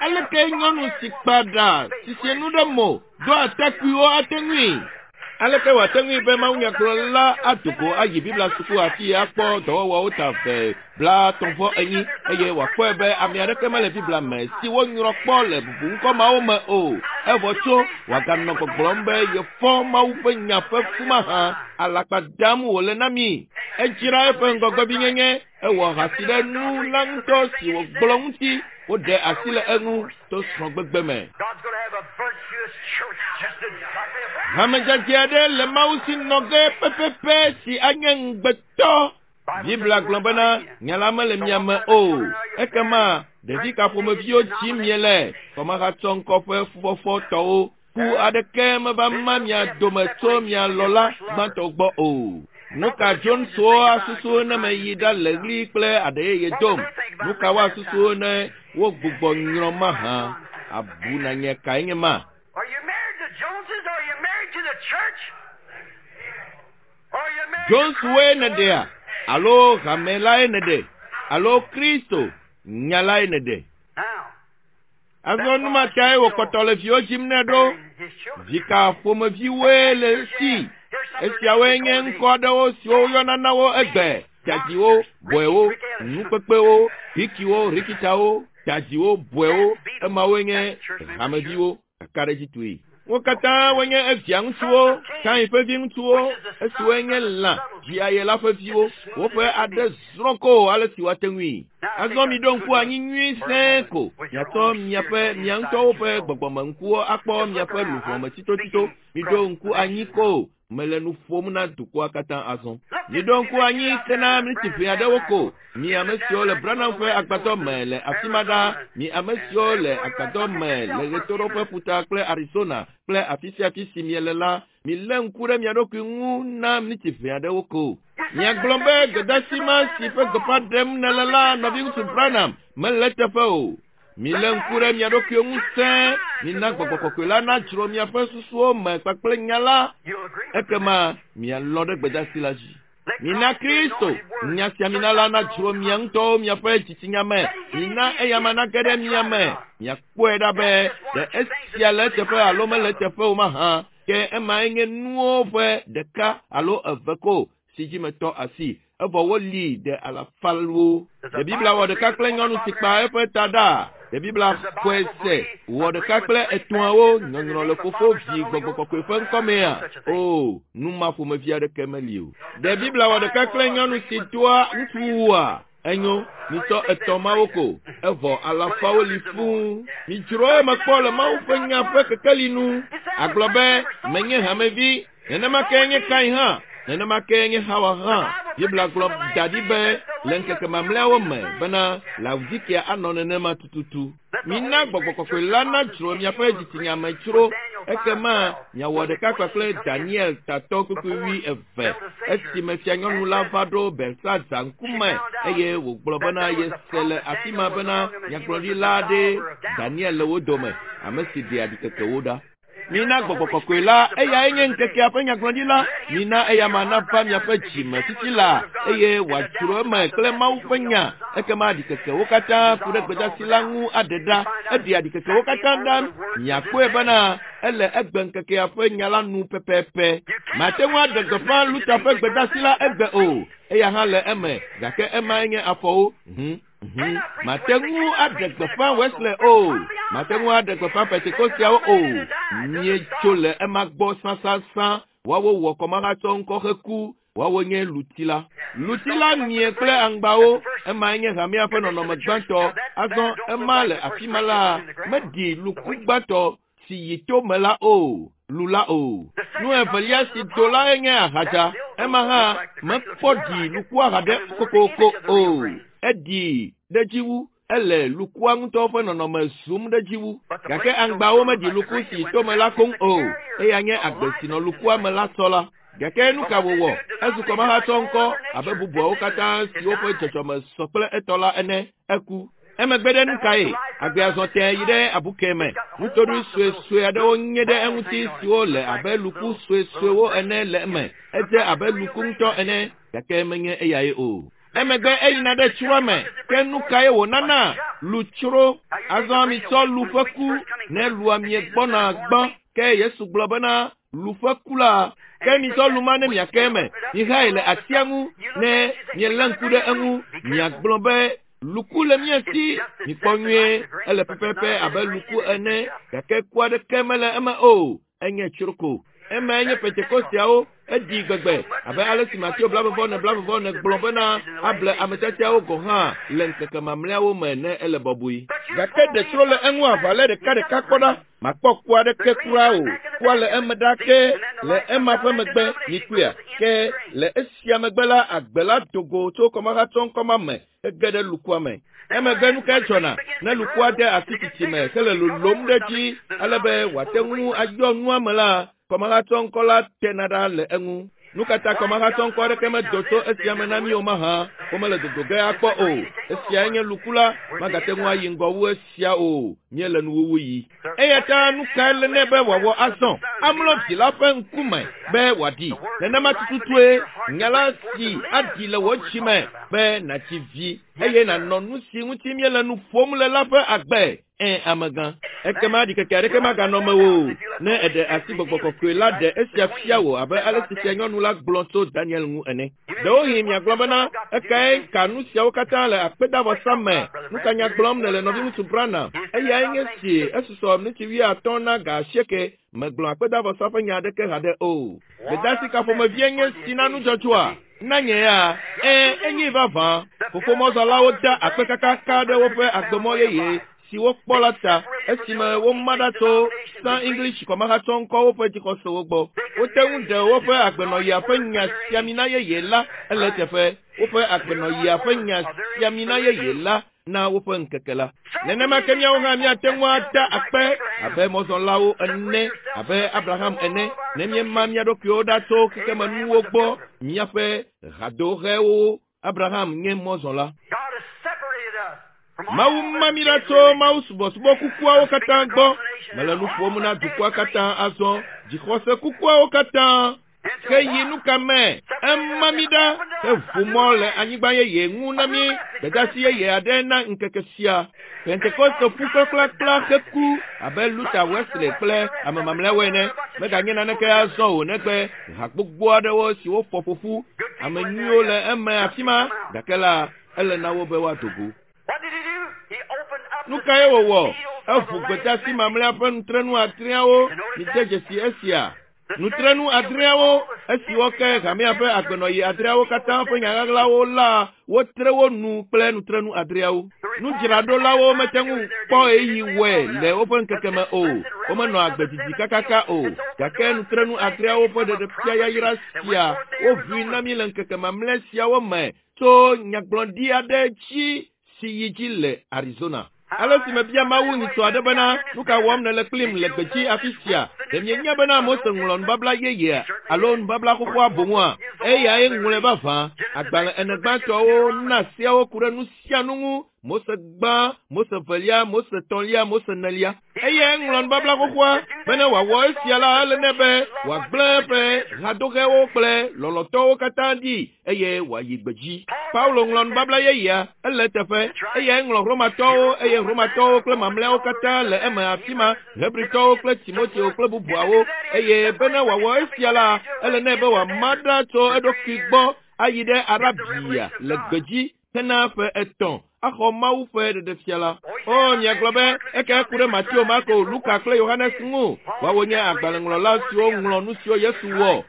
Aleke nyɔnu si kpa ɖa si sie nu ɖe mo do atakpuiwo ate ŋui? Aleke wòate ŋui be mawunyagblɔla ado go ayi Biblia suku afi akpɔ dɔwɔwɔwo ta ve 34 eye wòakpɔe be ame aɖeke mele Biblia me si wonyrɔ kpɔ le bubuŋkɔ mawo me o, evɔ tso wòaganɔ gbɔgblɔm be yefɔ Mawu ƒe nya ƒe fu mahã? Alakpa dam wòle na mí. Edzra eƒe ŋgɔgbevinyenye, ewɔ ahasi ɖe nu la ŋutɔ si wògblɔ ŋuti, woɖe asi le eŋu to srɔ̃gbegbe me. Hame dzadzɛ aɖe le Mawu si nɔ ge pɛpɛpɛ si anye ŋugbetɔ. Biblia gblɔ bena, Nya la mele mia me o. Ekema ɖevi ka ƒomeviwo dzim miele? Kɔmahatsɔ ŋkɔ ƒe fufɔfɔ tɔwo. Ku aɖeke meva ma mia dome tso mia lɔla gbãtɔ gbɔ o. Nuka Joneswo asusu ne meyi ɖa le ɣli kple aɖe yeye dom? Nuka woasusu ne wogbugbɔ nyrɔ mahã? Abu na nye kae nye ma? Are you married to Joneses? Are you married to the church? Are you married to Joneswoe nèɖea? Alo hame lae nèɖe? Alo Kristo nya lae nèɖe? Now, Azɔ nu ma tae wòkpɔtɔ le viwo dzim nɛ ɖo. Vi ka ƒomeviwoe le esi? Esiawoe nye ŋkɔ aɖewo siwo woyɔna na wo egbe, tadziwo, bɔewo, nukpekpewo, hikiwo, rikitawo, tadziwo, bɔewo, emawoe nye hameviwo. Kakaɖedzitɔe. Wo katã wonye evia ŋutsuwo, Kain ƒe viŋutsuwo, esiwoe nye lã dziaye la ƒe viwo. Woƒe aɖe zrɔ̃ ko ale si woate ŋui. Azɔ miɖo ŋku anyi nyuie sẽe ko, miatsɔ miaƒe mia ŋutɔwo ƒe gbɔgbɔmeŋkuwo akpɔ miaƒe luʋɔ me tsitotsito. Miɖo ŋku anyi ko, mele nu ƒom na dukɔa katã azɔ. Miɖo ŋku anyi kena miniti ʋɛ aɖewo ko, mi ame siwo le Branham ƒe agbadɔ me le afi ma ɖa, mi ame siwo le agbadɔ me le ɣetoɖoƒe ƒuta kple Arizona kple afi sia afi si miele la, milé ŋku ɖe mia ɖokui ŋu na miniti ʋɛ aɖewo ko. Miagblɔ be gbedeasi ma si ƒe gbeƒã ɖem nèle la, nɔviŋutsu Branham, mele eteƒe o. Milé ŋku ɖe mia ɖokuiwo ŋu sẽe, mina Gbɔgbɔ Kɔkɔe la nadzro miaƒe susuwo me kpakple nya la, ekema mialɔ̃ ɖe gbedeasi la dzi. Mina Kristo, nya sia mina la nadzro mia ŋutɔwo miaƒe dzitsinya me. Mina eyama nage ɖe mia me. Miakpɔe ɖa be ɖe esia le eteƒe alo mele eteƒe o mahã. Ke emae nye nuwo ƒe ɖeka alo eve ko si dzi metɔ asi, evɔ woli ɖe alafawo. Ɖe Biblia wɔ ɖeka kple nyɔnu si kpa eƒe ta ɖa? Ɖe Biblia xɔe se wɔ ɖeka kple etɔ̃awo nyɔnyrɔ le Fofo, Vi, Gbɔgbɔ Kɔkɔe ƒe ŋkɔ mea? Oo, nu ma ƒomevi aɖeke meli o. Ɖe Biblia wɔ ɖeka kple nyɔnu si doa ŋutsuwua? Enyo, mitsɔ etɔ̃ mawo ko, evɔ alafawo li fũu. Midzro eme kpɔ le Mawu ƒe nya ƒe kekeli nu. Agblɔ be, Menye hamevi, nenema kee nye Kain hã, nenema kee nye Xawa hã. Biblia gblɔ da ɖi be le ŋkeke mamlɛawo me bena Laodikea anɔ nenema tututu. Mina Gbɔgbɔ Kɔkɔe la nadzro miaƒe dzitsinya me tsro, ekema miawɔ ɖeka kpakple Daniel tatɔ kpukpui wuieve, esime fianyɔnu la va ɖo Belsazar ŋkume eye wògblɔ bena yese le afi ma bena nyagblɔɖila aɖee Daniel le wo dome, ame si ɖea ɖikekewo ɖa. Mina Gbɔgbɔ Kɔkɔe la, eyae nye ŋkekea ƒe nyagblɔɖila. Mina eyama nava miaƒe dzime titi la, eye wòadzro eme kple Mawu ƒe nya. Ekema ɖikekewo katã ku ɖe gbedasi la ŋu aɖe ɖa. Eɖea ɖikekewo katã ɖa. Miakpɔe bena ele egbe ŋkekea ƒe nya la nu pɛpɛpɛ. Mate ŋu aɖe gbeƒã Luther ƒe gbedasi la egbe o. Eya hã le eme, gake emae nye afɔwo. Mate ŋu aɖe gbeƒã Wesley o. Mate ŋu aɖe gbeƒã Pentekosteawo o. Míetso le ema gbɔ sãsãsã. Woawo wɔ kɔmahatsɔ ŋkɔ heku. Woawo nye luti la. Luti la mie kple aŋgbawo. Emae nye hamea ƒe nɔnɔme gbãtɔ. Azɔ ema le afi ma la, meɖi luku gbãtɔ si yi to me la o, lu la o. Nu evelia si do lae nye ahadza. Ema hã mekpɔ ɖi lukua haɖe kokoko o. Eɖi ɖe dzi wu. Ele lukua ŋutɔ ƒe nɔnɔme zum ɖe dzi wu. Gake aŋgbawo meɖi luku si yi tome la koŋ o. Eya nye agbe si nɔ lukua me la sɔ la. Gake nu ka wòwɔ? Ezu kɔmahatsɔ ŋkɔ abe bubuawo katã siwo ƒe dzɔdzɔme sɔ kple etɔ la ene. Eku. Emegbe ɖe nu kae? Agbea zɔ tẽe yi ɖe abuke me. Nutoɖoe suesue aɖewo nye ɖe eŋuti siwo le abe luku suesuewo ene le eme. Edze abe luku ŋutɔ ene, gake menye eyae o. Emegbe eyina ɖe tsroa me. Ke nu kae wònana? Lutsro. Azɔ mitsɔ lu ƒe ku ne lua miegbɔna gbã. Ke Yesu gblɔ bena, lu ƒe ku la, ke mitsɔ lu ma ne miake eme. Mihae le atia ŋu ne mielé ŋku ɖe eŋu. Miagblɔ be, luku le mía si, mikpɔ nyuie, ele pɛpɛpɛ abe luku ene, gake ku aɖeke mele eme o. Enye tsroko. Emae nye Pentekosteawo. Eɖi gbegbe abe ale si Mateo 24:44 gblɔ bena able ame tiatiawo gɔ̃ hã le ŋkeke mamlɛawo me ne ele bɔbɔe. Gake ɖe tsro le eŋu aʋa lé ɖekaɖeka kpɔ ɖa. Makpɔ ku aɖeke kura o. Kua le eme ɖa ke le ema ƒe megbe mikpɔea. Ke le esia megbe la, agbe la do go tso kɔmahatsɔŋkɔ ma me hege ɖe lukua me. Emegbe nu kae dzɔna ne lukua de asi tsitsi me hele lolom ɖe edzi ale be wòate ŋu ayɔ nua me la, kɔmahatsɔŋkɔ la tena ɖa le eŋu. Nu ka ta kɔmahatsɔŋkɔ aɖeke medo tso esia me na mí o mahã? Womele dodo ge akpɔ o. Esiae nye luku la, magate ŋu ayi ŋgɔ wu esia o. Míele nuwuwu yi. Eya ta nu kae le nɛ be wòawɔ azɔ? Amlɔ vi la ƒe ŋkume be wòaɖi. Nenema tututue nya la si aɖi le wò dzi me be nàdzi vi eye nànɔ nu si ŋuti míele nu ƒom le la ƒe agbe. Ẽ, amegã. Ekema ɖikeke aɖeke maganɔ mewò o ne èɖe asi Gbɔgbɔ Kɔkɔe la ɖe esia fia wò abe ale si fianyɔnu la gblɔ tso Daniel ŋu ene. Ɖewohĩ miagblɔ bena, ekae ka nu siawo katã le akpedavɔsa me? Nu ka nya gblɔm nèle nɔviŋutsu Branham? Eyae nye si esusɔ miniti 50 na ga 8. Megblɔ akpedavɔsa ƒe nya aɖeke haɖe o. Gbedasi ka ƒomevie nye si na nudzɔdzɔa? Na nye ya, ẽ, enye vavã. Fofomɔzɔlawo da akpe kakaka ɖe woƒe agbemɔ yeye si wokpɔ la ta esime woma ɖa tso San English kɔmahatsɔŋkɔwo ƒe dzixɔsewo gbɔ. Wote ŋu ɖe woƒe agbenɔɣia ƒe nya siamina yeye la ele eteƒe. Woƒe agbenɔɣia ƒe nya siamina yeye la na woƒe ŋkeke la. Nenema ke míawo hã míate ŋu ada akpe abe mɔzɔlawo ene, abe Abraham ene, ne míema mía ɖokuiwo ɖa tso xexemenuwo gbɔ, míaƒe hadohewo. Abraham nye mɔzɔla. God has separated us from Mawu all ma the mí ɖa dead tso religions. Mawu subɔsubɔ kukuawo katã gbɔ. Mele nu ƒom na dukɔa katã azɔ, dzixɔse kukuawo katã. Into Ke yi what? nu ka me? Ema mí ɖa heʋu mɔ le anyigba yeye ŋu na mí, gbedasi yeye aɖe na ŋkeke sia. Pentekoste ƒu kplakplakpla heku abe Luther, Wesley kple ame mamlɛawo ene. Meganye naneke azɔ o negbe ha gbogbo aɖewo siwo fɔ ƒoƒu. Ame nyuiwo le eme afi ma, gake la, ele na wo be woado go. What did he do? He opened up Nu the kae wòwɔ? seals of Eʋu the last gbedasi message. mamlɛa ƒe nutrenu adreawo. Mide dzesi esia. Nutrenu adreawo, esiwo ke hamea ƒe agbenɔɣi adreawo katã ƒe nya ɣaɣlawo la, wotre wo nu kple nutrenu adreawo. Nudzraɖolawo mete ŋu kpɔ ɣeyiɣi wɔe le woƒe ŋkeke me o. Womenɔ agbe didi kakaka o. Gake nutrenu adreawo ƒe ɖeɖefia yayra sia woʋui na mí le ŋkeke mamlɛ siawo me tso nyagblɔɖi aɖe dzi si yi dzi le Arizona. Ale si mebia Mawu nyitsɔ aɖe bena, nu ka wɔm nèle kplim le gbedzi afi sia? Ɖe mienya bena Mose ŋlɔ nubabla yeyea alo nubabla xoxoa boŋua? Eyae ŋlɔe vavã. Agbalẽ ene gbãtɔwo na seawo ku ɖe nu sia nu ŋu. Mose gbã, Mose velia, Mose tɔ̃lia, Mose nelia. Eyae ŋlɔ nubabla xoxoa bene wòawɔ esia la ele nɛ be wòagblẽ eƒe hadoxewo kple lɔlɔ̃tɔwo katã ɖi eye wòayi gbedzi. Paulo ŋlɔ nubabla yeyea, ele eteƒe. Eyae ŋlɔ Romatɔwo eye Romatɔwo kple mamlɛawo katã le eme afi ma, Hebritɔwo kple Timoteo kple bubuawo. Eye bene wòawɔ esia la, ele nɛ be wòama ɖa tso eɖokui gbɔ ayi ɖe Arabia le gbedzi hena ƒe etɔ̃ axɔ Mawu ƒe ɖeɖefia la. O, miagblɔ be eka ku ɖe Mateo, Marko, Luka kple Yohanes ŋu. Woawo nye agbalẽŋlɔla siwo ŋlɔ nu siwo Yesu wɔ.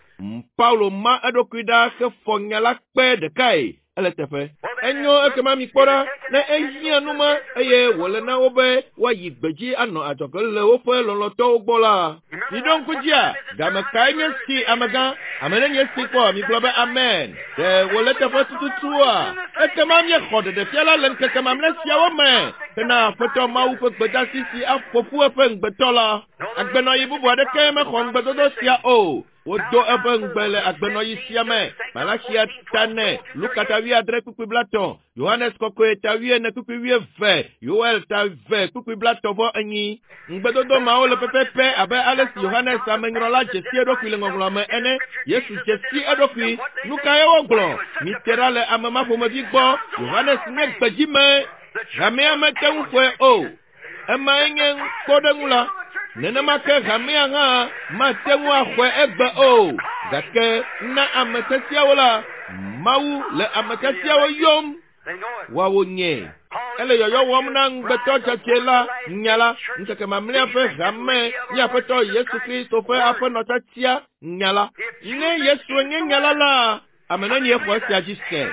Paulo ma eɖokui ɖa hefɔ nya la kpe ɖekae. Ele teƒe. Enyo ekema mikpɔ ɖa ne ehiã nu ma eye wòle na wo be woayi gbedzi anɔ adzɔge le woƒe lɔlɔ̃tɔwo gbɔ la. Miɖo ŋku dzia, game kae nye si amegã? Ame nenye si kpɔ migblɔ be amen. Ɖe wòle teƒe tututua? Ekema míexɔ ɖeɖefia la le ŋkeke mamlɛ siawo me hena Aƒetɔ Mawu ƒe gbedasi si aƒo ƒu eƒe ŋugbetɔ la. Agbenɔɣi bubu aɖeke mexɔ ŋugbedodo sia o. Wodo eƒe ŋugbe le agbenɔɣi sia me. Malaxia ta ne, Luka ta wuiadre kpukpui blatɔ̃, Yohanes kɔkɔe ta wuiene kpukpui wuieve, Yoel ta ve kpukpui blatɔ̃ vɔ enyi. Ŋugbedodo mawo le pɛpɛpɛ abe ale si Yohanes amenyrɔla dze si eɖokui le ŋɔŋlɔa me ene. Yesu dze si eɖokui. Nu kae wogblɔ? Mite ɖa le ame ma ƒomevi gbɔ. Yohanes nye gbedzime. Hamea mete ŋu xɔe o. Emae nye kpɔɖeŋu la. Nenema ke hamea hã mate ŋu axɔe egbe o. Gake na ame tiatiawo la, Mawu le ame tiatiawo yɔm. Woawo nye. Ele yɔyɔ wɔm na ŋugbetɔ dzadzɛ la, nya la, ŋkeke mamlɛa ƒe hame, mía Aƒetɔ Yesu Kristo ƒe aƒenɔ tiatia, nya la. Ne Yesue nye nya la la, ame nenie xɔ esia dzi se?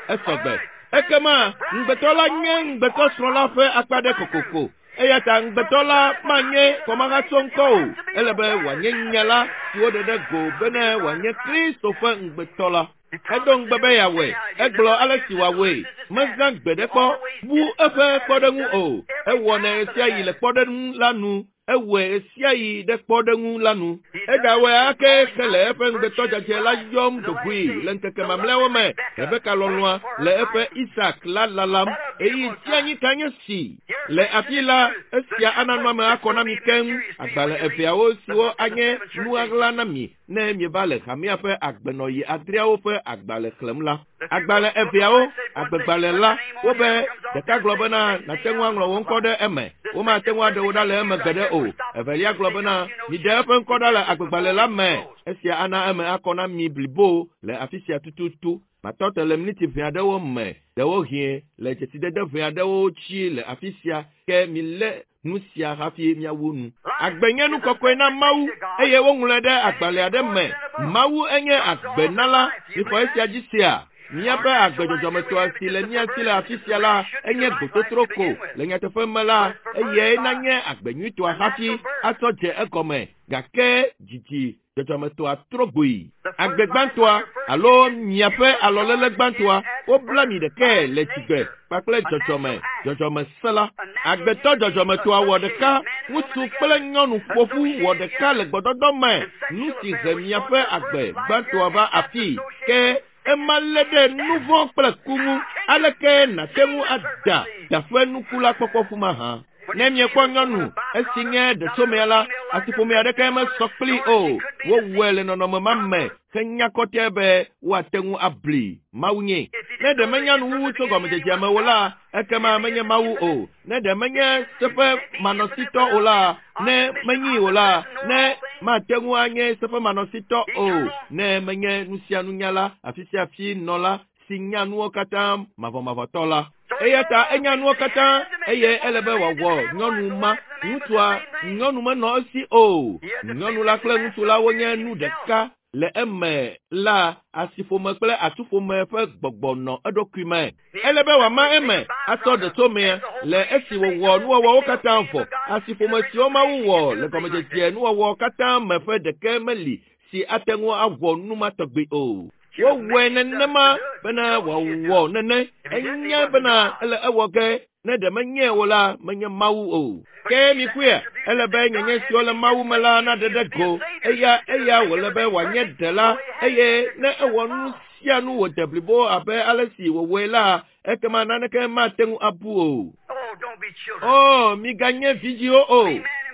Esɔgbe. Ekema ŋugbetɔ la nye ŋugbetɔsrɔ̃ la ƒe akpa ɖe kokoko. Eya ta ŋugbetɔ la manye kɔmahatsɔ ŋkɔ o. Ele be wòanye nya la si woɖe ɖe go bene wòanye Kristo ƒe ŋugbetɔ la. Edo ŋugbe be yeawɔe. Egblɔ ale si wòawɔe. Mezã gbeɖe kpɔ bu eƒe kpɔɖeŋu o. Ewɔnɛ ɣesiaɣi le kpɔɖeŋu la nu. Ewɔe ɣesiaɣi ɖe kpɔɖeŋu la nu. Egawɔe ake hele eƒe ŋugbetɔ dzadzɛ la yɔm dogoe le ŋkeke mamlɛawo me. Rebeka lɔlɔ̃a le eƒe Isak la lalam. Ɣeyiɣi tsianyi ka nye si! Le afi la, esia ana nua me akɔ na mi keŋ. Agbalẽ eveawo siwo anye nu ɣaɣla na mi ne mieva le hamea ƒe agbenɔɣi adreawo ƒe agbalẽ xlẽm la. Agbalẽ eveawo, agbegbalẽ la, wobe ɖeka gblɔ bena nàte ŋu aŋlɔ wò ŋkɔ ɖe eme, womate ŋu aɖe wò ɖa le eme gbeɖe o. Evelia gblɔ bena miɖe eƒe ŋkɔ ɖa le agbegbalẽ la me. Esia ana eme akɔ na mi blibo le afi sia tututu. Matɔ te le miniti ʋɛ aɖewo me, ɖewohĩ le dzesidede ʋɛ aɖewo dzi le afi sia, ke milé nu sia hafi míawu nu. Agbe nye nu kɔkɔe na Mawu eye woŋlɔe ɖe agbalẽ aɖe me. Mawu enye agbenala. Mixɔ esia dzi sea? Míaƒe agbe dzɔdzɔmetɔa si le mía si le afi sia la enye gbototro ko. Le nyateƒe me la, eyae nanye agbe nyuitɔa hafi atsɔ dze egɔme. Gake dzidzi dzɔdzɔmetɔa trɔ gboe. Agbe gbãtɔa alo miaƒe alɔléle gbãtɔa, wobla mi ɖekae le dzigbe kpakple dzɔdzɔme, dzɔdzɔmese la. Agbetɔ dzɔdzɔmetɔa wɔ ɖeka, ŋutsu kple nyɔnu ƒoƒu wɔ ɖeka le gbɔdɔdɔ me, nu si he miaƒe agbe gbãtɔa va afii. Ke ema lé ɖe nu vɔ̃ kple ku ŋu. Aleke nàte ŋu ada daƒe nuku la kpɔkpɔ ƒu mahã? Ne miekpɔ nyɔnu esi nye ɖetsomea la, asiƒome aɖeke mesɔ kplii o. Wowɔe le nɔnɔme ma me henya kɔtɛ be woate ŋu abli. Mawu nye. Ne ɖe menya nuwuwu tso gɔmedzedzea me o la, ekema menye Mawu o. Ne ɖe menye seƒemanɔsitɔ o la, ne menyii o la, ne mate ŋu anye seƒemanɔsitɔ o, ne menye nu sia nunyala, afi sia afi nɔla si nya nuwo katã mavɔmavɔtɔ la. Eya ta enya nuwo katã eye ele be wòawɔ nyɔnu ma. Ŋutsua, nyɔnu menɔ esi o. Nyɔnu la kple ŋutsu la wonye nu ɖeka. Le eme la, asiƒome kple atsuƒome ƒe gbɔgbɔ nɔ eɖokui me. Ele be wòama eme atsɔ ɖetsomea le esi wòwɔ nuwɔwɔwo katã vɔ. Asiƒome siwo Mawu wɔ le gɔmedzedzea nuwɔwɔ katã me ƒe ɖeke meli si ate ŋu awɔ nu ma tɔgbi o. Wowɔe nenema bena wòawɔ nene. Enyae bena ele ewɔ ge ne ɖe menye o la, menye Mawu o. Ke mikpɔe, ele be nyenye siwo le Mawu me la naɖe ɖe go. Eya eya wòle be wòanye ɖela eye ne ewɔ nu sia nu wòde blibo abe ale si wòwɔe la, ekema naneke mate ŋu abu o. Oh, don't be children. O, miganye vidziwo o.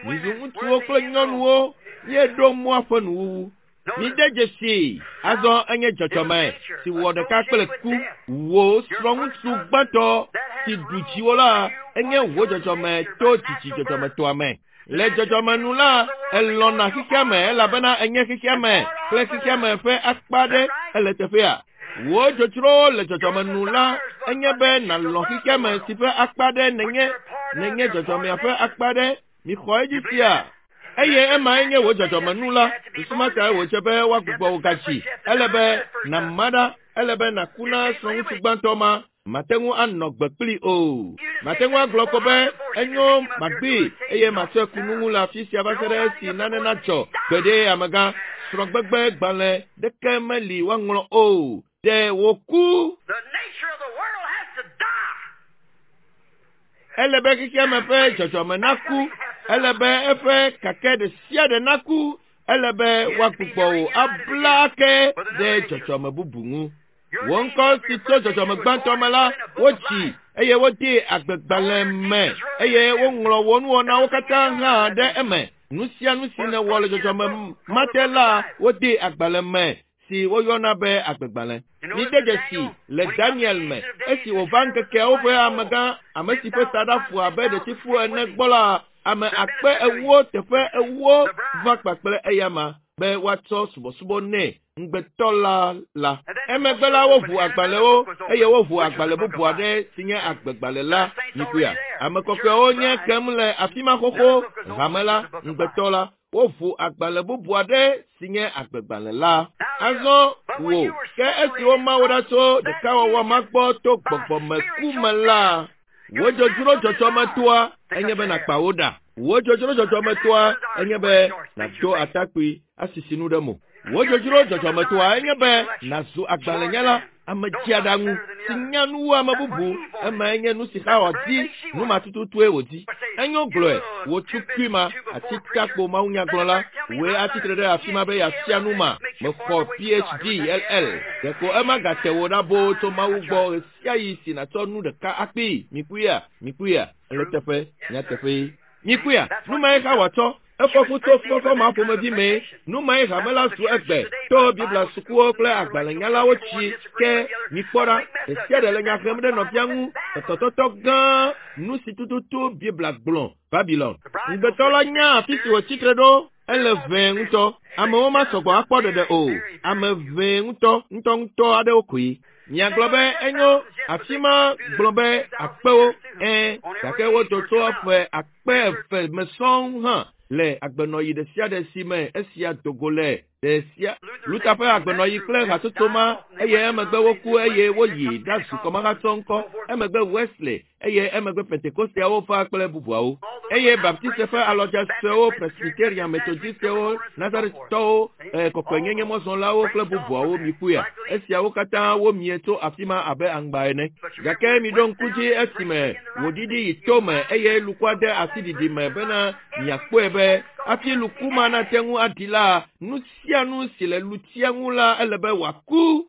Mizu ŋutsuwo kple nyɔnuwo. Míeɖo mɔa ƒe nuwuwu. Mide dzesi azɔ enye dzɔdzɔme si wɔ ɖeka kple ku. Wò srɔ̃ŋutsu gbãtɔ si ɖu dziwò la enye wò dzɔdzɔme to dzidzi dzɔdzɔmetɔa me. Le dzɔdzɔme nu la, elɔ̃na xexeame elabena enye xexeame kple xexeame ƒe akpa aɖe ele teƒea. Wò dzodzrowo le dzɔdzɔme nu la enye be nàlɔ̃ xexeame si ƒe akpa aɖe nènye, nènye dzɔdzɔmea ƒe akpa aɖe. Mixɔ edzi sia. Eye emae nye wò dzɔdzɔmenu la. Susu ma tae wòdze be woagbugbɔ wò gadzi. Ele be nàma ɖa. Ele be nàku na srɔ̃ŋutsu gbãtɔ ma. Mate ŋu anɔ gbe kplii o. Mate ŋu agblɔ ko be, Enyo, magbee eye matsɔe ku nu ŋu le afi sia va se ɖe esi nane nadzɔ. Gbeɖe, amegã. Srɔ̃gbegbe gbalẽ ɖeke meli woaŋlɔ o. Ɖe wòku. The nature of the world has to die. Ele be xexeame ƒe dzɔdzɔme naku. Ele be eƒe kake ɖe sia ɖe naku. Ele be woagbugbɔ wò abla ake ɖe dzɔdzɔme bubu ŋu. Wò ŋkɔ si tso dzɔdzɔme gbãtɔ me la, wotsi eye wodee agbegbalẽ me eye woŋlɔ wò nuwɔnawo katã hã ɖe eme. Nu sia nu si nèwɔ le dzɔdzɔme ma te la, wodee agbalẽ me si woyɔna be agbegbalẽ. Mide dzesi le Daniel me esi wòva ŋkekeawo ƒe amegã, ame si ƒe taɖa fu abe ɖetifu ene gbɔ la, ame akpe ewo teƒe ewo va kpakple eyama be woatsɔ subɔsubɔ nɛ ŋugbetɔ la la. Emegbe la woʋu agbalẽwo eye woʋu agbalẽ bubu aɖe si nye agbegbalẽ la. Mikpɔea? Ame kɔkɔewo nye kem le afi ma xoxo, hame la, ŋugbetɔ la. Woʋu agbalẽ bubu aɖe si nye agbegbalẽ la. Azɔ wò, ke esi woma wò ɖa tso ɖekawɔwɔ ma gbɔ to gbɔgbɔmeku me la, wò dzodzro dzɔdzɔmetoa enye be nàkpa wò ɖa. Wò dzodzro dzɔdzɔmetoa enye be nàdo atakpui asisi nu ɖe mo. Wò dzodzro dzɔdzɔmetoa enye be nàzu agbalẽnyala, ame dzeaɖaŋu si nya nu wu ame bubu. Emae nye nu si Xawa di, nu ma tututue wòdi. Enyo gblɔe, wò tukui ma, atitakpo mawunyagblɔla, wòe atsi tre ɖe afi ma be yeafia nu ma. Mexɔ PhD, LL. Ɖeko ema gate wò ɖa boo tso Mawu gbɔ ɣesiaɣi si nàtsɔ nu ɖeka akpee. Mikpɔea? Mikpɔea? Ele eteƒe. Nyateƒee. Mikpɔea? Nu mae Xawa tsɔ. Efɔ fu tso fufɔfɔ ma ƒomevi mee. Nu mae hame la zu egbe to Biblia sukuwo kple agbalẽnyalawo tsi ke mikpɔ ɖa, ɖe sia ɖe le nya hem ɖe nɔvia ŋu, etɔtɔtɔ gã, nu si tututu Biblia gblɔ, Babilon. Ŋugbetɔ la nya afi si wòtsi tre ɖo, ele ʋɛ ŋutɔ. Amewo masɔgbɔ akpɔ ɖeɖe o. Ame ʋɛ ŋutɔ, ŋutɔŋutɔ aɖewo koe. Miagblɔ be enyo, afi ma gblɔ be akpewo, ɛ̃, gake wodo tso ƒe akpe eve me sɔŋ hã le agbenɔɣi ɖe sia ɖe si me esia do go le ɖe sia. Luther ƒe agbenɔɣi kple hatsotso ma eye emegbe woku eye woyi ɖazu kɔmahatsɔ ŋkɔ, emegbe Wesley eye emegbe Pentekosteawo va kple bubuawo. Eye Baptiste ƒe alɔdze suewo, Presbyterian, Methodistwo, Nazaretɔwo, kɔkɔenyenye mɔzɔlawo kple bubuawo mikpɔea? Esiawo katã womie tso afi ma abe aŋgba ene. Gake miɖo ŋku dzi esime wòɖiɖi yi to me eye lukua de asi ɖiɖi me bena miakpɔe be hafi luku ma nate ŋu aɖi la, nu sia nu si le lutia ŋu la ele be wòaku.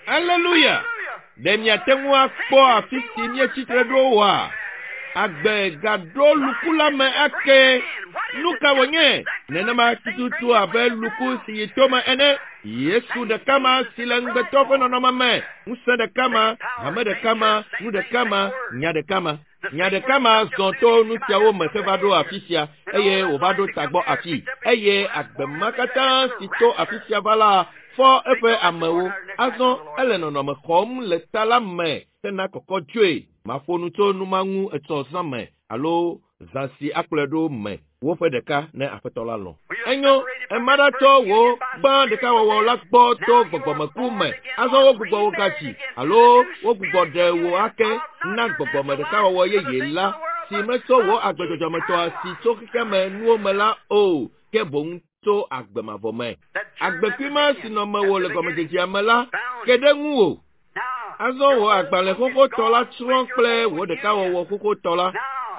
Aleluya! Ɖe miate ŋu akpɔ afi si míetsi tre ɖo oa? Agbe gaɖo luku la me ake. Nu ka wònye? Nenema tututu abe luku si yi tome ene. Yesu ɖeka ma si le ŋugbetɔ ƒe nɔnɔme me, ŋusẽ ɖeka ma, hame ɖeka ma, nu ɖeka ma, nya ɖeka ma. Nya ɖeka ma zɔ to nu siawo me heva ɖo afi sia eye wòva ɖo tagbɔ afi. Eye agbe ma katã si to afi sia va la fɔ eƒe amewo. Azɔ ele nɔnɔme xɔm le ta la me hena kɔkɔ dzoe. Maƒo nu tso nu ma ŋu etsɔ zã me alo zã si akplɔe ɖo me woƒe ɖeka ne Aƒetɔ la lɔ̃. Enyo, ema ɖa tsɔ wò gbã ɖekawɔwɔ la gbɔ to gbɔgbɔmeku me. Azɔ wogbugbɔ wò gadzi alo wogbugbɔ ɖe wò ake na gbɔgbɔme ɖekawɔwɔ yeye la, si metsɔ wò agbe dzɔdzɔmetɔa si tso xexeame nuwo me la o, ke boŋ. tso agbe mavɔ me. Agbekui ma si nɔ mewò le gɔmedzedzea me la ke ɖe ŋuwò. Azɔ wò agbalẽ xoxotɔ la tsrɔ̃ kple wò ɖekawɔwɔ xoxotɔ la.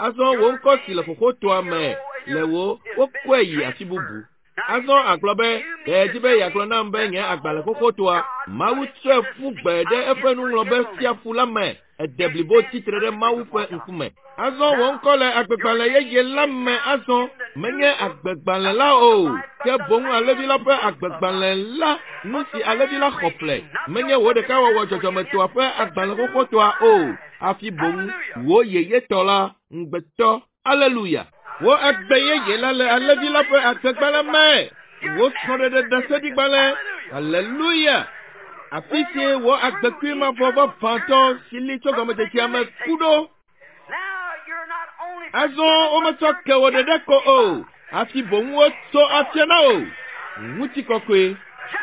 Azɔ wò ŋkɔ si le xoxotɔa me le wò wokɔe yi afi bubu. Azɔ agblɔ be, ɖe edzi be yeagblɔ nam be nye agbalẽ xoxotɔa, Mawu tsɔe ƒu gbe ɖe eƒe nuŋlɔbe sia ƒu la me. Ede blibo tsitre ɖe Mawu ƒe ŋkume. Azɔ wò ŋkɔ le agbegbalẽ yeye la me azɔ menye agbegbalẽ la o, ke boŋ alẽvi la ƒe agbegbalẽ la, nu si alẽvi la xɔ ƒle. Menye wò ɖekawɔwɔ dzɔdzɔmetɔa ƒe agbalẽ xoxotɔa o, hafi boŋ wò yeyetɔ la, ŋugbetɔ. Aleluya! Wò agbe yeye la le alẽvi la ƒe agbegbalẽ me. Wò srɔ̃ɖeɖe ɖaseɖigbalẽ. Aleluya! Afi si wò agbekui mavɔ vavãtɔ si li tso gɔmedzedzea me ku ɖo. Azɔ wometsɔ ke wò ɖeɖe ko o, hafi boŋ wotso afia na wò. Ŋutikɔkɔe.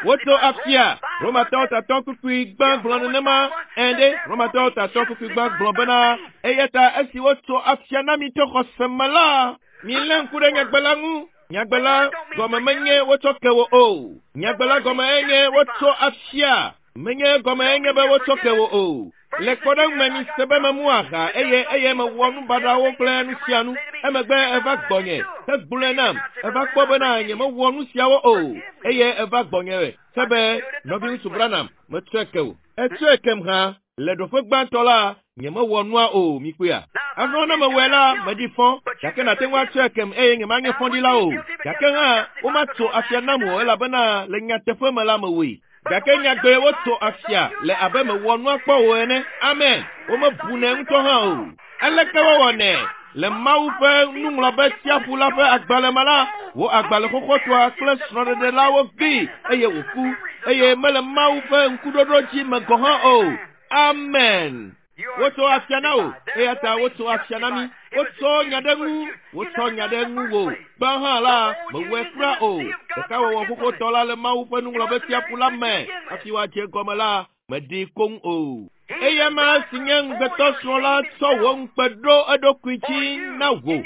Wotso afia. Romatɔwo tatɔ kpukpui gbã gblɔ nenema. Ɛ̃ ɖe, Romatɔwo tatɔ kpukpui gbã gblɔ bena, eya ta esi wotso afia na mi tso xɔse me la, milé ŋku ɖe nyagbe la ŋu. Nyagbe la gɔme menye wotsɔ ke wò o. Nyagbe la gɔme enye wotso afia. Menye gɔme enye be wotsɔ ke wò o. Le kpɔɖeŋu me mi se be memu aha eye eye mewɔ nu baɖawo kple nu sia nu. Emegbe eva gbɔnye hegblɔe nam. Eva kpɔ bena nyemewɔ nu siawo o eye eva gbɔnye he be nɔviŋutsu Branham metsɔe ke wò. Etsɔe kem hã. Le ɖoƒe gbãtɔ la, nyemewɔ nua o, mikpɔea. Azɔ ne mewɔe la, meɖi fɔ, gake nàte ŋu atsɔe kem eye nyemanye fɔɖila o. Gake hã, womatso afia nam o elabena le nyateƒe me la mewɔe. Gake nyagbee wotso afia le abe mewɔ nua kpɔ o ene. Amen. Womebunɛ ŋutɔ hã o. Aleke wowɔnɛ? Le Mawu ƒe nuŋlɔbe tsiaƒu la ƒe agbalẽ me la, wò agbalẽ xoxotɔa kple srɔ̃ɖeɖe la wogbee eye wòku eye mele Mawu ƒe ŋkuɖoɖo dzi me gɔ̃ hã o. Amen. Wotso afia na wò eya ta wotso afia na mí. Wotsɔ nya ɖe ŋu, wotsɔ nya ɖe ŋu wò. Gbã hã la, mewɔe kura o. Ɖekawɔwɔ xoxotɔ la le Mawu ƒe nuŋlɔbe tsiaƒu la me. Hafi woadze egɔme la, meɖi koŋ o. Eya ma si nye ŋugbetɔsrɔ̃ la tsɔ wò ŋukpe ɖo eɖokui dzi na wò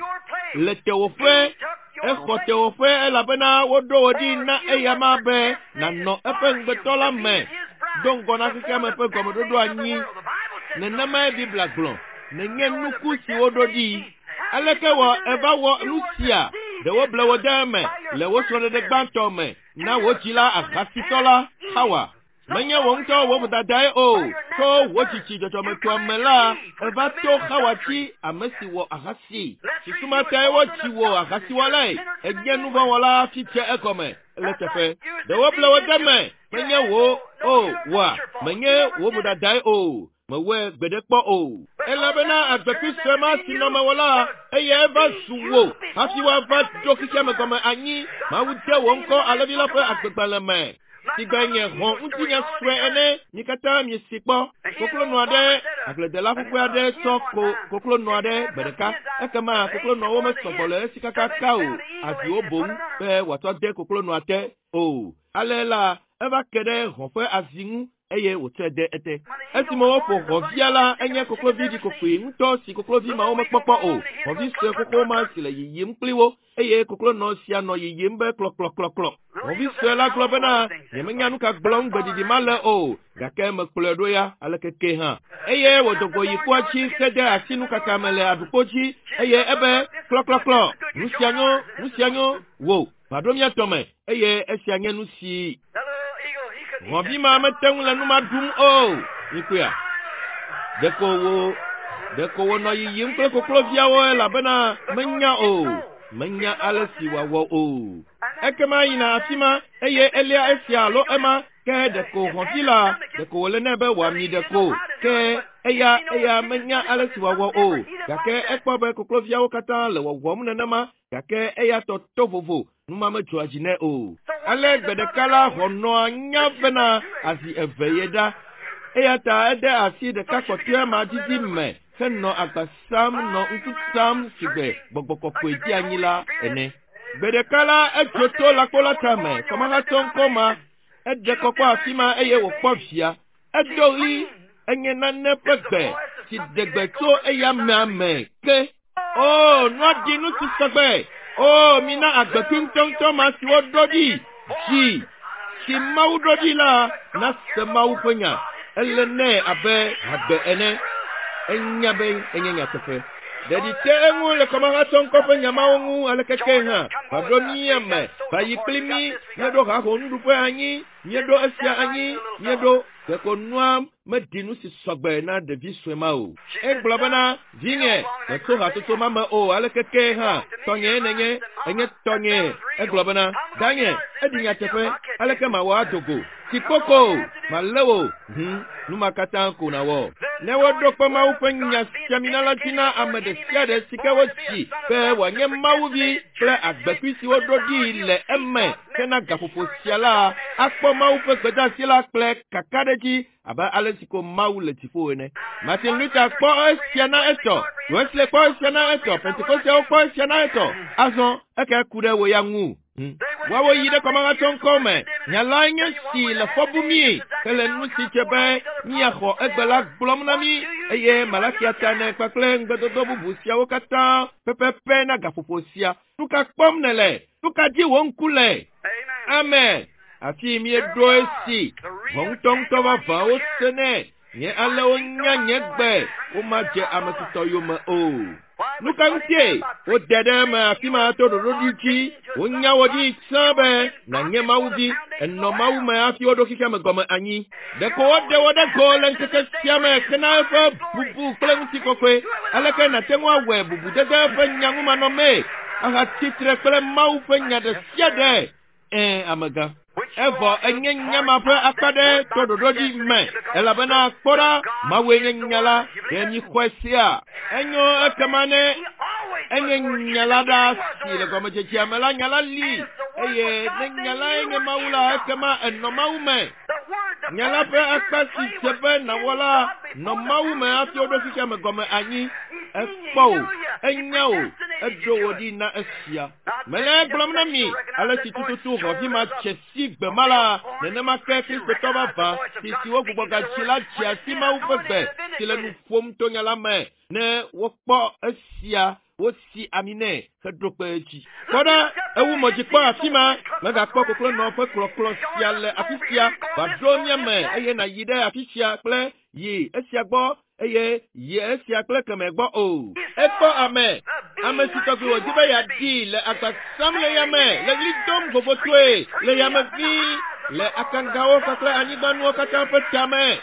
le tewòƒe. Exɔ tewòƒe elabena woɖo wò ɖi na eya ma be nànɔ eƒe ŋugbetɔ la me do ŋgɔ na xexea me ƒe gɔmeɖoɖo anyi. Nenemae Biblia gblɔ. Nenye nuku si woɖo ɖi. Aleke wɔ eva wɔ nu sia? Ɖe woble wò de eme le wò srɔ̃ɖeɖe gbãtɔ me na wò dzila ahasitɔ la, Hawa. Menye wò ŋutɔ wò vodadae o, tso wò tsitsi dzɔdzɔmetɔa me la, eva to Xawa dzi ame si wɔ ahasi. Susu ma tae wodzi wò ahasiwɔlae. Ènye nuvɔ̃wɔla hafi dze egɔme le teƒe. Ɖe woble wò de eme. Menye wò o, wòa, menye wò vodadae o. Mewɔe gbeɖe kpɔ o. Elabena agbekui sue ma si nɔ mewò la, eyae va zu wò hafi woava ɖo xexea me gɔme anyi. Mawu de wò ŋkɔ alẽvi la ƒe agbegbalẽ me. Si gbe nye hɔ̃ ŋutinya sue ene, mi katã miesi kpɔ. Koklonɔ aɖe, agbledela ƒuƒu aɖe tsɔ ko koklonɔ aɖe gbe ɖeka. Ekema koklonɔwo mesɔgbɔ le esi kakaka o, aziwo boŋ be wòatsɔ de koklonɔa te o. Ale la, eva ke ɖe hɔ̃ ƒe azi ŋu eye wòtsɔe de ete. Esime woƒo hɔ̃via la, enye koklovi ɖikokoe ŋutɔ si koklovi mawo mekpɔkpɔ o. Hɔ̃vi sue xoxo ma si le yiyim kpli wo eye koklonɔ sia nɔ yiyim be klɔklɔklɔklɔ. Hɔ̃vi sue la gblɔ bena, nyemenya nu ka gblɔm gbeɖiɖi ma le o, gake mekplɔe ɖo ya aleke ke hã. Eye wòdo go yi kpoa dzi hede asi nukaka me le aɖukpo dzi eye ebe klɔklɔklɔ, nu sia nyo, nu sia nyo, wò, va ɖo mía tɔ me eye esia nye nu si hɔ̃vi ma mete ŋu le nu ma ɖum o. Mikpɔea? Ɖeko wònɔ yiyim kple kokloviawo elabena menya o. Menya ale si wòawɔ o. Ekema yina afi ma eye elia esia alo ema ke ɖeko hɔ̃vi la ɖeko wòle nɛ be wòami ɖeko ke eya eya menya ale si wòawɔ o. Gake ekpɔ be kokloviawo katã le wɔwɔm nenema gake eya tɔ to vovo nu ma medzɔa dzi nɛ o. Ale gbe ɖeka la hɔ̃nɔa nya bena azi eve ye ɖa. Eya ta ede asi ɖeka kpɔtɔea ma didi me henɔ agba sam nɔ ŋku tam si gbe gbɔgbɔ kɔkɔe dzi anyi la ene. Gbe ɖeka la edzo to lãkpo la tame, kɔmahatsɔ ŋkɔ ma, eɖe kɔkɔ afi ma eye wòkpɔ via. Edo ɣli, enye nane ƒe gbe si ɖe gbe tso eya amea me ke. O, nua ɖi nu si sɔgbe. O, mina agbekui ŋutɔŋutɔ ma si woɖo ɖi dzi si Mawu ɖo ɖi la nase Mawu ƒe nya. Ele nɛ abe hagbe ene. Enya be enye nyateƒe. Ɖeɖi te eŋu le kɔmahatsɔŋkɔ ƒe nya mawo ŋu aleke ke hã va ɖo mía me, va yi kpli mí, míeɖo haho nuɖuƒe anyi, míeɖo esia anyi, míeɖo ɖeko nua meɖi nu si sɔgbe na ɖevi sue ma o. Egblɔ bena, vinye, metso hatsotso ma me o, aleke ke hã, tɔnyee nènye, enye tɔnyee. Egblɔ bena, danye, eɖi nyateƒe, aleke mawɔ ado go? Tsi kpoko, malé wò, hũ, nu ma katã ko nàwɔ. Ne woɖo kpe Mawu ƒe nya siamina la dzi na ame ɖe sia ɖe si ke wodzi be wòanye Mawuvi kple agbekui si woɖo ɖi le eme hena gaƒoƒo sia la, akpɔ Mawu ƒe gbedeasi la kple kakaɖedzi abe ale si ko Mawu le dziƒo ene. Martin Luther kpɔ esia na etɔ, Wesley kpɔ esia na etɔ, Pentekosteawo kpɔ esia na etɔ. Azɔ eke ku ɖe wò ya ŋu. Woawo yi ɖe kɔmahatsɔŋkɔ me. Nya lae nye si le fɔ bum mí hele nu si dze be míaxɔ egbe la gblɔm na mí eye Malakia ta ene kpakple ŋugbedodo bubu siawo katã pɛpɛpɛ na gaƒoƒo sia. Nu ka kpɔm nèle? Nu ka dzi wò ŋku le? Amen. Afi míeɖo esi. Vɔ ŋutɔŋutɔ vavã wosenɛ. Nye ale wonya nye gbe, womadze ame tutɔ yome o. Nu ka ŋutie wode ɖe eme afi ma to ɖoɖoɖi dzi? Wonya wò ɖi tsã be nànye Mawu vi. Ènɔ Mawu me hafi woɖo xexea me gɔme anyi. Ɖeko woɖe wò ɖe go le ŋkeke sia me hena eƒe bubu kple ŋutikɔkɔe. Aleke nàte ŋu awɔe bubudede eƒe nya ŋu manɔmee ahatsi tre kple Mawu ƒe nya ɖe sia ɖe? Ɛ̃, amegã. Evɔ enye nya ma ƒe akpa ɖe to ɖoɖoɖi me, elabena kpɔ ɖa, Mawue nye nya la, ɖe míxɔe sea? Enyo ekema ne enye nya la ɖa si le gɔmedzedzea me la, nya la li, eye ne nya lae nye Mawu la, ekema enɔ Mawu me. Nya la ƒe akpa si dze be nàwɔ la nɔ Mawu me hafi woɖo xexea me gɔme anyi. Ekpɔ wò, enya wò, eɖo wò ɖi na esia. Mele egblɔm na mi, ale si tututu xɔvi ma dze si gbe ma la, nenema ke Kristotɔ vavã si si wogbugbɔ gadzi la dzea si Mawu ƒe gbe si le nu ƒom to nya la me ne wokpɔ esia wosi ami nɛ heɖo kpe edzi. Kpɔ ɖa, ewu mɔ dzi kpɔ afi ma, mègakpɔ koklonɔ ƒe klɔklɔ sia le afi sia, va ɖo mía me eye nàyi ɖe afi sia kple yi esia gbɔ eye yi esia kple kemɛ gbɔ o. Ekpɔ ame, ame si tɔgbi wòdi be yeaɖi le agba sam le yame, le ɣli dom vovotoe le yame ʋĩi, le akangawo kpakple anyigbanuwo katã ƒe tame.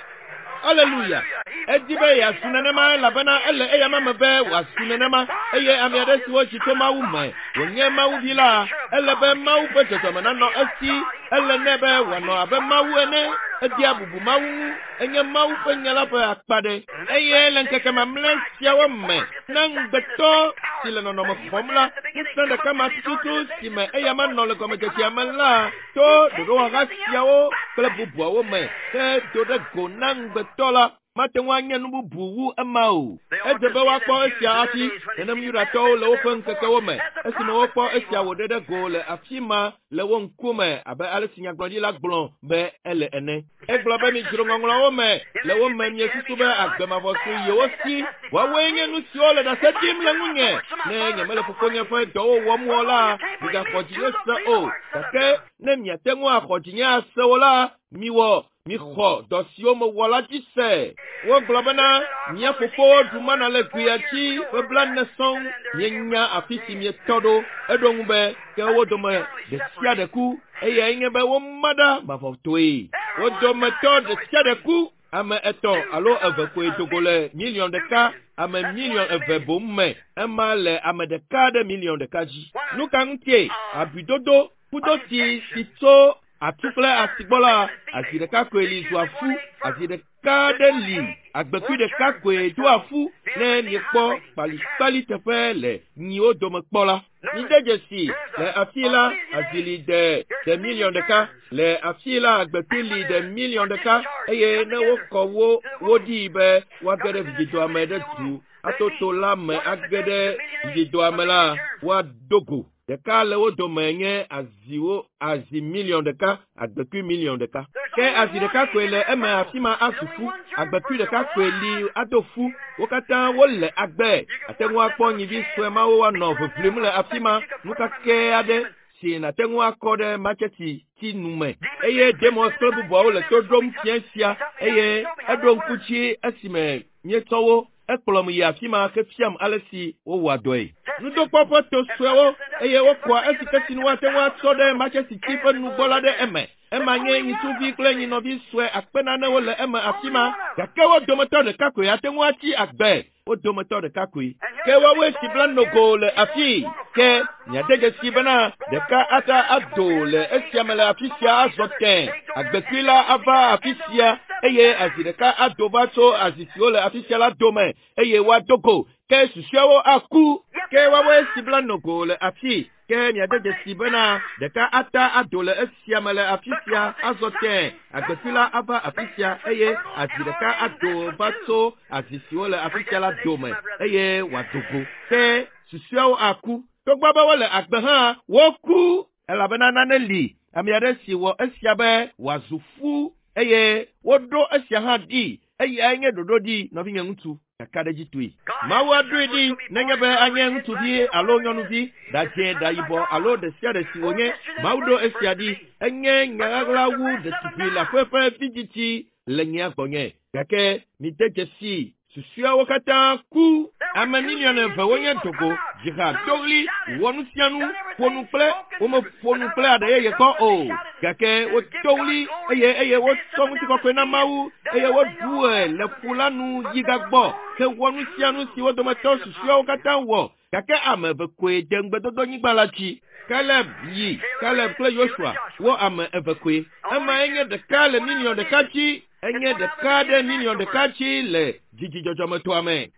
Aleluya! Edi be yeazu nenema elabena ele eyama me be wòazu nenema eye ame aɖe si wodzi tso Mawu me wònye Mawuvi la, ele be Mawu ƒe dzɔdzɔme nanɔ esi. Ele nɛ be wòanɔ abe Mawu ene. Edea bubu Mawu ŋu. Enye Mawu ƒe nya la ƒe akpa ɖe. Eye le ŋkeke mamlɛ siawo me, na ŋugbetɔ si le nɔnɔme xɔm la, ŋusẽ ɖeka ma tututu si me eyama nɔ le gɔmedzedzea me la, to ɖoɖowɔha siawo kple bubuawo me hedo ɖe go na ŋugbetɔ la, mate ŋu anye nu bubu wu ema o. Edze be woakpɔ esia hafi nenem Yudatɔwo le woƒe ŋkekewo me, esime wokpɔ esia wòɖe ɖe go le afi ma le wo ŋkume abe ale si nyagblɔɖila gblɔ be ele ene. Egblɔ be midzro ŋɔŋlɔawo me le wo me miesusu be agbe mavɔ su yewo si. Woawoe nye nu siwo le ɖase ɖim le ŋunye. Ne nyemele fofonye ƒe dɔwo wɔm o la, migaxɔ dzinye se o. Gake ne miate ŋu axɔ dzinye ase o la, miwɔ, mixɔ dɔ siwo mewɔ la dzi se. Wogblɔ bena, mía fofowo ɖu mana le gbea dzi ƒe blaene sɔŋ. Mienya afi si mietɔ ɖo. Eɖo ŋu be, ke wo dome ɖe sia ɖe ku. Eyae nye be woma ɖa mavɔtɔe. Wo dometɔ ɖe sia ɖe ku. Ame etɔ̃ alo eve koe do go le miliɔn ɖeka, ame miliɔn eve boŋ me. Ema le ame ɖeka ɖe miliɔn ɖeka dzi. Nu ka ŋutie abidodo kudoti si tso atu kple asi gbɔ la, azi ɖeka koe li zua fu, azi ɖeka ɖe li, agbekui ɖeka koe doa fu ne miekpɔ kpalikpali teƒe le nyiwo dome kpɔ la. Mide dzesi, le afi la, azi li de ɖe miliɔn ɖeka, le afi la, agbekui li ɖe miliɔn ɖeka, eye ne wokɔ wo wo ɖii be woage ɖe vidzidɔa me ɖe du ato to la me age ɖe vidzidɔa me la, woado go. Ɖeka le wo dome nye aziwo azi miliɔn ɖeka, agbekui miliɔn ɖeka. Ke azi ɖeka koe le eme afi ma azu fu. Agbekui ɖeka koe li ado fu. Wo katã wole agbe. Ate ŋu akpɔ nyivi sue mawo woanɔ ʋiʋlim le afi ma. Nu kakɛ aɖe si nàte ŋu akɔ ɖe matseti ti nu me. Eye Demos kple bubuawo le to ɖom fia sia eye eɖo ŋku dzi esime míetsɔ wo ekplɔm yi afi ma hefiam ale si wowɔa dɔe. Nudokpɔ ƒe to suewo eye wokɔa esi ke sinu woate ŋu atsɔ ɖe matsesi ti ƒe nugbɔ la ɖe eme. Ema nye nyitsuvi kple nyinɔvi sue akpe nanewo le eme afi ma gake wo dometɔ ɖeka koe ate ŋu atsi agbe. Wo dometɔ ɖeka koe. Ke woawoe si bla nogo le afii. Ke miade dzesi bena ɖeka ata ado le esia me le afi sia azɔ tẽ. Agbekui la ava afi sia eye azi ɖeka ado va tso azi siwo le afi sia la dome eye woado go. Ke susɔeawo aku. Ke woawoe si bla nogo le afii. Ke miade dzesi bena ɖeka ata ado le esia me le afi sia azɔ tẽ. Agbekui la ava afi sia eye azi ɖeka ado va tso azi siwo le afi sia la dome eye wòado go. Ke susɔeawo aku. Togbɔ be wole agbe hã, woku elabena nane li ame aɖe si wɔ esia be wòazu fu eye woɖo esia hã ɖi. Eyae nye ɖoɖo ɖi nɔvinye ŋutsu. Kakaɖedzitɔe. Mawu aɖoe ɖi nenye be anye ŋutsuvi alo nyɔnuvi, ɖadzẽ, ɖayibɔ alo ɖe sia ɖe si wònye. Mawu ɖo esia ɖi. Enye nya ɣaɣla wu ɖetugbui leaƒe ƒe vidzidzi le nyea gbɔnye. Gake mide dzesi susɔeawo katã ku. Ame miliɔn eve wonye dogo, dziha, do ɣli, wɔ nu sia nu, ƒo nu kple womeƒo nu kple aɖe yeye kpɔ o. Gake wodo ɣli eye eye wotsɔ ŋutikɔkɔe na Mawu eye woɖu le ƒu la nu yi gagbɔ hewɔ nu sia nu si wo dometɔ susɔeawo katã wɔ. Gake ame eve koe de ŋugbedodonyigba la dzi. Kaleb yi, Kaleb kple Yosua wo ame eve koe. Emae nye ɖeka le miliɔn ɖeka dzi. Enye ɖeka ɖe miliɔn ɖeka dzi le dzidzidzɔdzɔmetɔa me.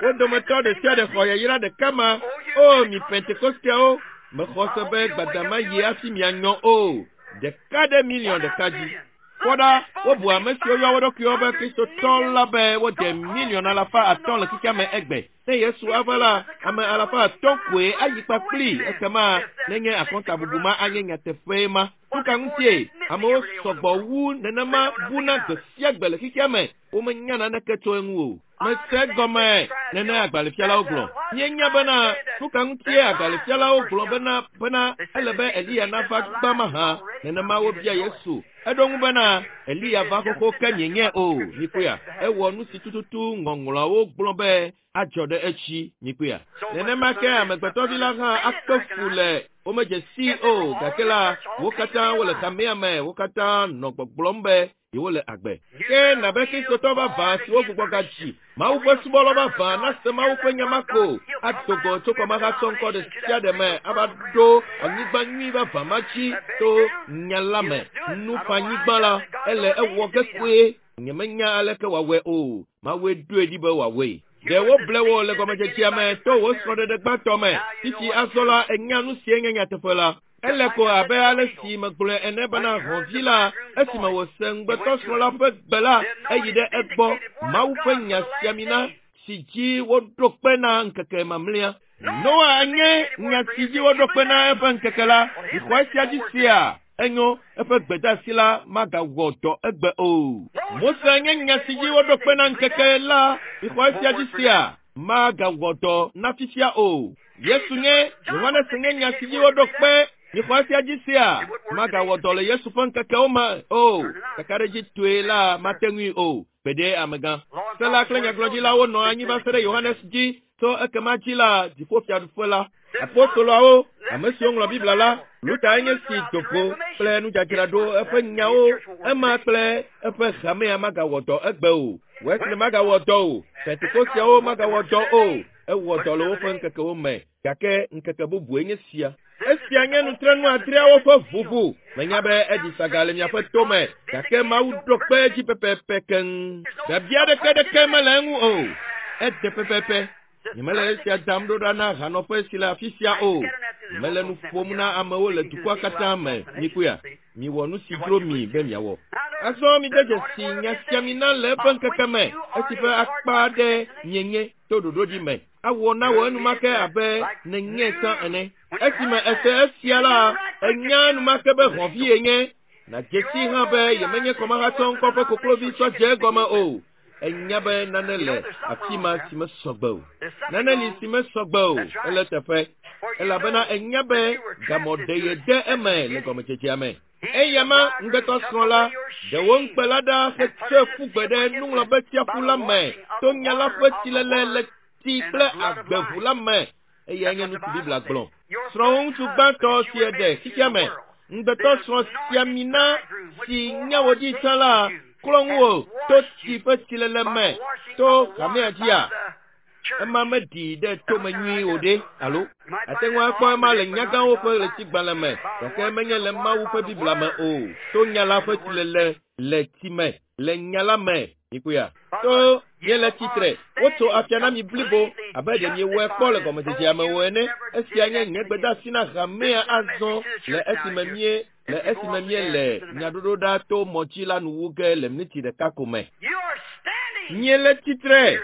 Wo dometɔ ɖe sia ɖe xɔ yayra ɖeka ma. O mi Pentekosteawo, mexɔ se be gbadama yi hafi mianyɔ o. Ɖeka ɖe miliɔn ɖeka dzi. Kpɔ ɖa, wobu ame siwo yɔ wo ɖokuiwo be Kristotɔ la be wode miliɔn alafa atɔ̃ le xexea me egbe. Ne Yesu ava la, ame alafa atɔ̃ koe ayi kpakpli ekema nenye akɔntabubu ma anye nyateƒe ma. Nu ka ŋutie amewo sɔgbɔ wu nenema buna gbe sia gbe le xexea me? Womenya naneke tso eŋu o. Mese gɔme nene agbalẽfialawo gblɔ. Míenya bena nu ka ŋutie agbalẽfialawo gblɔ bena bena ele be Eliya nava gbã mahã. Nenema wobia Yesu. Eɖo ŋu bena Eliya va xoxo ke mienyae o. Mikpɔea? Ewɔ nu si tututu ŋɔŋlɔawo gblɔ be adzɔ ɖe etsi. Mikpɔea? Nenema ke amegbetɔvi la hã akpe fu le womedze sii o gake la wo katã wole hamea me wo katã nɔ gbɔgblɔm be yewole agbe. Ke nabe Kristotɔ vavã siwo gbugbɔ gadzi Mawu ƒe subɔlɔ vavã nase Mawu ƒe nya ma ko ado go tso kɔmahatsɔ ŋkɔ ɖe sia ɖe me ava ɖo anyigba nyui vavã ma dzi to nya la me. Nuƒanyigba la ele ewɔ ge kpoe. Nyemenya aleke wòawɔe o. Mawue ɖoe ɖi be wòawɔe. Ɖe woble wò le gɔmedzedzea me to wò srɔ̃ɖeɖe gbãtɔ me. Fifi azɔ la ènya nu si nye nyateƒe la. Ele ko abe ale si megblɔe ene bena hɔ̃vi la esime wòse ŋugbetɔsrɔ̃ la ƒe gbe la eyi ɖe egbɔ. Mawu ƒe nya sia mi na si dzi woɖo kpe na ŋkeke mamlɛa. Noa nye nya si dzi woɖo kpe na eƒe ŋkeke la. Mixɔ esia dzi sea? Enyo, eƒe gbedeasi la magawɔ dɔ egbe o. Mose nye nya si dzi woɖo kpe na ŋkeke la. Mixɔ esia dzi sea? Magawɔ dɔ na fifia o. Yesu nye Yohanes nye nya si dzi woɖo kpe. Mixɔ esia dzi sea? Magawɔ dɔ le Yesu ƒe ŋkekewo me o. Kakaɖedzitɔe la mate ŋui o. Gbeɖe amegã. Se la kple nyagblɔɖilawo nɔ anyi va se ɖe Yohanes dzi tso ekema dzi la dziƒofiaɖuƒe la. Apostoloawo, ame siwo ŋlɔ Biblia la, Luther nye si do go kple nudzadzraɖo eƒe nyawo ema kple eƒe hamea magawɔ dɔ egbe o. Wesley magawɔ dɔ o. Pentekosteawo magawɔ dɔ o. Ewɔ dɔ le woƒe ŋkekewo me gake ŋkeke bubue nye sia. Esia nye nutrenu adreawo ƒe ʋuʋu. Menya be eɖi saga le miaƒe tome gake Mawu ɖo kpe edzi pɛpɛpɛ keŋ. Biabia ɖeke ɖeke mele eŋu o. Ede pɛpɛpɛ. Nyemele esia dam ɖo ɖa na hanɔƒe si le afi sia o. Mele nu ƒom na amewo le dukɔa katã me. Mikpɔea? Miwɔ nu si dzro mi be miawɔ. Azɔ mide dzesi nya sia mi na le eƒe ŋkeke me esi ƒe akpa aɖe mienye to ɖoɖo ɖi me. Awɔ na wò enumake abe nènyɛ tsã ene. Esime ese esia la, enya enumake be hɔ̃vi yenye. Nàdze sii hã be yemenye kɔmahatsɔ ŋkɔ ƒe koklovi tsɔ dze egɔme o. Enya be nane le afi ma si mesɔ gbe o. Nane li si mesɔ gbe o. Ele eteƒe. Elabena enya be gamɔ ɖe yede eme le gɔmedzedzea me. Eya ma ŋugbetɔ srɔ̃ la, ɖe wò ŋukpe la ɖa hetsɔe ƒu gbe ɖe nuŋlɔbetsiaƒu la me to nya la ƒe tsilele le tsi kple agbe ʋu la me. Eyae nye nu si Biblia gblɔ. Srɔ̃wò ŋutsu gbãtɔ si èɖe xexea me, ŋugbetɔ srɔ̃ si ami na si nye wò dzi tsã la, klɔ ŋuwò to tsi ƒe tsilele me to hamea dzia? Ema meɖi ɖe tome nyuie o ɖe, alo? Àte ŋu akpɔ ema le nyagãwo ƒe ɣletigbalẽ me, gake menye le Mawu ƒe Biblia me o. To nya la ƒe tsilele le tsi me, le nya la me, mikpɔea? To miele tsitre, wotso afia na mi blibo, abe ɖe miewɔe kpɔ le gɔmedzedzea me o ene. Esia nye nye gbedeasi na hamea azɔ le esime mie le esime míele nyaɖoɖoɖa to mɔ dzi la nu wu ge le miniti ɖeka ko me. Miele tsitre,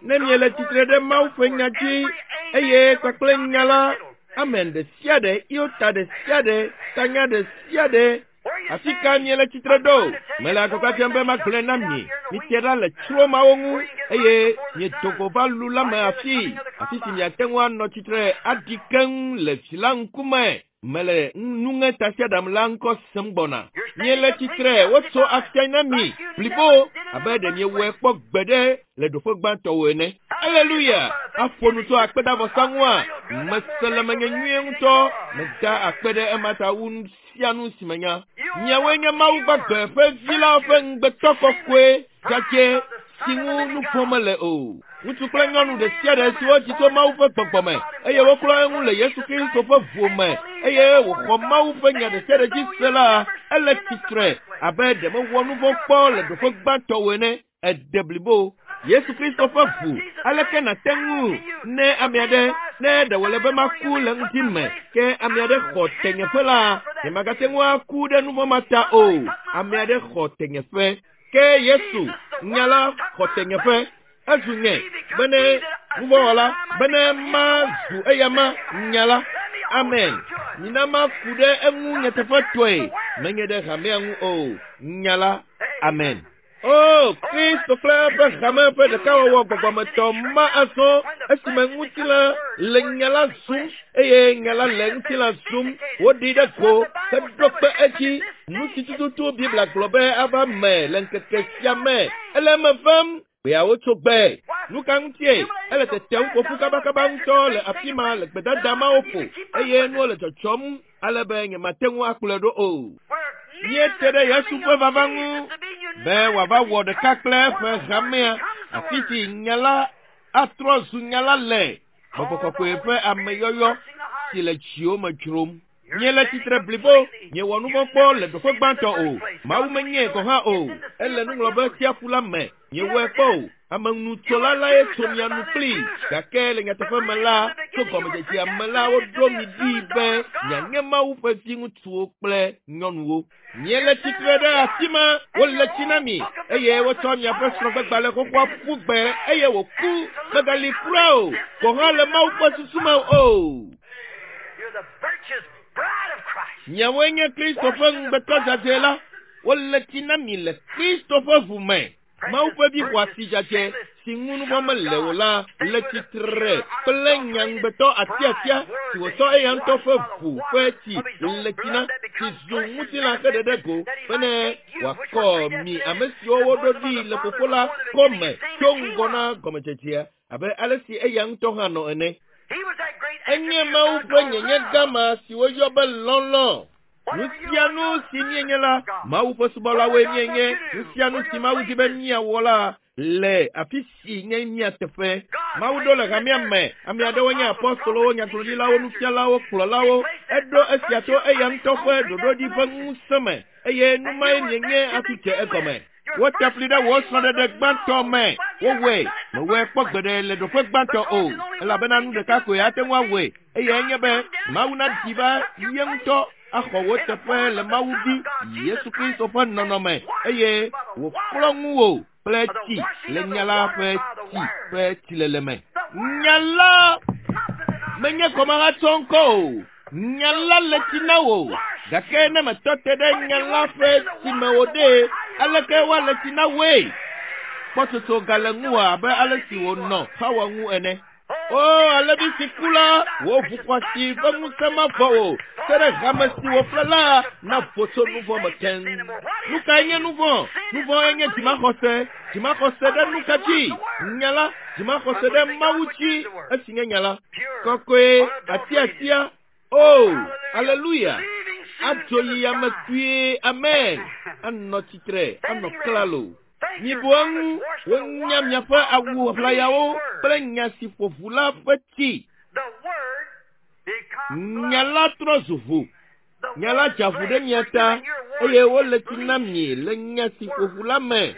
ne miele tsitre ɖe Mawu ƒe nya dzi, eye kpakple nya la, amen ɖe sia ɖe, iota ɖe sia ɖe, tanya ɖe sia ɖe, afi ka miele tsitre ɖo? Mele agbagba dzem be magblɔe na mi. Mite ɖa le tsro mawo ŋu, eye miedo go va lu la me afii, afi si miate ŋu anɔ tsitre aɖi keŋ le vi la ŋkume. Mele nuŋetasiaɖam la ŋkɔ sem gbɔna. Miele tsitre, wotso afia na mi blibo abe ɖe miewɔe kpɔ gbeɖe le ɖoƒe gbãtɔwo ene. Aleluya! Aƒo nu tso akpedavɔsa ŋua? Mese le menye nyuie ŋutɔ. Meda akpe ɖe ema ta wu nu sia nu si menya. Miawoe nye Mawu gbagbe ƒe vi la ƒe ŋugbetɔ kɔkɔe dzadzɛ si ŋu nu vɔ̃ mele o. Ŋutsu kple nyɔnu ɖe sia ɖe si wodzi tso Mawu ƒe gbɔgbɔ me, eye woklɔ eŋu le Yesu Kristo ƒe ʋu me, eye wòxɔ Mawu ƒe nya ɖe sia ɖe dzi se la, ele tsitre abe ɖe mewɔ nu vɔ̃ kpɔ le ɖoƒe gbãtɔ o ene. Ede blibo. Yesu Kristo ƒe ʋu, aleke nàte ŋu ne ame aɖe, ne ɖe wòle be maku le ŋdi me, ke ame aɖe xɔ tenyeƒe la, nyemagate ŋu aku ɖe nu vɔ̃ ma ta o. Ame aɖe xɔ tenyeƒe. Ke Yesu, nya la, xɔ tenyeƒe. Ezu nye, bene nuvɔ̃wɔla, bene mazu eyama, nya la. Amen. Mina maku ɖe eŋu nyateƒetɔe, menye ɖe hamea ŋu o. Nya la. Amen. O, Kristo kple eƒe hame ƒe ɖekawɔwɔ gbɔgbɔmetɔ ma azɔ esime ŋutilã le nya la zum eye nya la le ŋutilã zum. Woɖi ɖe go heɖo kpe edzi. Nu si tututu Biblia gblɔ be ava me le ŋkeke sia me, ele eme vam. Gbeawo tso gbe. Nu ka ŋutie? Ele tetem ƒo ƒu kabakaba ŋutɔ le afi ma le gbedada mawo ƒo eye nuwo le dzɔdzɔm ale be nyemate ŋu akplɔe ɖo o. Míete ɖe Yesu ƒe vava ŋu be wòava wɔ ɖeka kple eƒe hamea, afi si nya la atrɔ zu nya la le, Gbɔgbɔ Kɔkɔe ƒe ameyɔyɔ si le dziwo me dzrom. Miele tsitre blibo, miewɔ nu vɔ̃ kpɔ le ɖoƒe gbãtɔ o. Mawu menyae gɔ̃ hã o. Ele nuŋlɔbe tsiaƒu la me. Miewɔe kpɔ o. Amenutsola lae tso mia nu kplii. Gake le nyateƒe me la, tso gɔmedzedzea me la, woɖo mi ɖi be mianye Mawu ƒe viŋutsuwo kple nyɔnuwo. Miele tsitre ɖe afi ma, wole tsi na mi, eye wotsɔ miaƒe srɔ̃gbegbalẽ xoxoa ƒu gbe eye wòku. Megali kura o, gɔ̃ hã le Mawu ƒe susu me o. You're the virtuous bride of Christ. Miawoe nye Kristo ƒe ŋugbetɔ dzadzɛ la. Wole tsi na mi le Kristo ƒe ʋu me. Mawu ƒe vi xɔasi dzadzɛ si ŋu nu vɔ̃ mele o la le tsitre kple nya ŋugbetɔ atiatia si wòtsɔ eya ŋutɔ ƒe ʋu ƒe tsi le tsi na, si zu ŋutilã heɖe ɖe go bene wòakɔ mi ame siwo woɖo ɖi le Fofo la kɔme tso ŋgɔ na gɔmedzedzea abe ale si eya ŋutɔ hã nɔ ene. He was that great Enye attribute of Mawu God ƒe called nyenye love. gama si woyɔ be lɔlɔ̃. Nu sia nu si míenye la, Mawu ƒe subɔlawoe míenye. Nu sia nu si Mawu di be míawɔ la le afi si nye mía teƒe. Mawu ɖo le hamea me. Ame aɖewo nye apɔstolowo, nyagblɔɖilawo, nufialawo, kplɔlawo. Eɖo esia to eya ŋutɔ ƒe ɖoɖoɖi ƒe ŋusẽ me eye nu mae mienye hafi dze egɔme. Wote fli ɖe wò srɔ̃ɖeɖe gbãtɔ me. Wowɔe. Mewɔe kpɔ gbeɖe le ɖoƒe gbãtɔ o, elabena nu ɖeka koe ate ŋu awɔe, eyae nye be Mawu naɖi va ye ŋutɔ axɔ wò teƒe le Mawu Vi, Yesu Kristo ƒe nɔnɔme, eye wòklɔ ŋuwò kple tsi le nya la ƒe tsi ƒe tsilele me. Nya la! Menye kɔmahatsɔ ŋkɔ o. Nya la le tsi na wò. Gake ne metɔ te ɖe nya la ƒe tsime o ɖe, aleke woale tsi na wòe? Kpɔtsotso gale ŋuwò abe ale si wònɔ Xawa ŋu ene. O, alevi si ku la, wò ʋu xɔasi ƒe ŋusẽ mavɔ o, se ɖe hame si wòƒle la navo tso nu vɔ̃ me keŋ. Nu kae nye nu vɔ̃? Nu vɔ̃e nye dzimaxɔse. Dzimaxɔse ɖe nu ka dzi? Nya la. Dzimaxɔse ɖe Mawu dzi, esi nye nya la. Kɔkɔe, atiatia. O, aleluya! Adzo yi yame kpuie, amen, anɔ tsitre, anɔ klalo. Mibu eŋu, wonya miaƒe awu ʋlayawo kple nya si ƒo ʋu la ƒe tsi. Nya la trɔ zu ʋu. Nya la dza ʋu ɖe mia ta eye wole tsi na mi le nya si ƒo ʋu la me.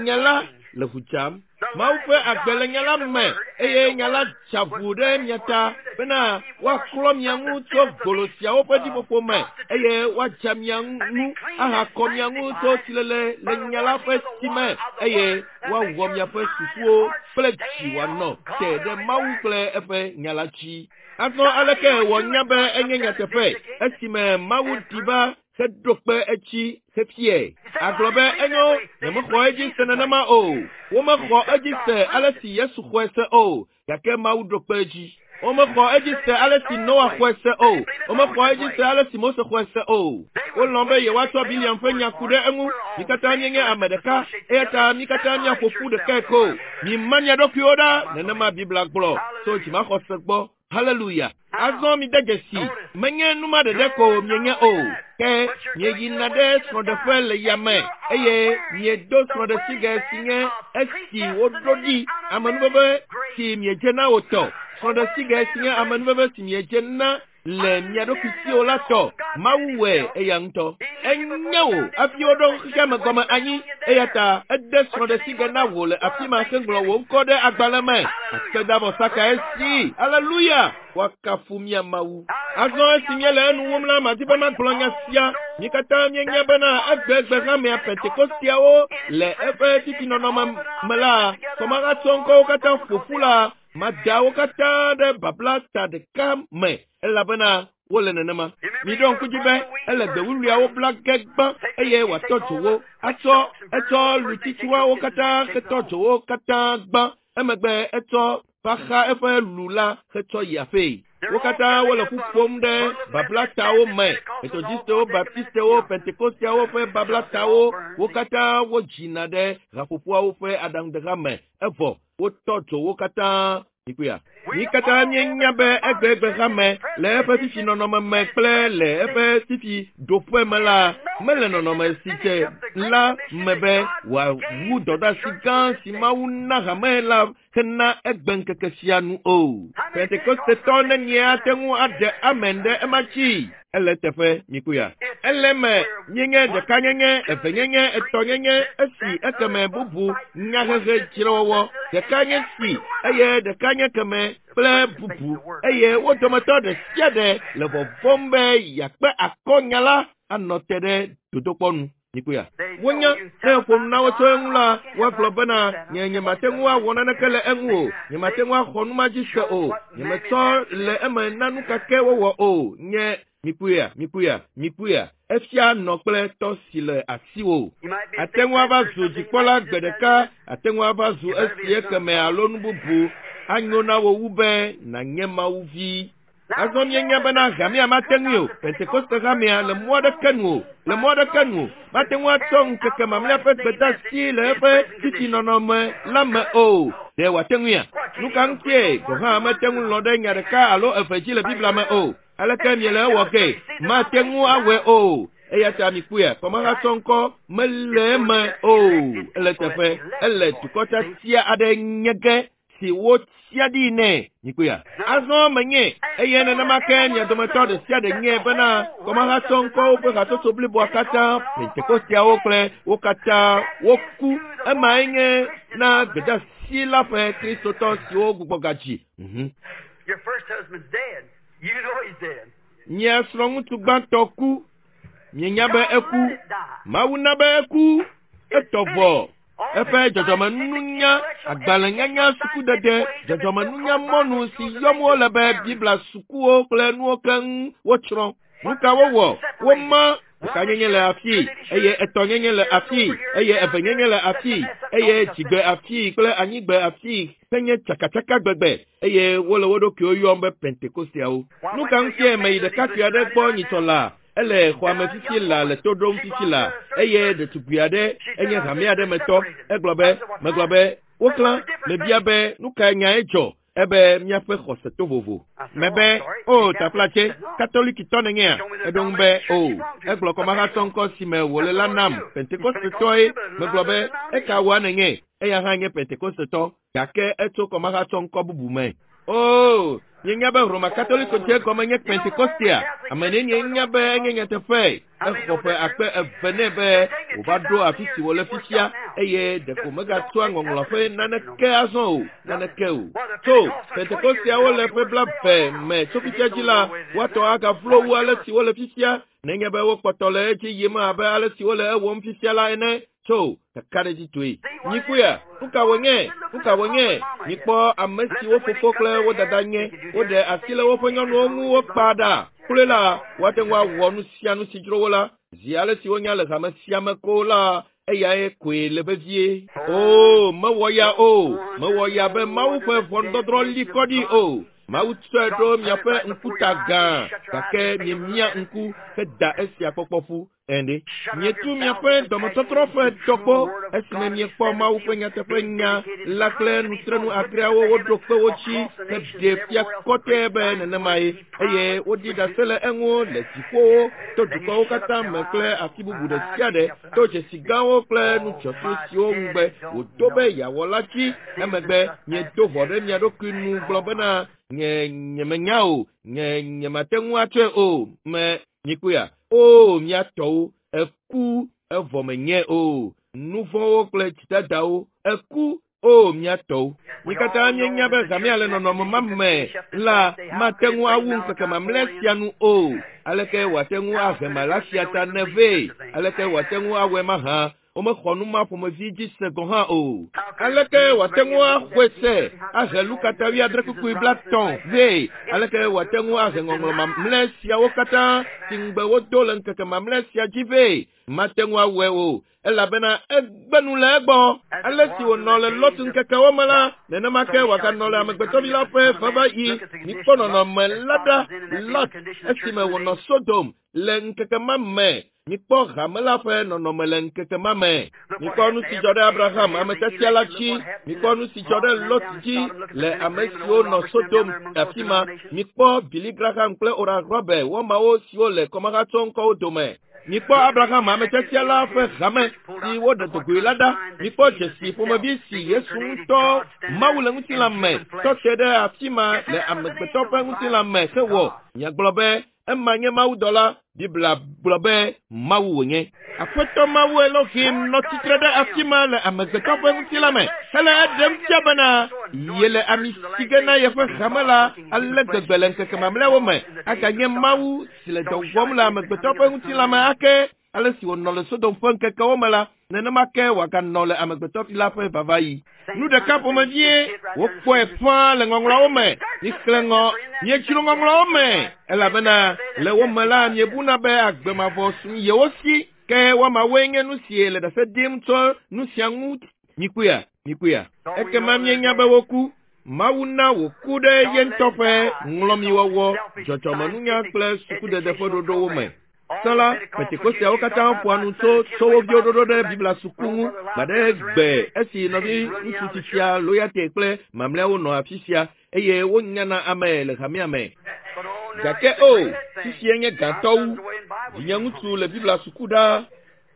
Nya la le ʋu dzam. Mawu ƒe agbe le nya la me eye nya la dza ʋu ɖe mia ta bena woaklɔ mia ŋu tso golo siawo ƒe ɖiƒoƒo me eye woadza mia ŋu ahakɔ mia ŋu tso tsilele le nya la ƒe tsi me eye woawɔ miaƒe susuwo kple dzi wòanɔ te ɖe Mawu kple eƒe nya la dzi. Azɔ aleke wònya be enye nyateƒe esime Mawu ɖi va heɖo kpe edzi hefiae? Agblɔ be enyo, nyemexɔ edzi se nenema o. Womexɔ edzi se ale si Yesu xɔe se o, gake Mawu ɖo kpe edzi. Womexɔ edzi se ale si Noa xɔe se o. Womexɔ edzi se ale si Mose xɔe se o. Wolɔ̃ be yewoatsɔ Biliam ƒe nya ku ɖe eŋu. Mí katã míenye ame ɖeka, eya ta mí katã míaƒo ƒu ɖekae ko. Mima mia ɖokuiwo ɖa, nenema Biblia gblɔ tso dzimaxɔse gbɔ. Haleluya! Azɔ mide dzesi, menye nu ma ɖeɖe ko mienye o, ke mieyina ɖe srɔ̃ɖeƒe le yame eye miedo srɔ̃ɖesigɛ si nye esi woɖo ɖi amenuveve si miedze na o tɔ. Srɔ̃ɖesigɛ si nye amenuveve si miedze na le mia ɖokui si o la tɔ. Mawu wɔe eya ŋutɔ. Enye wò hafi woɖo xexeame gɔme anyi, eya ta ede srɔ̃ɖesigɛ na wò le afi ma heŋlɔ wò ŋkɔ ɖe agbalẽ me. Akpedavɔsa kae si! Aleluya! Woakafu mía Mawu. Azɔ esi míele enu wum la, madi be magblɔ nya sia. Mí katã míenya bena egbegbe hamea Pentekosteawo le eƒe titinɔnɔme me la, kɔmahatsɔ ŋkɔwo katã ƒo ƒu la, Mada wo katã ɖe babla ta ɖeka me elabena wole nenema. Miɖo ŋku dzi be ele gbe wuwluiawo bla ge gbã eye wòatɔ dzo wo. Atsɔ etsɔ lutsitsuawo katã hetɔ dzo wo katã gbã. Emegbe etsɔ va xa eƒe lu la hetsɔ yi aƒee. Wo katã wole ƒu ƒom ɖe bablatawo me. Metɔdistewo, Baptistewo, Pentekosteawo ƒe bablatawo, wo katã wodzina ɖe haƒoƒoawo ƒe aɖaŋudeha me. Evɔ wotɔ dzo wo katã. Mikpɔea? Mí katã míenya be egbegbe hame le eƒe fifi nɔnɔme me kple le eƒe fifi ɖoƒe me la, mele nɔnɔme si dze la me be wòawu dɔdeasi gã si Mawu na hame la hena egbeŋkeke sia nu o. Pentekostetɔ nenie ate ŋu aɖe amen ɖe ema dzi? Ele eteƒe, mikpɔea? Ele eme, míenye ɖekanyenye, evenyenye, etɔ̃nyenye, esi, ekeme, bubu, nyahehe, dzrewɔwɔ, ɖeka nye si, eye ɖeka nye keme, kple bubu, eye wo dometɔ ɖe sia ɖe le vɔvɔ̃m be yeakpe akɔ nya la anɔ te ɖe dodokpɔ nu. Mikpɔea? Wonya, ne èƒo nu na wo tso eŋu la, woagblɔ bena, Nye nyemate ŋu awɔ naneke le eŋu o. Nyemate ŋu axɔ nu ma dzi se o. Nyemetsɔ le eme na nu ka ke wowɔ o. Nye, mikpɔea? Mikpɔea? Mikpɔea? Efia nɔ kple tɔ si le asiwò. Àte ŋu ava zu dzikpɔla gbe ɖeka, àte ŋu ava zu esi ekeme alo nu bubu. Anyo na wò wu be nànye Mawu vi. Azɔ míenya bena hamea mate ŋui o, Pentekoste hamea, le mɔ aɖeke nu o, le mɔ aɖeke nu o, mate ŋu atsɔ ŋkeke mamlɛa ƒe gbedeasi le eƒe tsitsinɔnɔme la me o. Ɖe wòate ŋuia? Nu ka ŋutie gɔ̃ hã mete ŋu lɔ̃ ɖe nya ɖeka alo eve dzi le Biblia me o? Aleke miele ewɔ gee? Mate ŋu awɔe o. Eya ta mikpɔea, kɔmahatsɔ ŋkɔ mele eme o. Ele teƒe, ele dukɔ tiatia aɖe nye ge si wotia ɖi nɛ. Mikpɔea? Azɔ menye eye nenema ke mia dometɔ ɖe sia ɖe nye bena kɔmahatsɔ ŋkɔwo ƒe hatsotso bliboa katã, Pentekosteawo kple wo katã woku. Emae nye na gbedeasi la ƒe Kristotɔ siwo gbugbɔ gadzi. Mhm. Your first husband's dead. You know he's dead. Mia srɔ̃ŋutsu gbãtɔ ku. Mienya be eku. Mawu na be eku. Etɔ vɔ. Eƒe dzɔdzɔmenunya, agbalẽnyanya, sukudede, dzɔdzɔmenunyamɔnu si yɔm wole be Biblia sukuwo kple nuwo keŋ wotsrɔ̃. Nu ka wowɔ? Woma ɖekanyenye le afii, eye etɔ̃nyenye le afii, eye evenyenye le afii, eye dzigbe afii kple anyigbe afii henye tsakatsaka gbegbe, eye wole wo ɖokuiwo yɔm be Pentekosteawo. Nu ka ŋutie meyi ɖekakpui aɖe gbɔ nyitsɔ laa? Ele xɔa me fifi laa le to ɖom fifi laa, eye ɖetugbui aɖe enye hame aɖe me tɔ. Egblɔ be, megblɔ be, woklã, mebia be, nu kae nyae dzɔ? Ebe míaƒe xɔse to vovo. Mebe, o taflatse, katolikitɔ nènyea? Eɖo ŋu be, o. Egblɔ kɔmahatsɔ ŋkɔ si me wòle la nam, Pentekostetɔe. Megblɔ be, eka woa nènye? Eya hã nye Pentekostetɔ, gake etso kɔmahatsɔ ŋkɔ bubu me. O, mienya be Roma Katoliko dze gɔme nye Pentekostea? Ame nenie nya be enye nyateƒe? Exɔ ƒe akpe eve nɛ be wòva ɖo afi si wòle fifia, eye ɖeko megatsɔa ŋɔŋlɔ ƒe naneke azɔ o, naneke o. Tso Pentekosteawo le ƒe 20 me tso fifia dzi la, woatɔ agavlo wu ale si wole fifia, nenye be wokpɔtɔ le edzi yim abe ale si wole ewɔm fifia la ene. Tso kakaɖedzitɔe. Mikpɔea? Nu ka wònye? Nu ka wònye? Mikpɔ ame siwo fofo kple wo dada nye. Woɖe asi le woƒe nyɔnuwo ŋu wokpa ɖa. Kloe la, woate ŋu awɔ nu sia nu si dzro wo la. Zi ale si wonya le hame sia me ko la, eyae koe le vevie. O, mewɔ ya o. Mewɔ ya be Mawu ƒe ʋɔnudɔdrɔ̃ li kɔ ɖi o. Mawu tsɔe ɖo miaƒe ŋkuta gã, gake miemia ŋku heda esia kpɔkpɔ ƒu. Ɛnde. Mietu miaƒe dɔmetɔtrɔ ƒe dɔkpɔ esime miekpɔ Mawu ƒe nyateƒe nya la kple nutrenu adreawo woɖo kpe wo dzi heɖe fia kɔtɛe be nenemae, eye woɖi ɖase le eŋu le dziƒowo, to dukɔwo katã me kple afi bubu ɖe sia ɖe, to dzesi gãwo kple nudzɔtsu siwo ŋugbe wòdo be yeawɔ la dzi. Emegbe miedo ʋɔ ɖe mia ɖokui nu gblɔ bena, Nye nyemenya o, nye nyemate ŋu atsɔe o, me mikpɔea? O, mía tɔwo, eku evɔ menye o. Nu vɔ̃wo kple dzidadawo, eku, o, mía tɔwo. Mi katã míenya be hamea le nɔnɔme ma me la mate ŋu awu ŋkeke mamlɛ sia nu o. Aleke wòate ŋu ahe Malaxia ta ne vɛ? Aleke wòate ŋu awɔe mahã? Womexɔ nu ma ƒomevi dzi se gɔ̃ hã o. Aleke wòate ŋu axɔe se ahe Luka ta wuiadre kpukpui blaetɔ̃ vɛ? Aleke wòate ŋu ahe ŋɔŋlɔ mamlɛ siawo katã si ŋugbe wodo le ŋkeke mamlɛ sia dzi vɛ? Mate ŋu awɔe o, elabena egbe nu le egbɔ. Ale si wònɔ le Lot ŋkekewo me la, nenema ke wòaganɔ le Amegbetɔvi la ƒe vavaɣi. Mikpɔ nɔnɔme la ɖa, Lot, esime wònɔ Sodom le ŋkeke ma me. Mikpɔ hame la ƒe nɔnɔme le ŋkeke ma me. Mikpɔ nu si dzɔ ɖe Abraham, ame tiatia la dzi. Mikpɔ nu si dzɔ ɖe Lot dzi le ame siwo nɔ Sodom afi ma. Mikpɔ Billy Graham kple Oral Roberts wɔmawo siwo le kɔmahatsɔ ŋkɔwo dome. Mikpɔ Abraham, ame tiatia la ƒe hame si woɖe dogoe la ɖa. Mikpɔ dzesi ƒomevi si Yesu ŋutɔ, Mawu le ŋutilã me, tɔ te ɖe afi ma le amegbetɔ ƒe ŋutilã me hewɔ. Miagblɔ be, Ema nye mawudɔla. Biblia gblɔ be Mawu wònye. Aƒetɔ Mawu Elohim nɔ tsitre ɖe afi ma le amegbetɔ ƒe ŋutilã me hele eɖem fia bena yele ami si ge na yeƒe hame la ale gbegbe le ŋkeke mamlɛawo me. Aganye Mawu si le dɔ wɔm le amegbetɔ ƒe ŋutilã me ake. Ale si wònɔ le Sodom ƒe ŋkekewo me la, nenema ke wòaganɔ le amegbetɔvi la ƒe vavaɣi. Nu ɖeka ƒomevie wokpɔe ƒãa le ŋɔŋlɔawo me. Mixlẽ ŋɔ, miedzro ŋɔŋlɔawo me, elabena le wo me la miebuna be agbe mavɔ su yewo si. Ke woamawoe nye nu si le ɖase ɖim tso nu sia ŋu. Mikpɔea? Mikpɔea? Ekema mienya be woku. Mawu na wòku ɖe ye ŋutɔ ƒe ŋlɔmiwɔwɔ, dzɔdzɔmenunya kple sukudede ƒe ɖoɖowo me. Tsã la, Pentekosteawo katã ƒoa nu tso tso wo viwo ɖoɖo ɖe Biblia suku ŋu gbaɖe gbe esi nɔvi ŋutsu tsitsia Loyate kple mamlɛawo nɔ afi sia eye wonyana ame le hamea me. Gake o, fifiae nye gãtɔ wu. Vinye ŋutsu le Biblia suku ɖaa.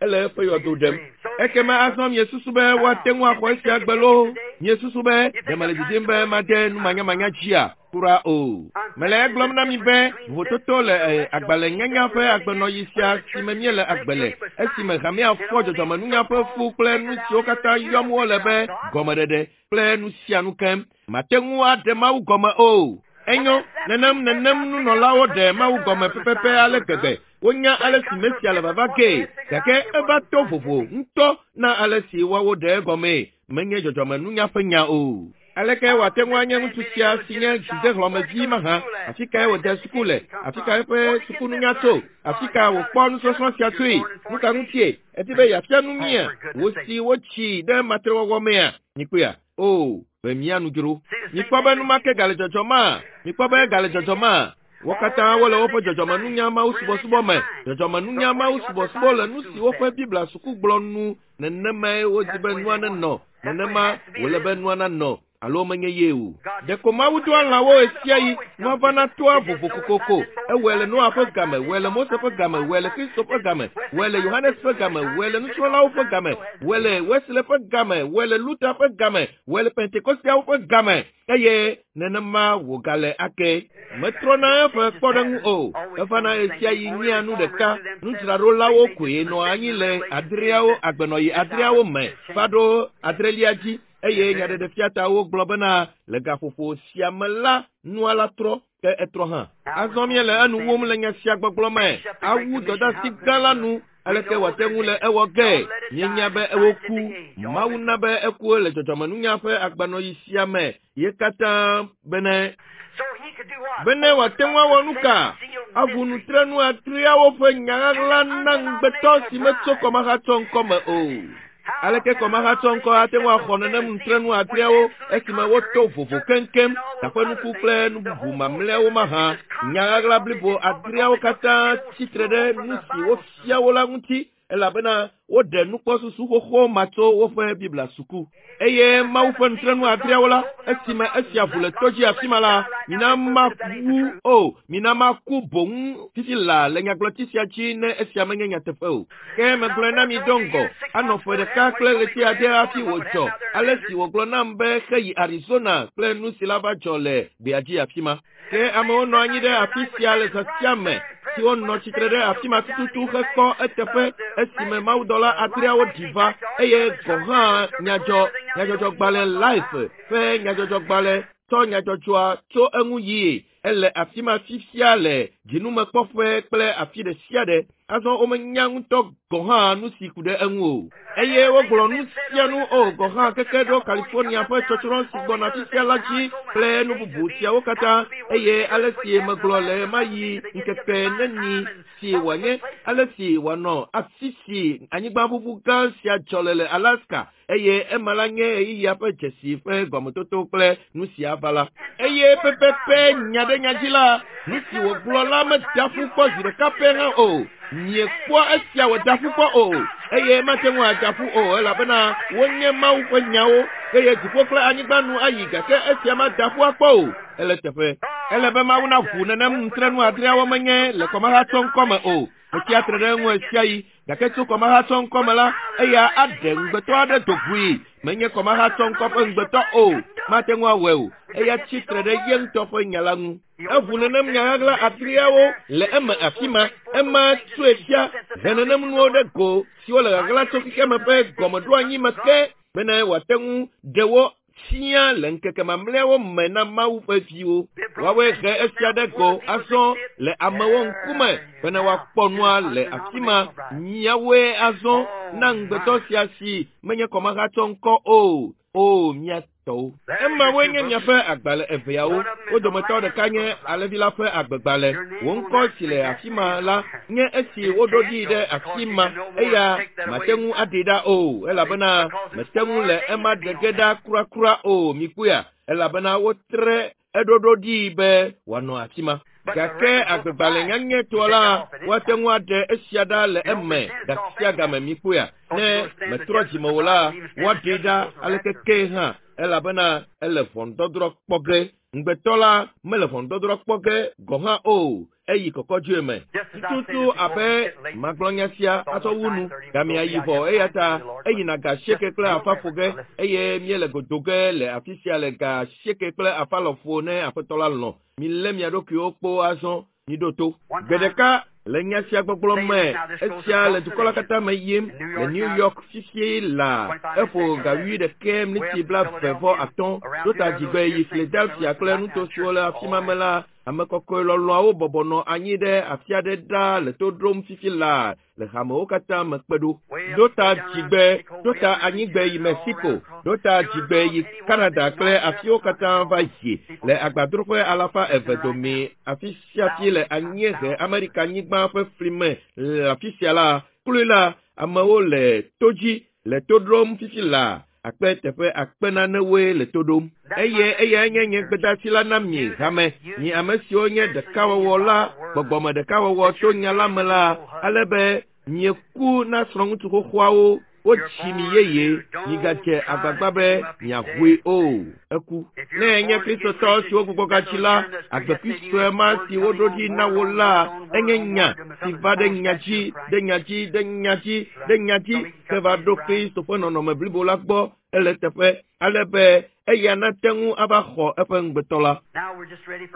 Ele eƒe yɔdo ɖem. Ekema azɔ miesusu be woate ŋu axɔ esia gbe loo? Miesusu be ɖe mele didim be made numanyamanya dzia? Kura o. Mele egblɔm na mi be vovototo le agbalẽnyanya ƒe agbenɔɣi sia si me míele agbe le, esime hamea fɔ dzɔdzɔmenunya ƒe fu kple nu siwo katã yɔm wole be gɔmeɖeɖe kple nu sia nu keŋ. Mate ŋu aɖe Mawu gɔme o. Enyo, nenem nenem nunɔlawo ɖe Mawu gɔme pɛpɛpɛ ale gbegbe. Wonya ale si Mesia le vava gee, gake eva to vovo ŋutɔ na ale si woawo ɖe egɔmee. Menye dzɔdzɔmenunya ƒe nya o. Aleke wòate ŋu anye ŋutsu sia si nye dzidehlɔ̃mevi mahã? Afi kae wòde suku le? Afi ka eƒe sukununya tso? Afi ka wòkpɔ nusɔsrɔ̃ sia tsoe? Nu ka ŋutie? Edi be yeafia nu mía? Wò si wotsi ɖe matrewɔwɔ mea? Mikpɔea? O, be mía nu dzro. Mikpɔ be numake gale dzɔdzɔmaa? Mikpɔ be gale dzɔdzɔmaa? Wo katã wole woƒe dzɔdzɔmenunya Mawu subɔsubɔ me. Dzɔdzɔmenunya Mawu subɔsubɔ le nu si woƒe Biblia suku gblɔ nu. Nenemae wodi be nua nenɔ. Nenema wòle be nua nanɔ. Alo menye ye o. Ɖeko Mawu doa lãwo ɣesiaɣi. Nua vana toa vovo kokoko. Ewɔe le Noa ƒe game, wɔe le Mose ƒe game, wɔe le Kristo ƒe game, wɔe le Yohanes ƒe game, wɔe le nusrɔ̃lawo ƒe game, wɔe le Wesley ƒe game, wɔe le Luther ƒe game, wɔe le Pentekosteawo ƒe game. Eye nenema wògale ake. Metrɔna eƒe kpɔɖeŋu o. Evana ɣesiaɣi nyea nu ɖeka. Nudzraɖolawo koe nɔa anyi le adreawo agbenɔɣi adreawo me va ɖo adrelia dzi. Eye nyaɖeɖefiatawo gblɔ bena le gaƒoƒo sia me la, nua la trɔ, ke etrɔ hã. Azɔ míele enu wum le nya sia gbɔgblɔ me. Awu dɔdeasi gã la nu. Aleke wòate ŋu le ewɔ ge? Míenya be ewoku. Mawu na be eku le dzɔdzɔmenunya ƒe agbanɔɣi sia me ye katã bene bene wòate ŋu awɔ nu ka? Aʋu nutrenu adreawo ƒe nya ɣaɣla na ŋugbetɔ si metso kɔmahatsɔ ŋkɔ me o. Aleke kɔmahatsɔ ŋkɔ ate ŋu axɔ nenem nutrenu adreawo esime woto vovo keŋkeŋ taƒenuku kple nu bubu mamlɛawo mahã? Nya ɣaɣla blibo adreawo katã tsitre ɖe nu si wofia wo la ŋuti elabena woɖe nukpɔsusu xoxo ma tso woƒe Biblia suku. Eye Mawu ƒe nutrenu adreawo la, esime esia ʋu le to dzi afi ma la, mina mawu o, mina maku boŋ fifi laa le nyagblɔti sia dzi ne esia menye nyateƒe o. Ke megblɔe na mi do ŋgɔ, anɔ ƒe ɖeka kple ɣleti ade hafi wòdzɔ, ale si wògblɔ nam be heyi Arizona kple nu si la va dzɔ le gbea dzi afi ma. Ke amewo nɔ anyi ɖe afi sia le zã sia me, siwo nɔ tsitre ɖe afi ma tututu hekpɔ eteƒe esime mawudɔla adreawo ɖi va, eye gɔ̃ hã nyadzɔ nyadzɔdzɔgbalẽ Life ƒe nyadzɔdzɔgbalẽ tsɔ nyadzɔdzɔa tso eŋu yie. Ele afi ma fifia le dzinumekpɔƒe kple afi ɖe sia ɖe. Azɔ womenya ŋutɔ gɔ̃ hã nu si ku ɖe eŋu o. Eye wogblɔ nu sia nu o gɔ̃ hã keke ɖo California ƒe tsɔtsrɔ̃ si gbɔna fifia la dzi kple nu bubu siawo katã. Eye ale si megblɔ le ɣemaɣi ŋkeke neni si wòanye ale si wòanɔ afi si anyigbaʋuʋu gã sia dzɔ le le Alaska eye ema la nye ɣeyiɣia ƒe dzesi ƒe gɔmetoto kple nu si ava la. Eye pɛpɛpɛ nya ɖe nya dzi la, nu si wògblɔ la meda ƒu kpɔ zi ɖeka pɛ hã o. Miekpɔa esia wòda ƒu kpɔ o, eye mate ŋu ada ƒu o elabena wonye Mawu ƒe nyawo eye dziƒo kple anyigba nu ayi gake esia mada ƒu akpɔ o. Ele teƒe. Ele be Mawu naʋu nenem nutrenu adreawo menye le kɔmahatsɔ ŋkɔ me o. Metsia tre ɖe eŋu ɣesiaɣi gake tso kɔmahatsɔ ŋkɔ me la, eya aɖe ŋugbetɔ aɖe do ʋui. Menye kɔmahatsɔ ŋkɔ ƒe ŋugbetɔ o. Mate ŋu awɔe o. Eya tsi tre ɖe ye ŋutɔ ƒe nya la ŋu. Eʋu nenem nya ɣaɣla adreawo le eme afi ma. Ema tsoe fia he nenem nuwo ɖe go siwo le ɣaɣla tso xexeame ƒe gɔmeɖoanyi me ke bene wòate ŋu ɖe wo fia le ŋkeke mamlɛawo me na Mawu ƒe viwo. Woawoe he esia ɖe go azɔ le amewo ŋkume bene woakpɔ nua le afi ma. Miawoe azɔ na ŋugbetɔ sia si menye kɔmahatsɔ ŋkɔ o. O, mía tɔwo. Emawoe nye miaƒe agbalẽ eveawo. Wo dometɔ ɖeka nye alẽvi la ƒe agbegbalẽ. Wò ŋkɔ si le afi ma la nye esi woɖo ɖi ɖe afi ma. Eya mate ŋu aɖee ɖa o, elabena mete ŋu le ema ɖe ge ɖa kurakura o. Mikpɔea? Elabena wotre eɖoɖo ɖi be wòanɔ afi ma. Gake agbegbalẽ nyanyɛtɔ la, woate ŋu aɖe esia ɖa le eme gasia game. Mikpɔea? Ne metrɔ dzime o la, woaɖee ɖa aleke kee hã, elabena ele ʋɔnudɔdrɔ̃ kpɔ ge. Ŋugbetɔ la mele ʋɔnudɔdrɔ̃ kpɔ ge gɔ̃ hã o. Eyi kɔkɔdzoe me. Tututu abe magblɔ nya sia atsɔ wu nu. Gamea yi vɔ eya ta eyina ga asieke kple afa ƒo ge eye míele godo ge le afi sia le ga asieke kple afa lɔƒo ne aƒetɔ la lɔ̃. Milé mia ɖokuiwo kpo azɔ. Miɖo to. Gbe ɖeka Le nya sia gbɔgblɔ me, esia le dukɔ la katã me yim le New York fifie la eƒo ga 21:25 ɖo ta dzigbe yi Philadelphia kple nuto siwo le afi ma me la, ame kɔkɔe lɔlɔ̃awo bɔbɔ nɔ anyi ɖe afi aɖe ɖaa le to ɖom fifi la le hamewo katã me kpe ɖo. Ɖo ta dzigbe, ɖo ta anyigbe yi Mexico, ɖo ta dzigbe yi Canada kple afiwo katã va yi le agbadroƒe 200 dome afi sia fi le anyiehe Amerika nyigba ƒe fli me le afi sia la, kloe la, amewo le to dzi le to ɖom fifi la akpe teƒe akpe nanewoe le to ɖom. Eye eyae nye nye gbedeasi la na mi hame, mi ame siwo nye ɖekawɔwɔ la, gbɔgbɔme ɖekawɔwɔ tso nya la me la, ale be mieku na srɔ̃ŋutsu xoxoawo, wotsi mi yeye, migadze agbagba be miaʋui o. Eku. Ne enye Kristotɔ siwo gbugbɔgadzi la, agbekui sue ma si woɖo ɖi na wo la, enye nya si va ɖe nya dzi, ɖe nya dzi, ɖe nya dzi, ɖe nya dzi, ke va ɖo Kristo ƒe nɔnɔme blibo la gbɔ ele teƒe, ale be eya nate ŋu ava xɔ eƒe ŋugbetɔ la.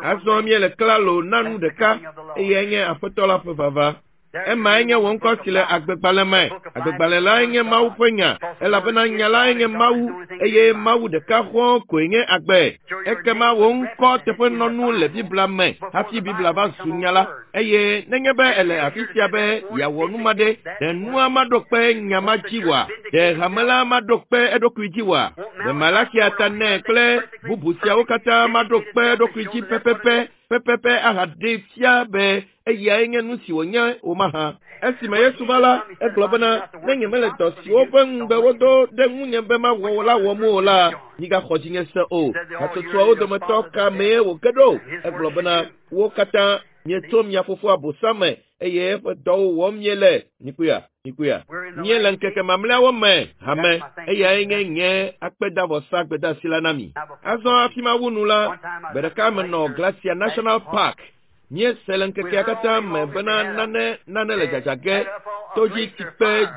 Azɔ míele klalo na nu ɖeka, eyae nye Aƒetɔ la ƒe vava. Emae nye wò ŋkɔ si le agbegbalẽ me. Agbegbalẽ lae nye Mawu ƒe nya, elabena nya lae nye Mawu, eye Mawu ɖeka xɔ̃ koe nye agbe. Ekema wò ŋkɔ teƒenɔnu le Biblia me hafi Biblia va zu nya la. Eye nenye be ele afi sia be yeawɔ nu ma ɖe, ɖe nua maɖo kpe nya ma dzi oa? Ɖe hame la maɖo kpe eɖokui dzi oa? Ɖe Malakia ta nɛ kple bubu siawo katã maɖo kpe eɖokui dzi pɛpɛpɛ pɛpɛpɛ ahaɖee fia be eyae nye nu si wònye o mahã. Esime Yesu va la, egblɔ bena, ne nyemele dɔ siwo ƒe ŋugbe wodo ɖe ŋunye be mawɔ la wɔm o la, migaxɔ dzinye se o. Hatsotsoawo dometɔ ka mee wòge ɖo? Egblɔ bena, wo katã mietso mia fofo Abosam me eye eƒe dɔwo wɔm miele. Mikpɔea? Mikpɔea? Míele ŋkeke mamlɛawo me hame, eyae nye nye akpedavɔsa gbedeasi la na mi. Azɔ hafi mawu nu la, gbe ɖeka menɔ Glacier National Park. Míese le ŋkekea katã me bena nane nane le dzadza ge, todzitsikpe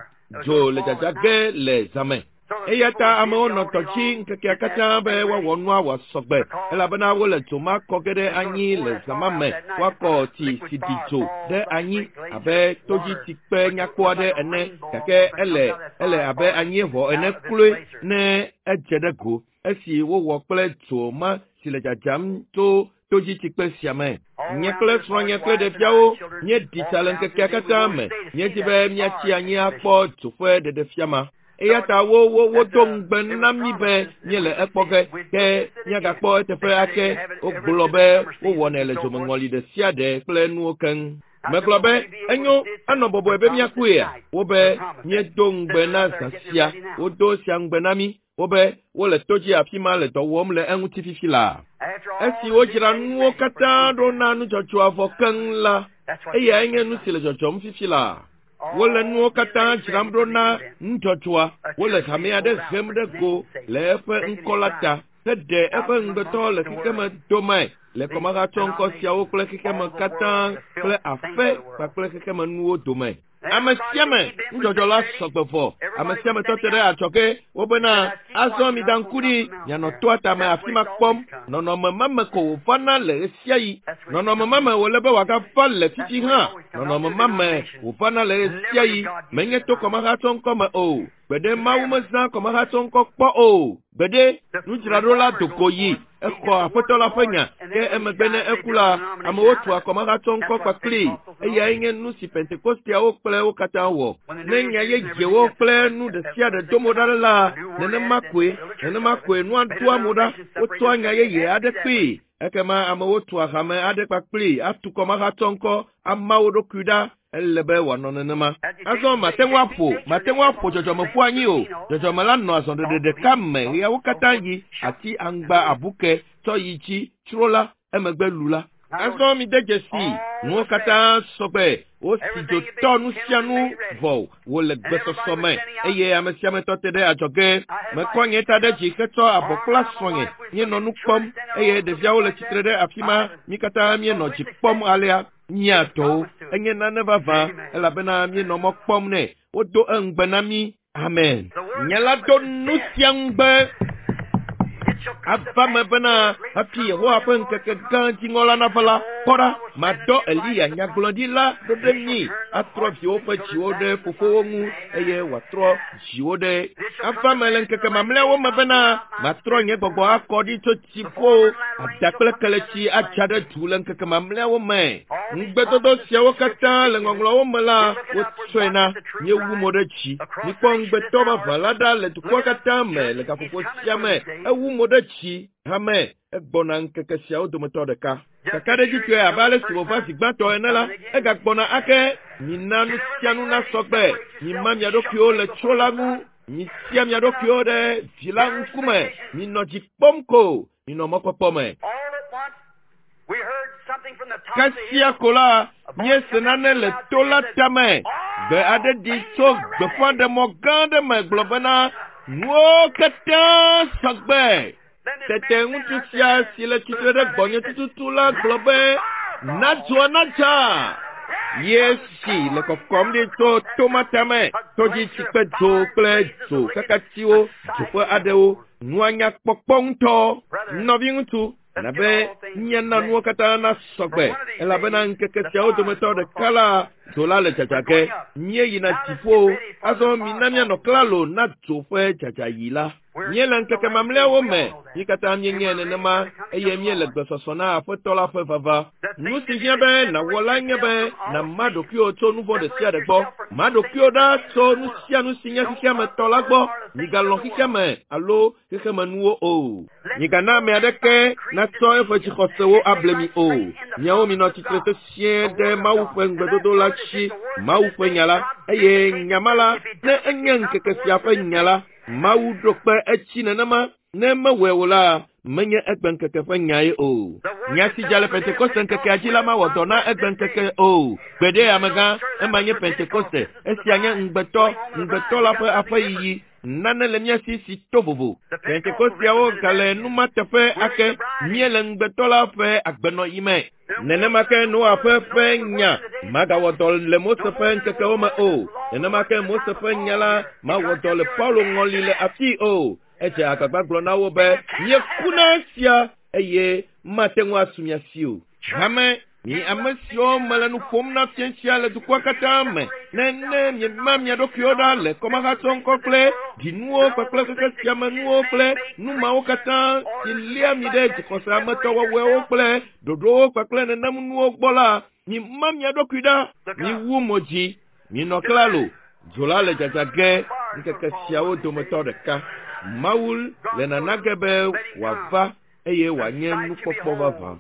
dzo le dzadza ge le zãme. Eya ta amewo nɔ tɔ dzi ŋkekea katã be woawɔ nua wòasɔgbe, elabena wole dzo ma kɔ ge ɖe anyi le zã ma me. Woakɔ tsi si ɖi dzo ɖe anyi abe todzitsikpe nyakpɔ aɖe ene, gake ele ele abe anyieʋɔ ene kloe ne edze ɖe go esi wowɔ kple dzo ma si le dzadzam tso todzitsikpe sia me. Nye kple srɔ̃nye kple ɖeviawo míeɖi tsa le ŋkekea katã me. Míedi be míatsi anyi akpɔ dzo ƒe ɖeɖefia ma. Eya ta wo wo wodo ŋugbe na mí be míele ekpɔ ge, ke míagakpɔ eteƒe ake. Wogblɔ be wowɔnɛ le dzomeŋɔli ɖe sia ɖe kple nuwo keŋ. Megblɔ be enyo anɔ bɔbɔe be míakpɔea? Wobe míedo ŋugbe na zã sia. Wodo sia ŋugbe na mí. Wobe wole to dzi afi ma le dɔ wɔm le eŋuti fifi laa. Esi wodzra nuwo katã ɖo na nudzɔdzɔa vɔ keŋ la, eyae nye nu si le dzɔdzɔm fifi laa. Wole nuwo katã dzram ɖo na nudzɔdzɔa. Wole hame aɖe hem ɖe go le eƒe ŋkɔ la ta heɖe eƒe ŋugbetɔ le xexeme dome le kɔmahatsɔŋkɔ siawo kple xexeme katã kple afe kpakple xexemenuwo dome. Ame sia ame nudzɔdzɔ la sɔgbe vɔ. Ame sia ame tɔ te ɖe adzɔge wobena azɔ mida ŋku ɖi mianɔ toa tame afi ma kpɔm. Nɔnɔme ma me ko wòvana le ɣe sia ɣi. Nɔnɔme ma me wòle be wòagava le fifi hã. Nɔnɔme ma me wòvana le ɣe sia ɣi. Menye to kɔmahatsɔŋkɔ me o. Gbeɖe Mawu mezã kɔmahatsɔŋkɔ kpɔ o. Gbeɖe nudzraɖola do go yi exɔ Aƒetɔ la ƒe nya, ke emegbe ne eku la, amewo tua kɔmahatsɔŋkɔ kpakplii. Eyae nye nu si Pentekosteawo kple wo katã wɔ. Ne nya yeyewo kple nu ɖe sia ɖe do mo ɖa la, nenema koe, nenema koe nua doa mo ɖa. Wotsɔa nya yeye aɖe kpee. Ekema amewo tua hame aɖe kpakplii atu kɔmahatsɔŋkɔ ama wo ɖokui ɖa. Ele be wòanɔ nenema. Azɔ mate ŋu aƒo, mate ŋu aƒo dzɔdzɔme ƒu anyi o. Dzɔdzɔme la nɔ azɔɖeɖe ɖeka me ɣeawo katã yi, ati, aŋgba, abuke, tsɔ yi dzi, tsro la, emegbe lu la. Azɔ mide dzesi, nuwo katã sɔgbe, wosi dzo tɔ nu sia nu vɔ wòle gbesɔsɔ me eye ame sia ame tɔ te ɖe adzɔge. Mekɔ nye ta ɖe dzi hetsɔ abɔ kpla srɔ̃nye. Míenɔ nu kpɔm eye ɖeviawo le tsitre ɖe afi ma. Mí katã míenɔ dzi kpɔm alea. Mía tɔwo enye nane vavã elabena míenɔ mɔ kpɔm nɛ. Wodo eŋugbe na mí. Amen. Nye la do nu sia ŋugbe. Ava me bena hafi Yehowa ƒe ŋkeke gã dziŋɔ la nava la, kpɔ ɖa, madɔ Eliya nyagblɔɖila ɖo ɖe mi, atrɔ viwo ƒe dziwo ɖe fofowo ŋu eye wòatrɔ dziwo ɖe. Ava me le ŋkeke mamlɛawo me bena matrɔ nye gbɔgbɔ akɔ ɖi tso dziƒo, ada kple keletsi adza ɖe du le ŋkeke mamlɛawo me. Ŋugbedodo siawo katã le ŋɔŋlɔawo me la, wotsɔe na míewu mo ɖe dzi. Mikpɔ ŋugbetɔ vavã la ɖa le dukɔa katã me le gaƒoƒo sia me. Ewu mo ɖe dzi hame egbɔna ŋkeke siawo dometɔ ɖeka. Kakaɖedzitɔe abe ale si wòva zi gbãtɔ ene la, egagbɔna ake. Mina nu sia nu nasɔ gbe. Mima mia ɖokuiwo le tsro la ŋu. Misia mia ɖokuiwo ɖe vi la ŋkume. Minɔ dzi kpɔm ko. Minɔ mɔkpɔkpɔ me. All at once, we heard something from the top of the Kasia hill. ko la, míese nane le to la tame. Gbe aɖe ɖi tso gbeƒãɖemɔ gã aɖe me gblɔ bena nuwo katã sɔ gbe. Then this Tete man ŋutsu standing sia right si le tsitre ɖe gbɔnye tututu la gblɔ be na dzoa nadza. Yesi le kɔkɔm ɖi tso toma tame, tɔdzitsikpe dzo kple dzo kakatiwo dzoƒe aɖewo. Nua nya kpɔkpɔ ŋutɔ. Nɔviŋutsu, elabe míana nuwo katã nasɔ gbe elabena ŋkeke siawo dometɔ ɖeka la dzo la le dzadza ge. Míeyina dziƒo. Azɔ mina míanɔ klalo na dzo ƒe dzadzayi la. Míele ŋkeke mamlɛawo me. Mí katã míenyae nenema eye míele gbesɔsɔ na Aƒetɔ la ƒe vava. Nu si hiã be nàwɔ la nye be nàma ɖokuiwò tso nu vɔ̃ ɖe sia ɖe gbɔ. Ma ɖokuiwò ɖa tso nu sia nu si nye xexeametɔ la gbɔ. Migalɔ̃ xexeame alo xexemenuwo o. Migana ame aɖeke natsɔ eƒe dzixɔsewo able mi o. Miawo minɔ tsitre sesĩe ɖe Mawu ƒe ŋugbedodo la dzi, Mawu ƒe nya la. Eye nya ma la, ne enye ŋkeke sia ƒe nya la, Mawu ɖo kpe edzi nenema. Ne mewɔe o la, menye egbe ŋkeke ƒe nyae o. Nya si dza le Pentekoste ŋkekea dzi la mawɔ dɔ na egbe ŋkeke o. Gbeɖe amegã, ema nye Pentekoste. Esia nye ŋugbetɔ, ŋugbetɔ la ƒe aƒeyiyi. Nane le mía si si to vovo. Pentekosteawo gale numa teƒe ake. Míele ŋugbetɔ la ƒe agbenɔɣi me. Nenema ke Noa ƒe ƒe nya magawɔ dɔ le Mose ƒe ŋkekewo me o. Nenema ke Mose ƒe nya la mawɔ dɔ le Paulo ŋɔli le afii o. Edze agbagba gblɔ na wo be míeku na esia eye mate ŋu asu mia si o. Hame, mi ame siwo mele nu ƒom na fia sia le dukɔa katã me, ne ne miema mia ɖokuiwo ɖa le kɔmahatsɔŋkɔ kple dzinuwo kpakple xexe sia me nuwo kple nu mawo katã si lia mi ɖe dzixɔse ametɔwɔwɔewo kple ɖoɖowo kpakple nenem nuwo gbɔ la, mima mia ɖokui ɖa, miwu mo dzi, minɔ klalo. Dzo la le dzadza ge ŋkeke siawo dometɔ ɖeka. Mawu le nana ge be wòava eye wòanye nukpɔkpɔ vavã.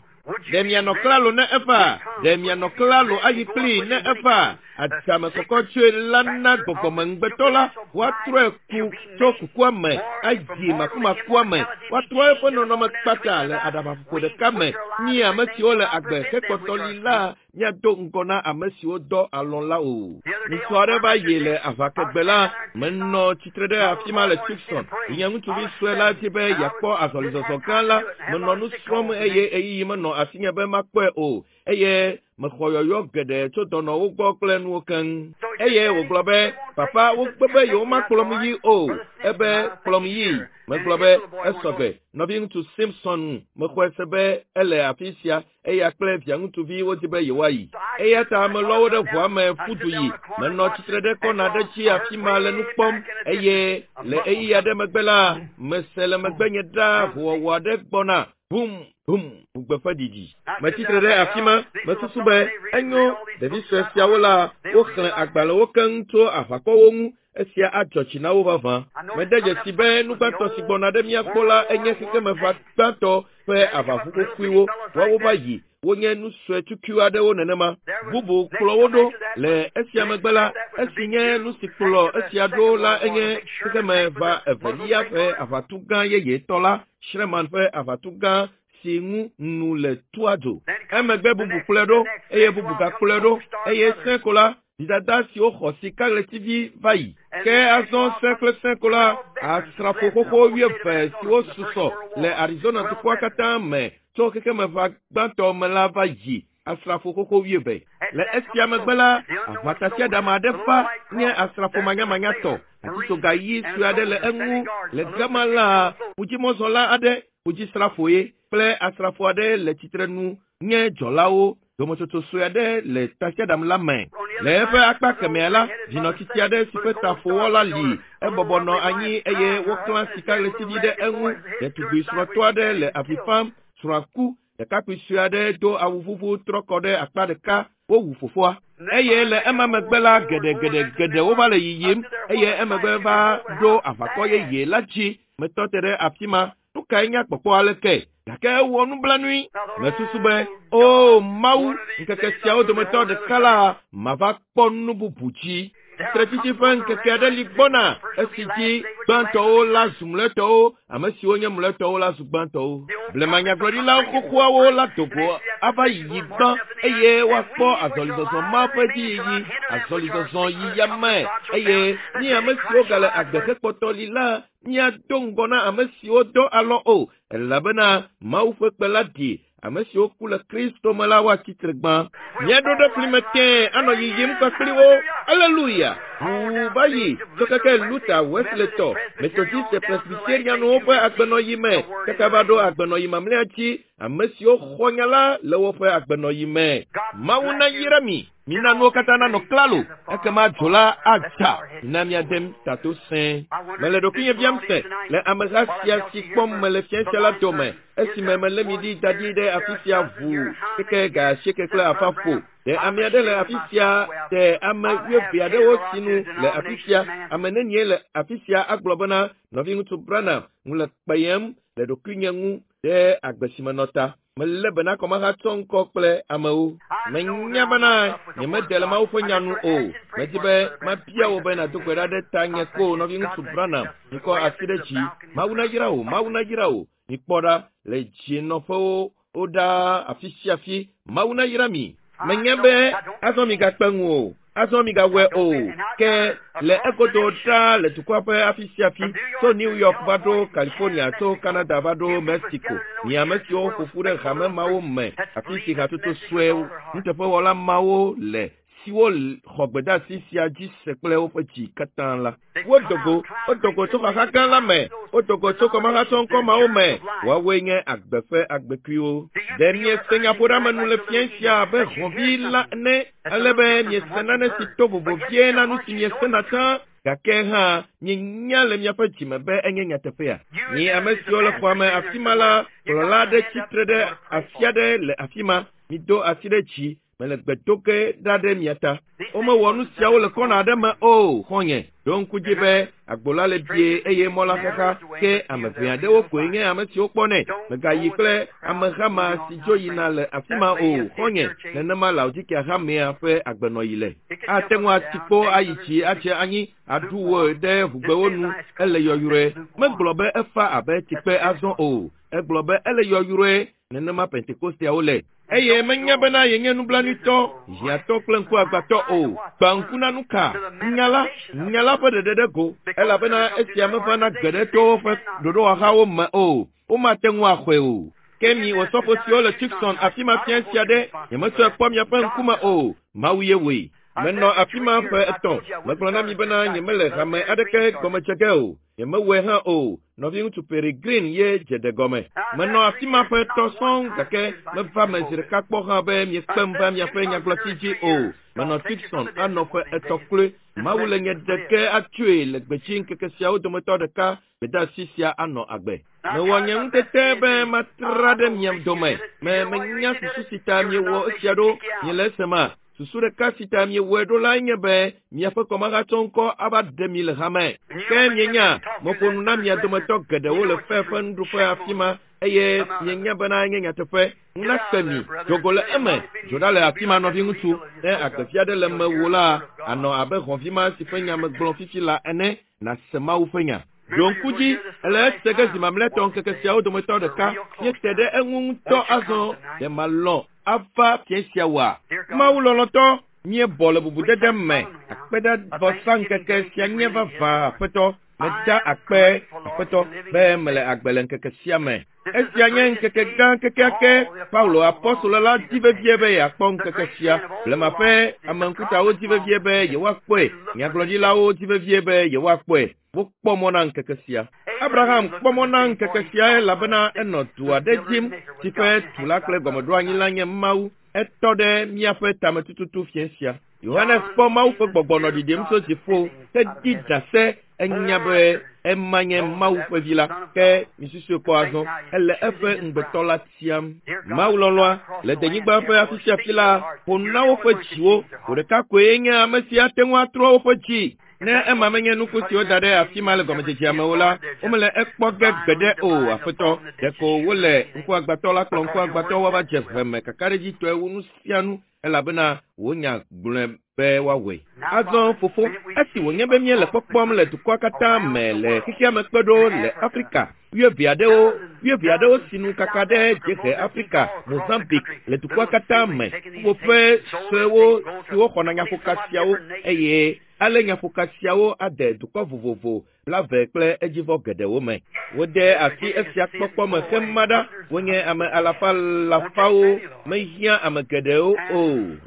Ɖe mianɔ klalo ne eva? Ɖe mianɔ klalo ayi kplii ne eva? Adzame kɔkɔ tsoe la na gbɔgbɔmeŋugbetɔ la woatrɔe ku tso kukua me ayi makumakua me. Woatrɔ eƒe nɔnɔme kpata le aɖabaƒoƒo ɖeka me. Mi ame siwo le agbe hekpɔtɔ li la míado ŋgɔ na ame siwo dɔ alɔ̃ la o. Ŋutsu aɖe va yi le aʋakegbe la, menɔ tsitre ɖe afi ma le Tucson. Nye ŋutsuvi sue la di be yeakpɔ azɔlizɔzɔ gã la. Menɔ nu srɔ̃m eye ɣeyiɣi menɔ asinye be makpɔe o. Eye mexɔ yɔyɔ geɖe tso dɔnɔwo gbɔ kple nuwo keŋ. Eye wògblɔ be, papa wogbe be yewomakplɔm yi o. Ebe kplɔm yi. Megblɔ be esɔ gbe. Nɔviŋutsu Simpson mexɔe se be ele afi sia eya kple via ŋutsuvi wodi be yewoayi. Eya ta melɔ wo ɖe ʋua me ƒu du yi. Menɔ tsitre ɖe kɔna ɖe dzi afi ma le nu kpɔm eye le ɣeyiɣi aɖe megbe la, mese le megbenye ɖaa hoowɔwɔ aɖe gbɔna. Bum, bum, ʋugbe ƒe ɖiɖi. Metsitre ɖe afi ma, mesusu be enyo ɖevi sue siawo la, woxlẽ agbalẽwo keŋ tso aʋakɔwo ŋu. Esia adzɔ dzi na wo vavã. Mede dzesi be nu gbãtɔ si gbɔna ɖe mía gbɔ la enye xexemeʋa gbãtɔ ƒe aʋaʋu xoxoewo. Woawo va yi. Wonye nu sue tukui aɖewo nenema. Bubu kplɔ wo ɖo. Le esia megbe la, esi nye nu si kplɔ esia ɖo la enye xexemeʋa evelia ƒe aʋatugã yeyetɔ la, Sherman ƒe aʋatugã si ŋu nu le tua dzo. Emegbe bubu kplɔe ɖo eye bubu gakplɔe ɖo eye sẽ ko la, dzidada siwo xɔ sikaɣletivi va yi. Ke azɔ sẽ kple sẽ ko la, asrafo xoxo wuieve siwo susɔ le Arizona dukɔa katã me tso xexemeʋa gbãtɔ me la va yi. Asrafo xoxo wuieve. Le esia megbe la, aʋatasiaɖam aɖe va nye asrafo manyamanyatɔ. Atitsoga ɣi sue aɖe le eŋu. Le gama la, ƒudzimɔzɔla aɖe. Ƒudzisrafoe kple asrafo aɖe le tsitrenu nye dzɔlawo. Dometsotso sue aɖe le tasiaɖam la me. Le eƒe akpa kemɛa la, vinɔtsitsi aɖe si ƒe ta ƒowɔ la li. Ebɔbɔ nɔ anyi eye woklã sikaɣletivi ɖe eŋu. Ɖetugbi srɔ̃tɔ aɖe le avi fam. Srɔ̃a ku. Ɖekakpui sue aɖe do awu vuvu trɔ kɔ ɖe akpa ɖeka. Wowu fofoa. Eye le ema megbe la, geɖegeɖegeɖe wova le yiyim eye emegbe va ɖo aʋakɔ yeye la dzi. Metɔ te ɖe afi ma. Nu kae nye kpɔkpɔ aleke? Gake ewɔ nublanui. Mesusu be, O Mawu, ŋkeke siawo dometɔ ɖeka la, mava kpɔ nu bubu dzi. Tsitretsitsi ƒe ŋkeke aɖe li gbɔna esi dzi gbãtɔwo la zu mlɔetɔwo, ame siwo nye mlɔetɔwo la zu gbãtɔwo. Blema nyagblɔɖilawo xoxoawo la do go ava yiyi gbã eye woakpɔ azɔlizɔzɔ ma ƒe dziyiyi, azɔlizɔzɔ yi yame eye mi ame siwo gale agbe hekpɔtɔ li la míado ŋgɔ na ame siwo dɔ alɔ o, elabena Mawu ƒe kpe la ɖi ame siwo ku le Kristo me la woatsi tre gbã. Míaɖo ɖe fli me tẽe anɔ yiyim kpakpli wo. Aleluya! Ʋuu va yi tso keke Luther, Wesleytɔ, Methodiste, Presbyterianwo ƒe agbenɔyi me kaka va ɖo agbenɔyi mamlɛa dzi, ame siwo xɔ nya la le woƒe agbenɔyi me. Mawu nayra mi. Mina nuwo katã nanɔ klalo, ekema dzo la adza. Mina míade tato sẽe. Mele ɖokuinye biam se le ameha sia si kpɔm mele fiẽ sia la dome, esime melé mi ɖi da ɖi ɖe afi sia ʋuu keke ga asieke kple afã ƒo. Ɖe ame aɖe le afi sia? Ɖe ame wuieve aɖewo sinu le afi sia? Ame nenie le afi sia agblɔ bena, Nɔviŋutsu Branham, ŋu le kpeyem le ɖokuinye ŋu ɖe agbe si menɔ ta. Melé be na kɔmahatsɔ ŋkɔ kple amewo. Menya bena nyemede le Mawu ƒe nya nu o. Medi be mabia wò be nàdo gbe ɖa ɖe tanye ko, nɔviŋutsu Branham. Mikɔ asi ɖe dzi. Mawu nayra wò. Mawu nayra wò. Mikpɔ ɖa le dzinɔƒewo ɖaa afi sia afi. Mawu nayra mi. Menya be azɔ migakpe ŋu o. Azɔ migawɔe o. Ke le egodo ɖaa le dukɔa ƒe afi sia afi, tso New York va ɖo California, tso Canada va ɖo Mexico, mi ame siwo ƒo ƒu ɖe hame mawo me, afi si hatsotso sue nuteƒewɔla mawo le, siwo xɔ gbedeasi sia dzi se kple woƒe dzi katã la. Wodo go, wodo go tso xaxa gã la me, wodo go tso kɔmahatsɔŋkɔ mawo me. Woawoe nye agbe ƒe agbekuiwo. Ɖe miese nyaƒoɖeamenu le fiẽ sia abe hɔ̃vi la ene, ale be miese nane si to vovo vie na nu si miesena tsã, gake hã mienya le miaƒe dzime be enye nyateƒea? Mi ame siwo le xɔa me afi ma la, kplɔla aɖe tsitre ɖe afi aɖe le afi ma. Mido asi ɖe dzi. Mele gbe do ge ɖa ɖe mia ta. Womewɔ nu siawo le kɔna aɖe me o, xɔ̃nye. Ɖo ŋku dzi be agbo la le bie eye mɔ la xaxa, ke ame ʋɛ aɖewo koe nye ame siwo kpɔnɛ. Mègayi kple ameha ma si dzo yina le afi ma o, xɔ̃nye. Nenema Laodikea hamea ƒe agbenɔɣi le. Ate ŋu ati kpo ayi dzi adze anyi aɖu wò ɖe ʋugbewo nu. Ele yɔyrɔe. Megblɔ be efa abe tsikpe azɔ o. Egblɔ be ele yɔyrɔe. Nenema Pentekosteawo le. Eye menya bena yenye nublanuitɔ, hiãtɔ kple ŋkuagbãtɔ o. Gbã ŋku na nuka? Nya la, nya la ƒe ɖeɖe ɖe go, elabena esia mevana gbeɖe to woƒe ɖoɖowɔhawo me o. Womate ŋu axɔe o. Ke mi Osɔfo siwo le Tucson afi ma fia sia ɖe, nyemetsɔe kpɔ miaƒe ŋkume o. Mawu ye wɔe. Menɔ afi ma ƒe etɔ̃. Megblɔ na mi bena nyemele hame aɖeke gɔme dze ge o. Nyemewɔe hã o. Nɔviŋutsu Pearry Green ye dze ɖe gɔme. Menɔ afi ma ƒe etɔ̃ sɔŋ gake meva me zi ɖeka kpɔ hã be miekpem va miaƒe nyagblɔti dzi o. Menɔ Tucson anɔ ƒe etɔ̃ kloe. Mawu le nye ɖeke atsoe le gbedzi ŋkeke siawo dometɔ ɖeka. Gbedeasi sia anɔ agbe. Mewɔ nye ŋutete be matra ɖe mia dome. Me menya susu si ta miewɔ esia ɖo. Miele esema? Susu ɖeka si ta miewɔe ɖo lae nye be miaƒe kɔmahatsɔŋkɔ ava ɖe mi le hame. Ke mienya, meƒo nu na mia dometɔ geɖewo le fe ƒe nuɖuƒe afi ma eye mienya bena enye nyateƒe. Ŋu nakpe mi. Do go le eme. Dzo ɖa le afi ma, nɔviŋutsu. Ne agbevi aɖe le mewò la, ànɔ abe hɔ̃vi ma si ƒe nya megblɔ fifi la ene. Nàse Mawu ƒe nya. Ɖo ŋku dzi, ele ese ge zi mamlɛtɔ ŋkeke siawo dometɔ ɖeka. Míete ɖe eŋu ŋutɔ azɔ. Ɖe malɔ̃ ava fiẽ sia oa? Mawu lɔlɔ̃tɔ, míebɔ le bubudede me. Akpedavɔsa ŋkeke sia nye vavã, Aƒetɔ. Meda akpe, Aƒetɔ, be mele agbe le ŋkeke sia me. Esia nye ŋkeke gã kekeake. Paulo apɔstolo la di vevie be yeakpɔ ŋkeke sia. Blema ƒe ame ŋkutawo di vevie be yewoakpɔe. Nyagblɔɖilawo di vevie be yewoakpɔe. Wokpɔ mɔ na ŋkeke sia. Abraham kpɔ mɔ na ŋkeke sia elabena enɔ du aɖe dzim si ƒe tula kple gɔmeɖoanyi la nye Mawu. Etɔ ɖe míaƒe tametututu fiẽ sia. Yohanes kpɔ Mawu ƒe gbɔgbɔ nɔ ɖiɖim tso dziƒo hedi ɖase enya be ema nye Mawu ƒe vi la. Ke misusue kpɔ azɔ, ele eƒe ŋugbetɔ la tiam. Mawu lɔlɔ̃a le denyigba ƒe afi sia afi la ƒo nu na woƒe dziwo. Wò ɖeka koe nye ame si ate ŋu atrɔ woƒe dzi. Ne ema menye nuku si woda ɖe afi ma le gɔmedzedzea me o la, womele ekpɔ ge gbeɖe o, Aƒetɔ. Ɖeko wole ŋkuagbãtɔ la kplɔ ŋkuagbãtɔ woava dze ʋe me kakaɖedzitɔe wu nu sia nu elabena wò nya gblɔe be woawɔe. Azɔ, Fofo, esi wònye be míele kpɔkpɔm le dukɔa katã me le xexea me kpe ɖo le Afrika, wuieve aɖewo, wuieve aɖewo si nu kaka ɖe dziehe Afrika, Mozambique, le dukɔa katã me, ƒuƒoƒe suewo siwo xɔna nyaƒoka siawo eye ale nyaƒoka siawo ade dukɔ vovovo blave kple edzivɔ geɖewo me. Wode asi esia kpɔkpɔ me hema ɖa. Wonye ame alafa alafawo. Mehiã ame geɖewo o,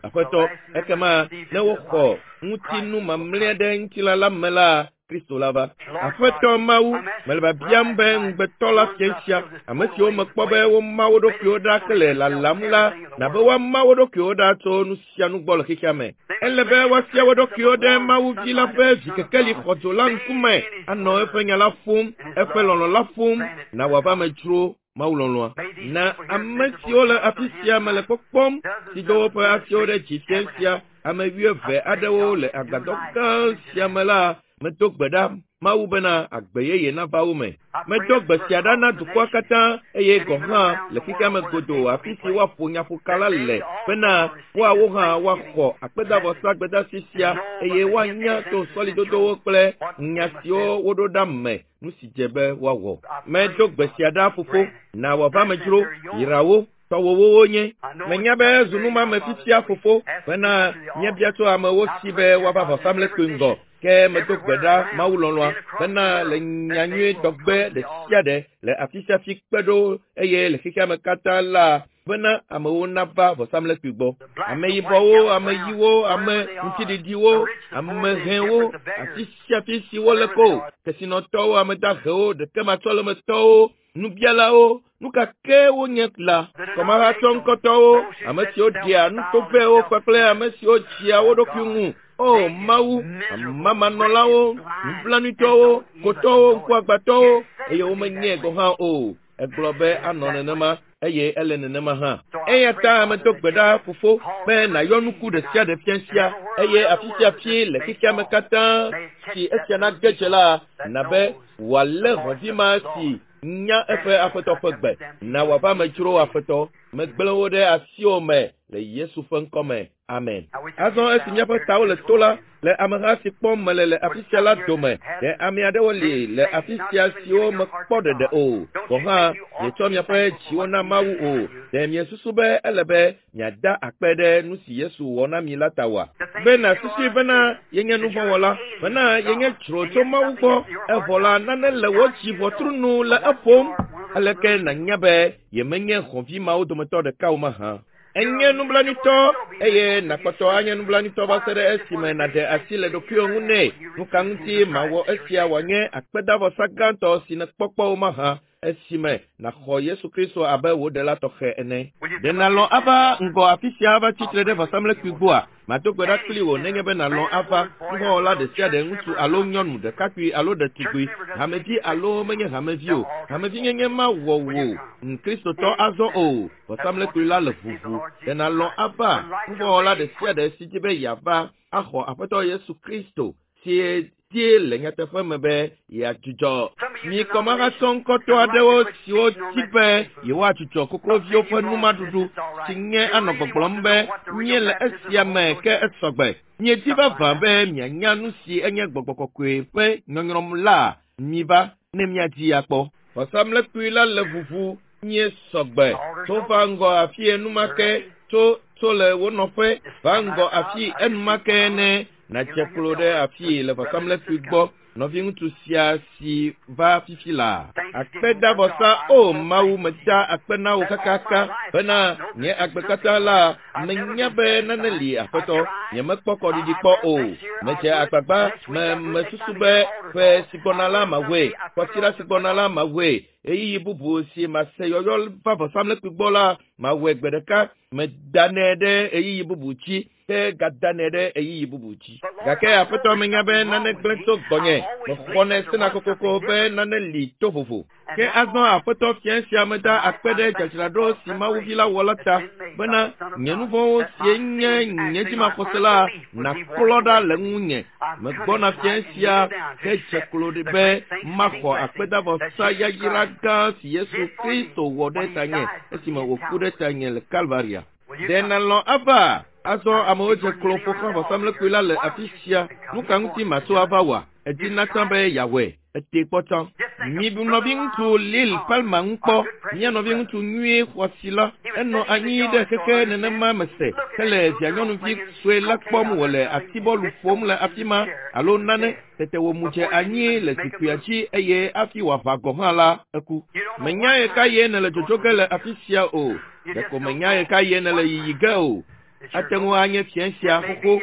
Aƒetɔ. Ekema ne woxɔ ŋutinu mamlɛa ɖe ŋutilã la me la, Kristo la va. Aƒetɔ Mawu, mele biabiam be ŋugbetɔ la fia sia, ame siwo mekpɔ be woma wo ɖokuiwo ɖa hele lalam la, nabe woama wo ɖokuiwo ɖa tso nu sia nu gbɔ le xexea me. Ele be woafia wo ɖokuiwo ɖe Mawu vi la ƒe vikekeli xɔdzo la ŋkume, anɔ eƒe nya la ƒom, eƒe lɔlɔ̃ la ƒom, na wòava me dzro Mawu lɔlɔ̃a. Na ame siwo le afi sia mele kpɔkpɔm, si do woƒe asiwo ɖe dzi fia sia, ame wuieve aɖewo le agbadɔ gã sia me la, medo gbe ɖa Mawu bena agbe yeye nava wo me. Medo gbe sia ɖa na dukɔa katã eye gɔ̃ hã le xexea me godoo afi si woaƒo nyaƒoka la le bena woawo hã woaxɔ akpedavɔsa gbedasi sia eye woanya to sɔlidodowo kple nya siwo woɖo ɖa me nu si dze be woawɔ. Medo gbe sia ɖa Fofo, na wòava me dzro, yra wo, tɔwòwo wonye. Menya be ezu numame fifia Fofo bena míabia tso amewo si be woava vɔsamlekpui ŋgɔ. Ke medo gbe ɖa Mawu lɔlɔ̃a bena le nyanyui dɔgbe ɖe sia ɖe le afi sia afi kpe ɖo eye le xexea me katã la bena amewo nava vɔsamlekpui gbɔ. Ame yibɔwo, ame ɣiwo, ame ŋutiɖiɖiwo, ame hɛwo, afi sia afi si wole ko, kesinɔtɔwo, ame dahewo, ɖekematsɔlemetɔwo, nubialawo, nu ka ke wonye la, kɔmahatsɔ ŋkɔtɔwo, ame siwo ɖea nutovɛwo kpakple ame siwo dzia wo ɖokui ŋu. O Mawu, amamanɔlawo, nublanuitɔwo, kotɔwo, ŋkuagbãtɔwo, eye womenyae gɔ̃ hã o. Egblɔ be anɔ nenema eye ele nenema hã. Eya ta medo gbe ɖa, Fofo, be nàyɔ nuku ɖe sia ɖe fia sia eye afi sia afi le xexea me katã si esia nage dze la, na be wòalé hɔ̃vi ma si nya eƒe Aƒetɔ ƒe gbe. Na wòava me dzro, Aƒetɔ. Megblẽ wo ɖe asiwò me le Yesu ƒe ŋkɔ me. Amen. Azɔ esi míaƒe tawo le to la, le ameha si kpɔm mele le afi sia la dome, ɖe ame aɖewo li le afi sia siwo mekpɔ ɖeɖe o. Gɔ̃ hã, mietsɔ miaƒe dziwo na Mawu o. Ɖe miesusu be ele be miada akpe ɖe nu si Yesu wɔ na mi la ta oa? Be nàsusui bena yenye nuvɔ̃wɔla, bena yenye dzro tso Mawu gbɔ, evɔ la nane le wò dzi ʋɔtru nu le eƒom. Aleke nànya be yemenye hɔ̃vi mawo dometɔ ɖeka o mahã? Enye nublanuitɔ eye nàkpɔtɔ anye nublanuitɔ va se ɖe esime nàɖe asi le ɖokuiwò ŋu nɛ. Nu ka ŋuti mawɔ esia wòanye akpedavɔsa gãtɔ si nèkpɔ kpɔ o mahã esime nàxɔ Yesu Kristo abe wò Ɖela tɔxɛ ene? Ɖe nàlɔ̃ ava ŋgɔ afi sia ava tsi tre ɖe vɔsamlekpui gbɔa? Mado gbe ɖa kpli wò nenye be nàlɔ̃ ava. Nuvɔ̃wɔla ɖe sia ɖe, ŋutsu alo nyɔnu, ɖekakpui alo ɖetugbui, hamevi alo menye hamevi o, hamevinyenye mawɔ wò Kristotɔ azɔ o. Vɔsamlekpui la le ʋuʋu. Ɖe nàlɔ̃ ava? Nuvɔ̃wɔla ɖe sia ɖe si di be yeava axɔ Aƒetɔ Yesu Kristo si die le nyateƒe me be yeadzudzɔ. Mi kɔmahatsɔŋkɔtɔ aɖewo siwo di be yewoadzudzɔ kokloviwo ƒe numaɖuɖu si nye anɔ gbɔgblɔm be míele esia me ke esɔgbe. Miedi vavã be mianya nu si enye gbɔgbɔ kɔkɔe ƒe nyɔnyrɔm la, miva ne míadii akpɔ. Vɔsamlekpui la le ʋuʋu míesɔgbe. Tso va ŋgɔ afi enumake, tso tso le wo nɔƒe va ŋgɔ afi enumake ne nàdze klo ɖe afii le vɔsamlekpui gbɔ. Nɔviŋutsu sia si va fifi la. Akpedavɔsa o Mawu meda akpe na wò kakaka bena nye agbe katã la menya be nane li aƒetɔ. Nyemekpɔ kɔɖiɖi kpɔ o. Medze agbagba me mesusu be ƒe si gbɔna la mawɔe, kɔsiɖa si gbɔna la mawɔe. Ɣeyiɣi bubu si mase yɔyɔ va vɔsamlekpui gbɔ la mawɔe gbe ɖeka. Medanɛ ɖe ɣeyiɣi bubu dzi ke gadanɛ ɖe ɣeyiɣi bubu dzi. Gake aƒetɔ menya be nane gblẽ tso gbɔnye. Mexɔnɛ sena kokoko be nane li to vovo. Ke azɔ aƒetɔ fia sia meda akpe ɖe dzadzraɖo si Mawuvi la wɔ la ta bena nye nu vɔ̃wo sie nye nye dzimaxɔse la naklɔ ɖa le ŋunye. Megbɔna fia sia hedze klo ɖi be maxɔ akpedavɔsa yayra gã si Yesu Kristo wɔ ɖe tanye esime wòku ɖe tanye le Kalvaria. Ɖe nàlɔ̃ ava? Azɔ amewo dze klo ƒo xlã vɔsamlekpui la le afi sia. Nu ka ŋuti màtso ava oa? Edina tsã be yeawɔe. Ete kpɔ tsã. Mibu nɔviŋutsu Lil Palmer ŋu kpɔ. Mía nɔviŋutsu nyuie xɔasi la. Enɔ anyi ɖe xexe nenema mese hele vianyɔnuvi sue la kpɔm wòle atibɔlu ƒom le afi ma alo nane. Tete wòmu dze anyi le zikpuia dzi eye hafi wòaʋã gɔ̃ hã la, eku. Menya ɣekaɣie nèle dzodzo ge le afi sia o. Ɖeko menya ɣekaɣie nèle yiyi ge o. Ate ŋu anye fiẽ sia xoxo.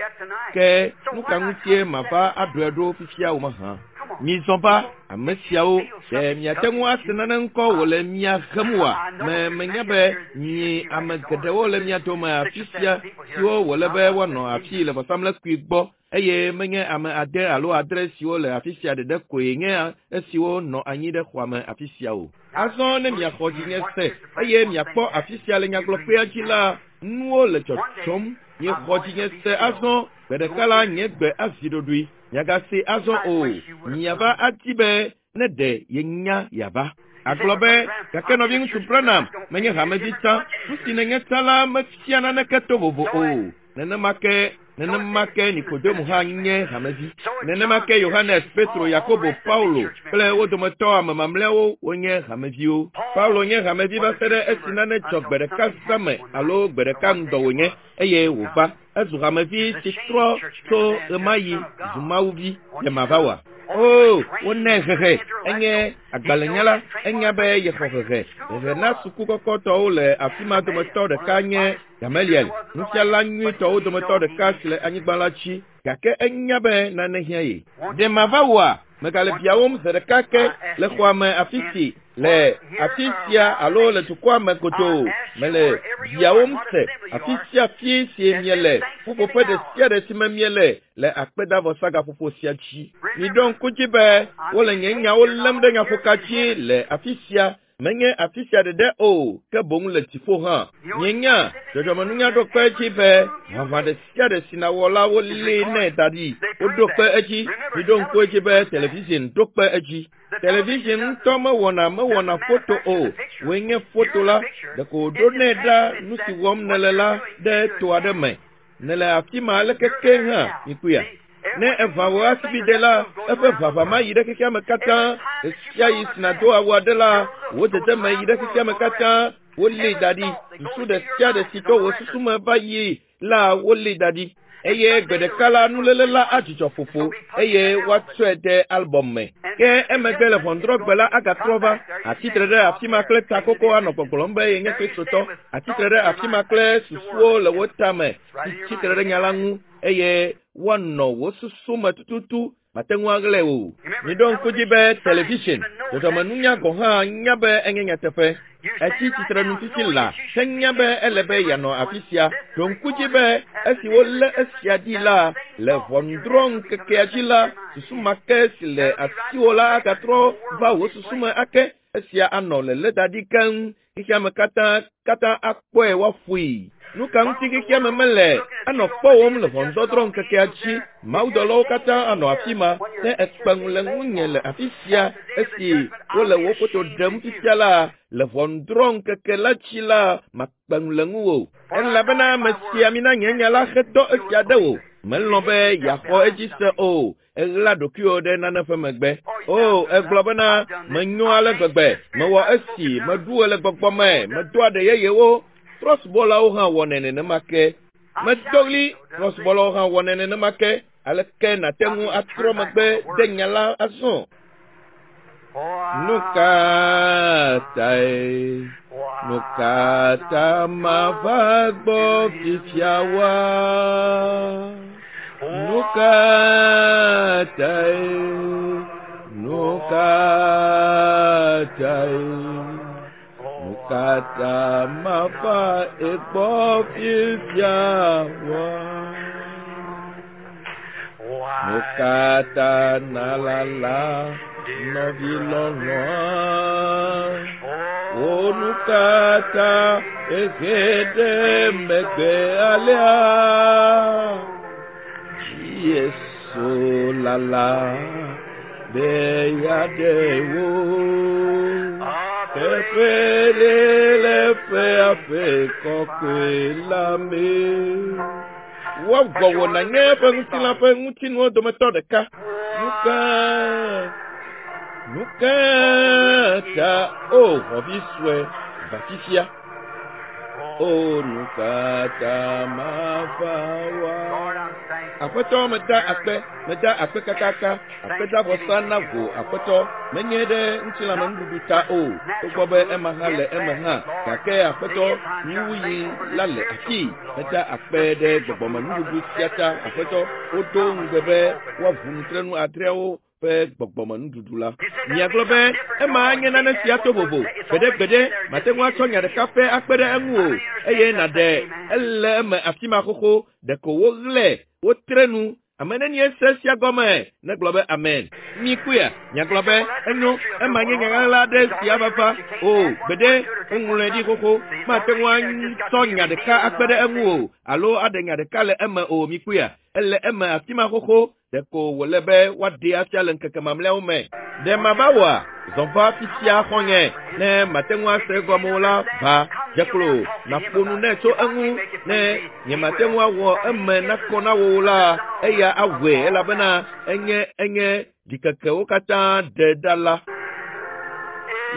Ke nu ka ŋutie mava aɖɔe ɖo fifia o mahã? Mizɔ va, ame siawo, ɖe miate ŋu ase nane ŋkɔ wòle mia hem oa? Me menya be mi ame geɖewo le mia dome afi sia siwo wòle be woanɔ afii le vɔsamlekpui gbɔ eye menye ame ade alo adre siwo le afi sia ɖeɖe koe nye esiwo nɔ anyi ɖe xɔa me afi sia o. Azɔ ne miaxɔ dzinye se eye miakpɔ afi sia le nyagblɔkpea dzi la, nuwo le dzɔdzɔm. Miexɔ dzinye se azɔ, gbe ɖeka la nye gbe azi ɖoɖoe. Miagase azɔ o. Miava adi be ne ɖe yenya yeava. Agblɔ be, gake nɔviŋutsu Branham menye hamevi tsã. Nu si nènye tsã la mefia naneke to vovo o. Nenema ke nenema ke Nikodemo hã nye hamevi. Nenema ke Yohanes, Petro, Yakobo, Paulo kple wo dometɔ ame mamlɛawo wonye hameviwo. Paulo nye hamevi va se ɖe esi nane dzɔ gbe ɖeka zã me alo gbe ɖeka ŋdɔ wònye eye wòva. Ezu hamevi si trɔ tso ɣemaɣi zu Mawuvi. Ɖe mava oa? Oo, wonɛ hehe. Enye agbalẽnyala. Enya be yexɔ hehe. Hehe na suku kɔkɔtɔwo le afi ma dometɔ ɖeka nye Gamaliel, nufiala nyuitɔwo dometɔ ɖeka si le anyigba la dzi. Gake enya be nane hiã ye. Ɖe mava oa? Megale biawòm zi ɖeka ke le xɔa me afi si le afi sia alo le dukɔa me godoo. Mele biawòm se afi sia afi si miele, ƒuƒoƒe ɖe sia ɖe si me miele le akpedavɔsagaƒoƒo sia dzi. Miɖo ŋku dzi be wole nye nyawo lém ɖe nyaƒoka dzi le afi sia. Menye afi sia ɖeɖe o, ke boŋ le dziƒo hã. Mienya, dzɔdzɔmenunya ɖo kpe edzi be ʋaʋã ɖe sia ɖe si nàwɔ la wolée nɛ da ɖi. Woɖo kpe edzi. Miɖo ŋku edzi be television ɖo kpe edzi. Television ŋutɔ mewɔna mewɔna foto o. Wòe nye foto la. Ɖeko wòɖonɛ ɖa nu si wɔm nèle la ɖe to aɖe me. Nèle afi ma aleke ke hã, mikpɔea? Ne eʋã wò asibide la, eƒe ʋaʋã ma yi ɖe xexea me katã. Ɣesiaɣi si nàdo awu aɖe la, wò dedeme yi ɖe xexea me katã. Wolée da ɖi. Susu ɖe sia ɖe si to wò susu me va yi la, wolée da ɖi. Eye gbe ɖeka la, nuléle la adzudzɔ ƒoƒo eye woatsɔe de albɔm me. Ke emegbe le ʋɔnudrɔ̃gbe la agatrɔ va, atsitre ɖe afi ma kple takoko anɔ gbɔgblɔm be yenye Kristotɔ, atsitre ɖe afi ma kple susuwo le wò tame si tsitre ɖe nya la ŋu eye woanɔ wò susu me tututu mate ŋu aɣlae o. Miɖo ŋku dzi be television, dzɔdzɔmenunya gɔ̃ hã nya be enye nyateƒe. Etsi tsitrenu fifi laa henya be ele be yeanɔ afi sia. Ɖo ŋku dzi be esi wolé esia ɖi la, le ʋɔnudrɔ̃ŋkekea dzi la, susu ma ke si le asiwò la agatrɔ va wò susu me ake. Esia anɔ lelé da ɖi keŋ. Xexeame katã katã akpɔe woaƒoe. Nu ka ŋuti xexeame mele anɔ kpɔwòm le ʋɔnudɔdrɔ̃ ŋkekea dzi? Mawudɔlawo katã anɔ afi ma. Ne èkpe ŋu le ŋunye le afi sia esi wole wò foto ɖem fifia la, le ʋɔnudrɔ̃ ŋkeke la dzi la, makpe ŋu le ŋuwò. Elabena ame sia mina nye nya la hedɔ esia ɖe wò. Melɔ̃ be yeaxɔ edzi se o. Eɣla ɖokuiwò ɖe nane ƒe megbe. O, egblɔ bena, menyo ale gbegbe, mewɔ esi, meɖu ɣe le gbɔgbɔ me, medo aɖe yeyewo. Trɔ̃subɔlawo hã wɔnɛ nenema ke. Medo ɣli, trɔ̃subɔlawo hã wɔnɛ nenema ke. Aleke nàte ŋu atrɔ megbe de nya la azɔ? Nu ka tae? Nu ka ta mava gbɔ fifia wa? Nu ka tae? Nu ka tae? Nu ka ta mava egbɔ fifia wa? Nu ka ta nalala nɔvi lɔlɔ̃a? Wò nu ka ta ehe ɖe megbe alea? Yesu lala be yeaɖe wò. Teƒe ɖe le eƒe aƒe kɔkɔe la me. Woavɔ wò nànye eƒe ŋutilã ƒe ŋutinuwo dometɔ ɖeka. Nu ka nu ka ta o xɔvi sue va fifia? O nu ka ta mava wa? Aƒetɔ meda akpe, meda akpe kakaka, akpedavɔsa na wò Aƒetɔ, menye ɖe ŋutilãmenuɖuɖu ta o, togbɔ be ema hã le eme hã, gake Aƒetɔ, nuwuɣi la le afii. Meda akpe ɖe gbɔgbɔmenuɖuɖu sia ta, Aƒetɔ. Wodo ŋugbe be woaʋu nutrenu adreawo ƒe gbɔgbɔmenuɖuɖu la. Miagblɔ be, Ema anye nane sia to vovo. Gbeɖegbeɖe, màte ŋu atsɔ nya ɖeka pɛ akpe ɖe eŋu o, eye nàɖe ele eme afi ma xoxo. Ɖeko woɣlae, wotre nu. Ame nenie se esia gɔme negblɔ be amen? Mikpɔea? Miagblɔ be, Enyo, ema nye nya ɣaɣla aɖe si ava va. O, gbeɖe, woŋlɔe ɖi xoxo. Mate ŋu atsɔ nya ɖeka akpe ɖe eŋu o, alo aɖe nya ɖeka le eme o. Mikpɔea? Ele eme afi ma xoxo. Ɖeko wòle be woaɖee afia le ŋkeke mamlɛawo me. Ɖe mava wɔa? Zɔ va fifia xɔ̃nye, ne màte ŋu ase egɔme o la, va, dze klo, nàƒo nu nɛ tso eŋu. Ne nyemate ŋu awɔ eme nakɔ na wò o la, eya awɔe elabena enye enye ɖikekewo katã ɖe ɖa la.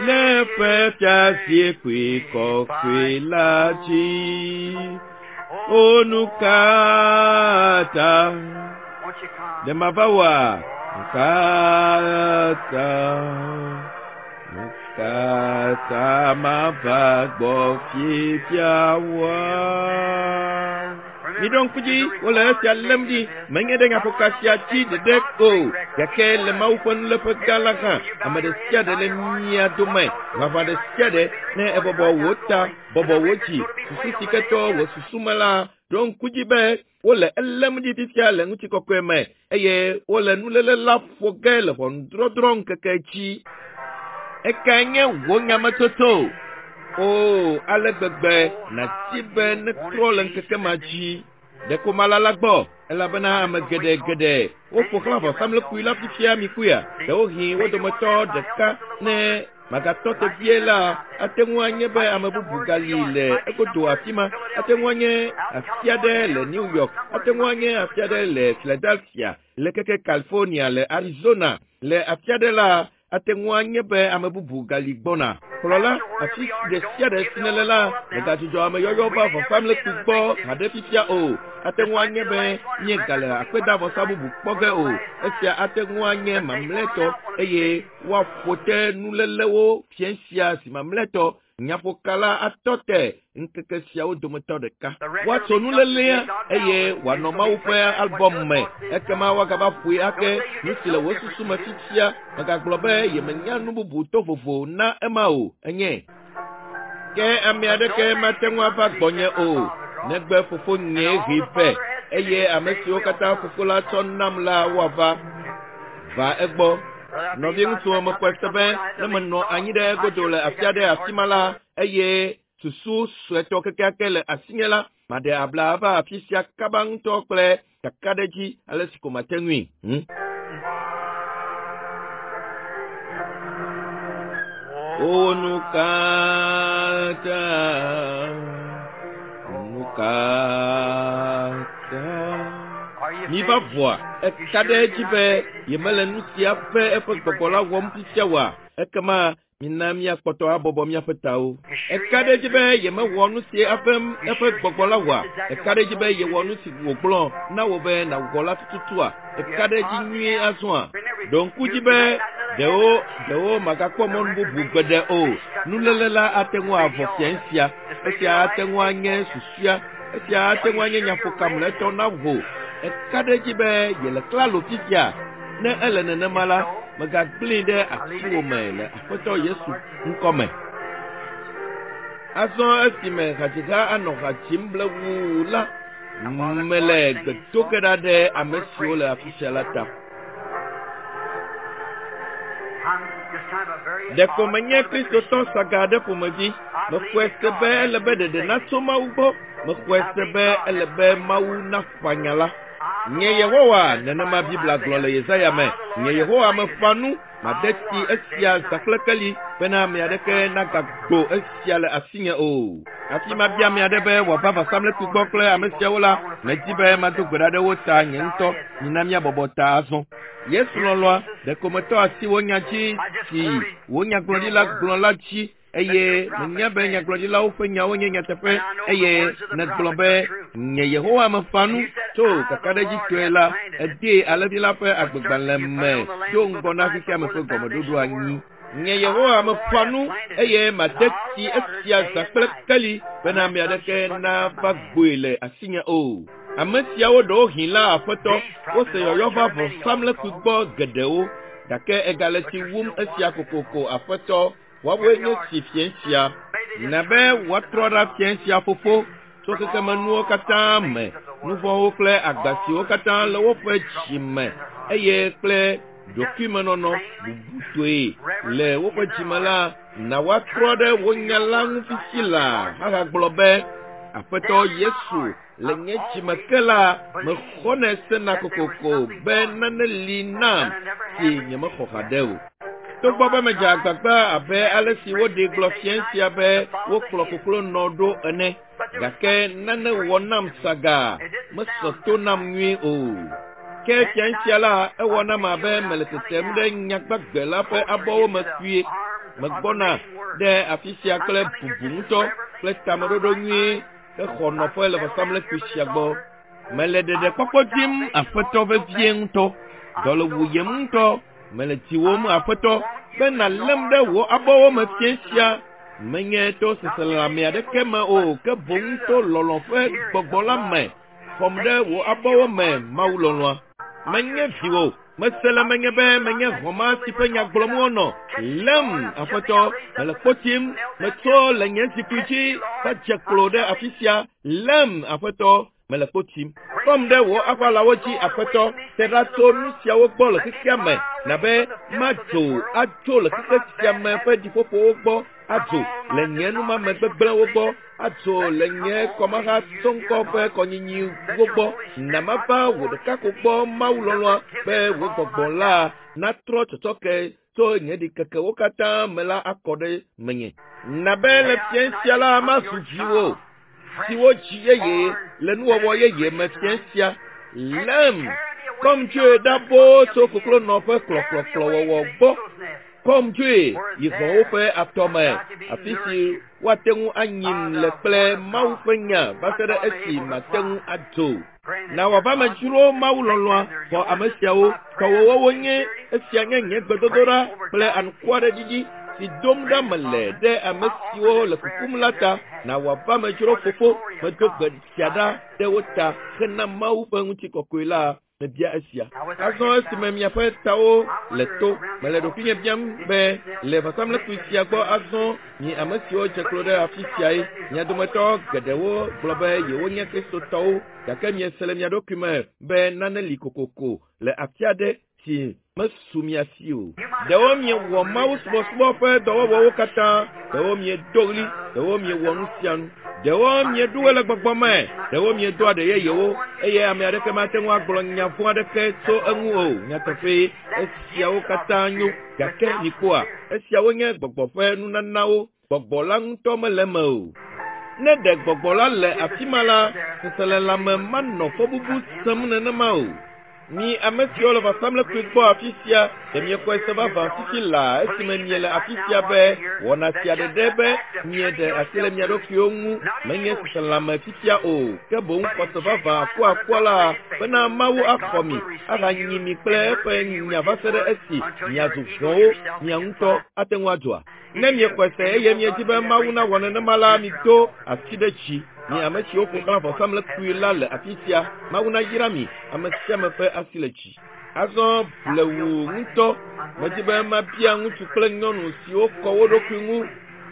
Le eƒe fiazikpui kɔkɔe la dzi. O nu ka ta? Ɖe mava wɔa? Nu ka ta? Nu ka ta mava gbɔ fifia wɔa? Miɖo ŋku dzi, wole esia lém ɖi, menye ɖe nyaƒoka sia dzi ɖeɖe o, gake le Mawu ƒe nuléƒe gã la hã, ame ɖe sia ɖe le mia dome, ʋaʋã ɖe sia ɖe, ne ebɔbɔ wò ta, bɔbɔ wò dzi, susu si ke tɔ wò susu me la, ɖo ŋku dzi be wole elém ɖi fifia le ŋutikɔkɔe me, eye wole nuléle la ƒo ge le ʋɔnudrɔdrɔ̃ ŋkeke dzi. Ekae nye wò nyametsotso? Oo, ale gbegbe nàdi be netrɔ le ŋkeke ma dzi. Ɖeko malala gbɔ, elabena ame geɖe geɖe woƒo xlã vɔsamlekpui la fifia mikpɔea, ɖewohĩ wo dometɔ ɖeka ne magatɔ te vie la, ate ŋu anye be ame bubu gali le egodo afi ma, ate ŋu anye afi aɖe le New York, ate ŋu anye afi aɖe le Philadelphia, le keke California, le Arizona, le afi aɖe la, ate ŋu anye be ame bubu gali gbɔna. Kplɔla, afi ɖe sia ɖe si nèle la, mègadzudzɔ ameyɔyɔ va vɔsamlekpui gbɔ haɖe fifia o. Ate ŋu anye be míegale akpedavɔsa bubu kpɔ ge o. Esia ate ŋu anye mamlɛtɔ eye woaƒo te nulélewo fiẽ sia zi mamlɛtɔ. Nyaƒokala atɔ te ŋkeke siawo dometɔ ɖeka. Woatso nulélea eye wòanɔ Mawu ƒe albɔm me. Ekema woagava ƒoe ake. Nu si le wò susu me fifia, mègagblɔ be yemenya nu bubu to vovo na ema o. Enye. Ke ame aɖeke mate ŋu ava gbɔnye o, negbe Fofonyee hee vɛ, eye ame siwo katã Fofo la tsɔ nam la woava. Va egbɔ. Nɔviŋutsuwo, mexɔe se be ne menɔ anyi ɖe egodo le afi aɖe afi ma la, eye susu suetɔ kekeake le asinye la, maɖe abla ava afi sia kaba ŋutɔ kple kakaɖedzi ale si ko mate ŋui. Hm? O nu katã, nu katã. Miva vɔa, eka ɖe edzi be yemele nu sia ƒe eƒe gbɔgbɔ la wɔm fifia oa? Ekema. Mina míakpɔtɔ abɔbɔ míaƒe tawo. Eka ɖe edzi be yemewɔ nu si eƒe gbɔgbɔ la wɔa? Eka ɖe edzi be yewɔ nu si wògblɔ na wò be nàwɔ la tututua? Eka ɖe edzi nyuie azɔa? Ɖo ŋku dzi be ɖewo magakpɔ mɔnu bubu gbeɖe o. Nuléle la ate ŋu avɔ fiẽ sia. Esia ate ŋu anye susua. Esia ate ŋu anye nyaƒokamlɛtɔ na wò. Eka ɖe edzi be yele klalo fifia. Ne ele nenema la, mègagblẽe ɖe asiwò me le Aƒetɔ Yesu ŋkɔ me. Azɔ esime hadziha anɔ ha dzim blewuu la, mele gbe do ge ɖa ɖe ame siwo le afi sia la ta. Ɖeko menye Kristotɔ saga aɖe ƒomevi. Mexɔe se be ele be ɖeɖe natso Mawu gbɔ. Mexɔe se be ele be Mawu naƒã nya la. Nye Yehowa, nenema Biblia gblɔ le Yesaya me. Nye Yehowa meƒã nu, made tsi esia zã kple keli, bena ame aɖeke nagagbo esia le asinye o. Hafi mabia ame aɖe be wòava vɔsamlekpui gbɔ kple ame siawo la, medi be mado gbe ɖa ɖe wo ta nye ŋutɔ. Mina míabɔbɔ ta azɔ. Yesu lɔlɔ̃a, ɖeko metɔ asi wò nya dzi si wò nyagblɔɖila gblɔ la dzi eye menya be nyagblɔɖilawo ƒe nyawo nye nyateƒe eye nègblɔ be nye Yehowa meƒã nu tso kakaɖedzitɔe la, èdee alẽvi la ƒe agbegbalẽ me do ŋgɔ na xexeame ƒe gɔmeɖoɖo anyi. Nye Yehowa meƒã nu eye made tsi esia zã kple keli bena ame aɖeke nava gboe le asinye o. Ame siawo ɖewohĩ la Aƒetɔ, wose yɔyɔ va vɔsamlekpui gbɔ geɖewo, gake egale tsi wum esia kokoko Aƒetɔ. Woawoe nye si fiẽ sia. Na be woatrɔ ɖa fiẽ sia, Fofo, tso xexemenuwo katã me, nuvɔ̃wo kple agba siwo katã le woƒe dzi me, eye kple ɖokuimenɔnɔ bubutɔe le woƒe dzi me la, na woatrɔ ɖe wò nya la ŋu fifi laa ahagblɔ be, Aƒetɔ Yesu, le nye dzi me ke la, mexɔnɛ sena kokoko be nane li nam si nyemexɔ haɖe o. Togbɔ be medze agbagba abe ale si woɖee gblɔ fiẽ sia be wokplɔ koklonɔ ɖo ene, gake nane wɔ nam sagaa, mesɔ to nam nyuie o. Ke fiẽ sia la, ewɔ nam abe mele tetem ɖe nyagbagbe la ƒe abɔwo me kpuie. Megbɔna ɖe afi sia kple bubu ŋutɔ kple tameɖoɖo nyuie hexɔ nɔƒe le vɔsamlekpui sia gbɔ. Mele ɖeɖekpɔkpɔ dim Aƒetɔ vevie ŋutɔ. Dɔ le wuyem ŋutɔ. Mele diwòm, Aƒetɔ, be nàlém ɖe wò abɔwo me fiẽ sia, menye to seselelãme aɖeke me o, ke boŋ to lɔlɔ̃ ƒe gbɔgbɔ la me. Xɔm ɖe wò abɔwo me, Mawu lɔlɔ̃a. Menye viwò. Mese le menye be menye hɔ̃ ma si ƒe nya gblɔm wonɔ. Lém, Aƒetɔ, mele kpo tim. Metso le nye zikpui dzi va dze klo ɖe afi sia. Lém, Aƒetɔ, mele kpo tim. Kɔm ɖe wò aʋalawo dzi, Aƒetɔ, te ɖa tso nu siawo gbɔ le xexea me, na be madzo atso le xexe sia me ƒe ɖiƒoƒowo gbɔ, adzo le nye numame gbegblẽwo gbɔ, adzo le nye kɔmahatsɔŋkɔ ƒe kɔnyinyiwo gbɔ, na mava wò ɖeka ko gbɔ, Mawu lɔlɔ̃a, be wò gbɔgbɔ la natrɔ tsɔtsɔke tso nye ɖikekewo katã me la akɔ ɖe menye. Na be le fiẽ sia la mazu viwò siwo dzi yeye le nuwɔwɔ yeye me fiẽ sia. Lém, kɔm dzoe ɖa boo tso koklonɔ ƒe kplɔkplɔkplɔwɔwɔ gbɔ. Kɔm dzoe yi hɔ̃wo ƒe atɔ me, afi si woate ŋu anyim le kple Mawu ƒe nya va se ɖe esi mate ŋu adzo. Na wòava me dzro Mawu lɔlɔ̃a xɔ ame siawo. Tɔwòwo wonye. Esia nye nye gbedodoɖa kple anukwareɖiɖi si dom ɖa mele ɖe ame siwo le kukum la ta. Na wòava me dzro Fofo, medo gbe sia ɖa ɖe wo ta hena Mawu ƒe ŋutikɔkɔe la. Mebia esia. Azɔ esime miaƒe tawo le to, mele ɖokuinye biam be, le vɔsamlekpui sia gbɔ azɔ, mi ame siwo dze klo ɖe afi siae, mia dometɔ geɖewo gblɔ be yewonye Kristotɔwo, gake miese le mia ɖokui me be nane li kokoko le afi aɖe si mesu mia si o. Ɖewo miewɔ mawusubɔsubɔ ƒe dɔwɔwɔwo katã, ɖewo miedo ɣli, ɖewo miewɔ nu sia nu, ɖewo mieɖu ɣe le gbɔgbɔ me, ɖewo miedo aɖe yeyewo, eye ame aɖeke mate ŋu agblɔ nya vɔ̃ aɖeke tso eŋu o. Nyateƒee, esiawo katã nyo, gake mikpɔa, esiawo nye gbɔgbɔ ƒe nunanawo. Gbɔgbɔ la ŋutɔ mele eme o. Ne ɖe gbɔgbɔ la le afi ma la, seselelãme manɔ fɔbubu sẽm nenema o. Mi ame siwo le vɔsamlekpui gbɔ afi sia, ɖe miexɔe se vavã fifi laa esime miele afi sia be wɔna sia ɖeɖe be mieɖe asi le mia ɖokuiwo ŋu menye seselãme fifia o, ke boŋ xɔse vavã akuakua la bena Mawu axɔ mi ahanyi mi kple eƒe nya va se ɖe esi miazu hɔ̃wo mia ŋutɔ ate ŋu adzɔa? Ne miexɔe se eye miedi be Mawu nawɔ nenema la, mido asi ɖe dzi. Mi ame siwo ƒo xlã vɔsamlekpui la le afi sia, Mawu nayra mi, ame sia ame ƒe asi le dzi. Azɔ blewu ŋutɔ, medi be mabia ŋutsu kple nyɔnu siwo kɔ wo ɖokui ŋu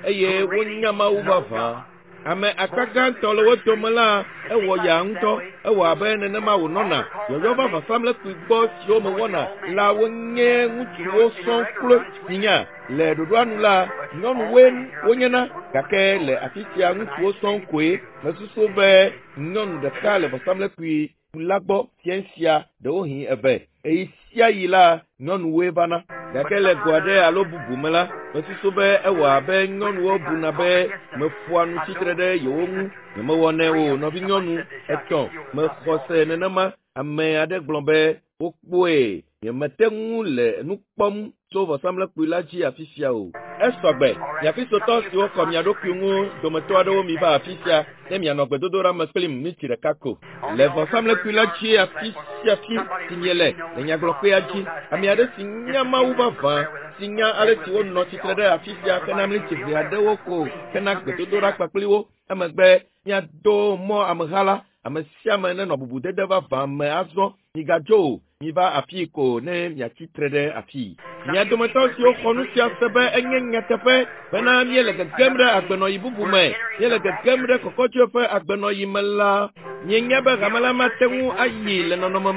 eye wonya Mawu vavã. Ame akpa gãtɔ le wo dome la, ewɔ yaa ŋutɔ. Ewɔ abe nenema wònɔna. Yɔyɔ va vɔsamlekpui gbɔ siwo mewɔna la wonye ŋutsuwo sɔŋ kloe. Minya, le ɖoɖoa nu la, nyɔnuwoe wonyena, gake le afi sia ŋutsuwo sɔŋ koe. Mesusu be nyɔnu ɖeka le vɔsamlekpui la gbɔ fiẽ sia, ɖewohĩ eve. Ɣeyiɣi sia ɣi la, nyɔnuwoe vana. Gake le go aɖe alo bubu me la, mesusu be ewɔ abe nyɔnuwo buna be meƒoa nu tsi tre ɖe yewo ŋu. Nyemewɔnɛ o, nɔvinyɔnu. Etɔ̃, mexɔ se nenema. Ame aɖe gblɔ be, Wokpɔe. Nyemete ŋu le nu kpɔm tso vɔsamlekpui la dzi afi sia o. Esɔ gbe, mia Kristotɔ siwo kɔ mia ɖokui ŋu dometɔ aɖewo miva afi sia ne mianɔ gbedodoɖa me kplim miniti ɖeka ko. Le vɔsamlekpui la dzi afi sia afi si miele le nyagblɔkpea dzi, ame aɖe si nya Mawu vavã, si nya ale si wonɔ tsitre ɖe afi sia hena miniti ʋɛ aɖewo ko hena gbedodoɖa kpakpli wo. Emegbe miado mɔ ameha la, ame sia ame nenɔ bubudede vavã me azɔ. Migadzo o, miva afii ko ne miatsi tre ɖe afii. Mia dometɔ siwo xɔ nu sia se be enye nyateƒe bena míele gegem ɖe agbenɔɣi bubu me, míele gegem ɖe kɔkɔdzoe ƒe agbenɔɣi me la, mienya be hame la mate ŋu ayi le nɔnɔme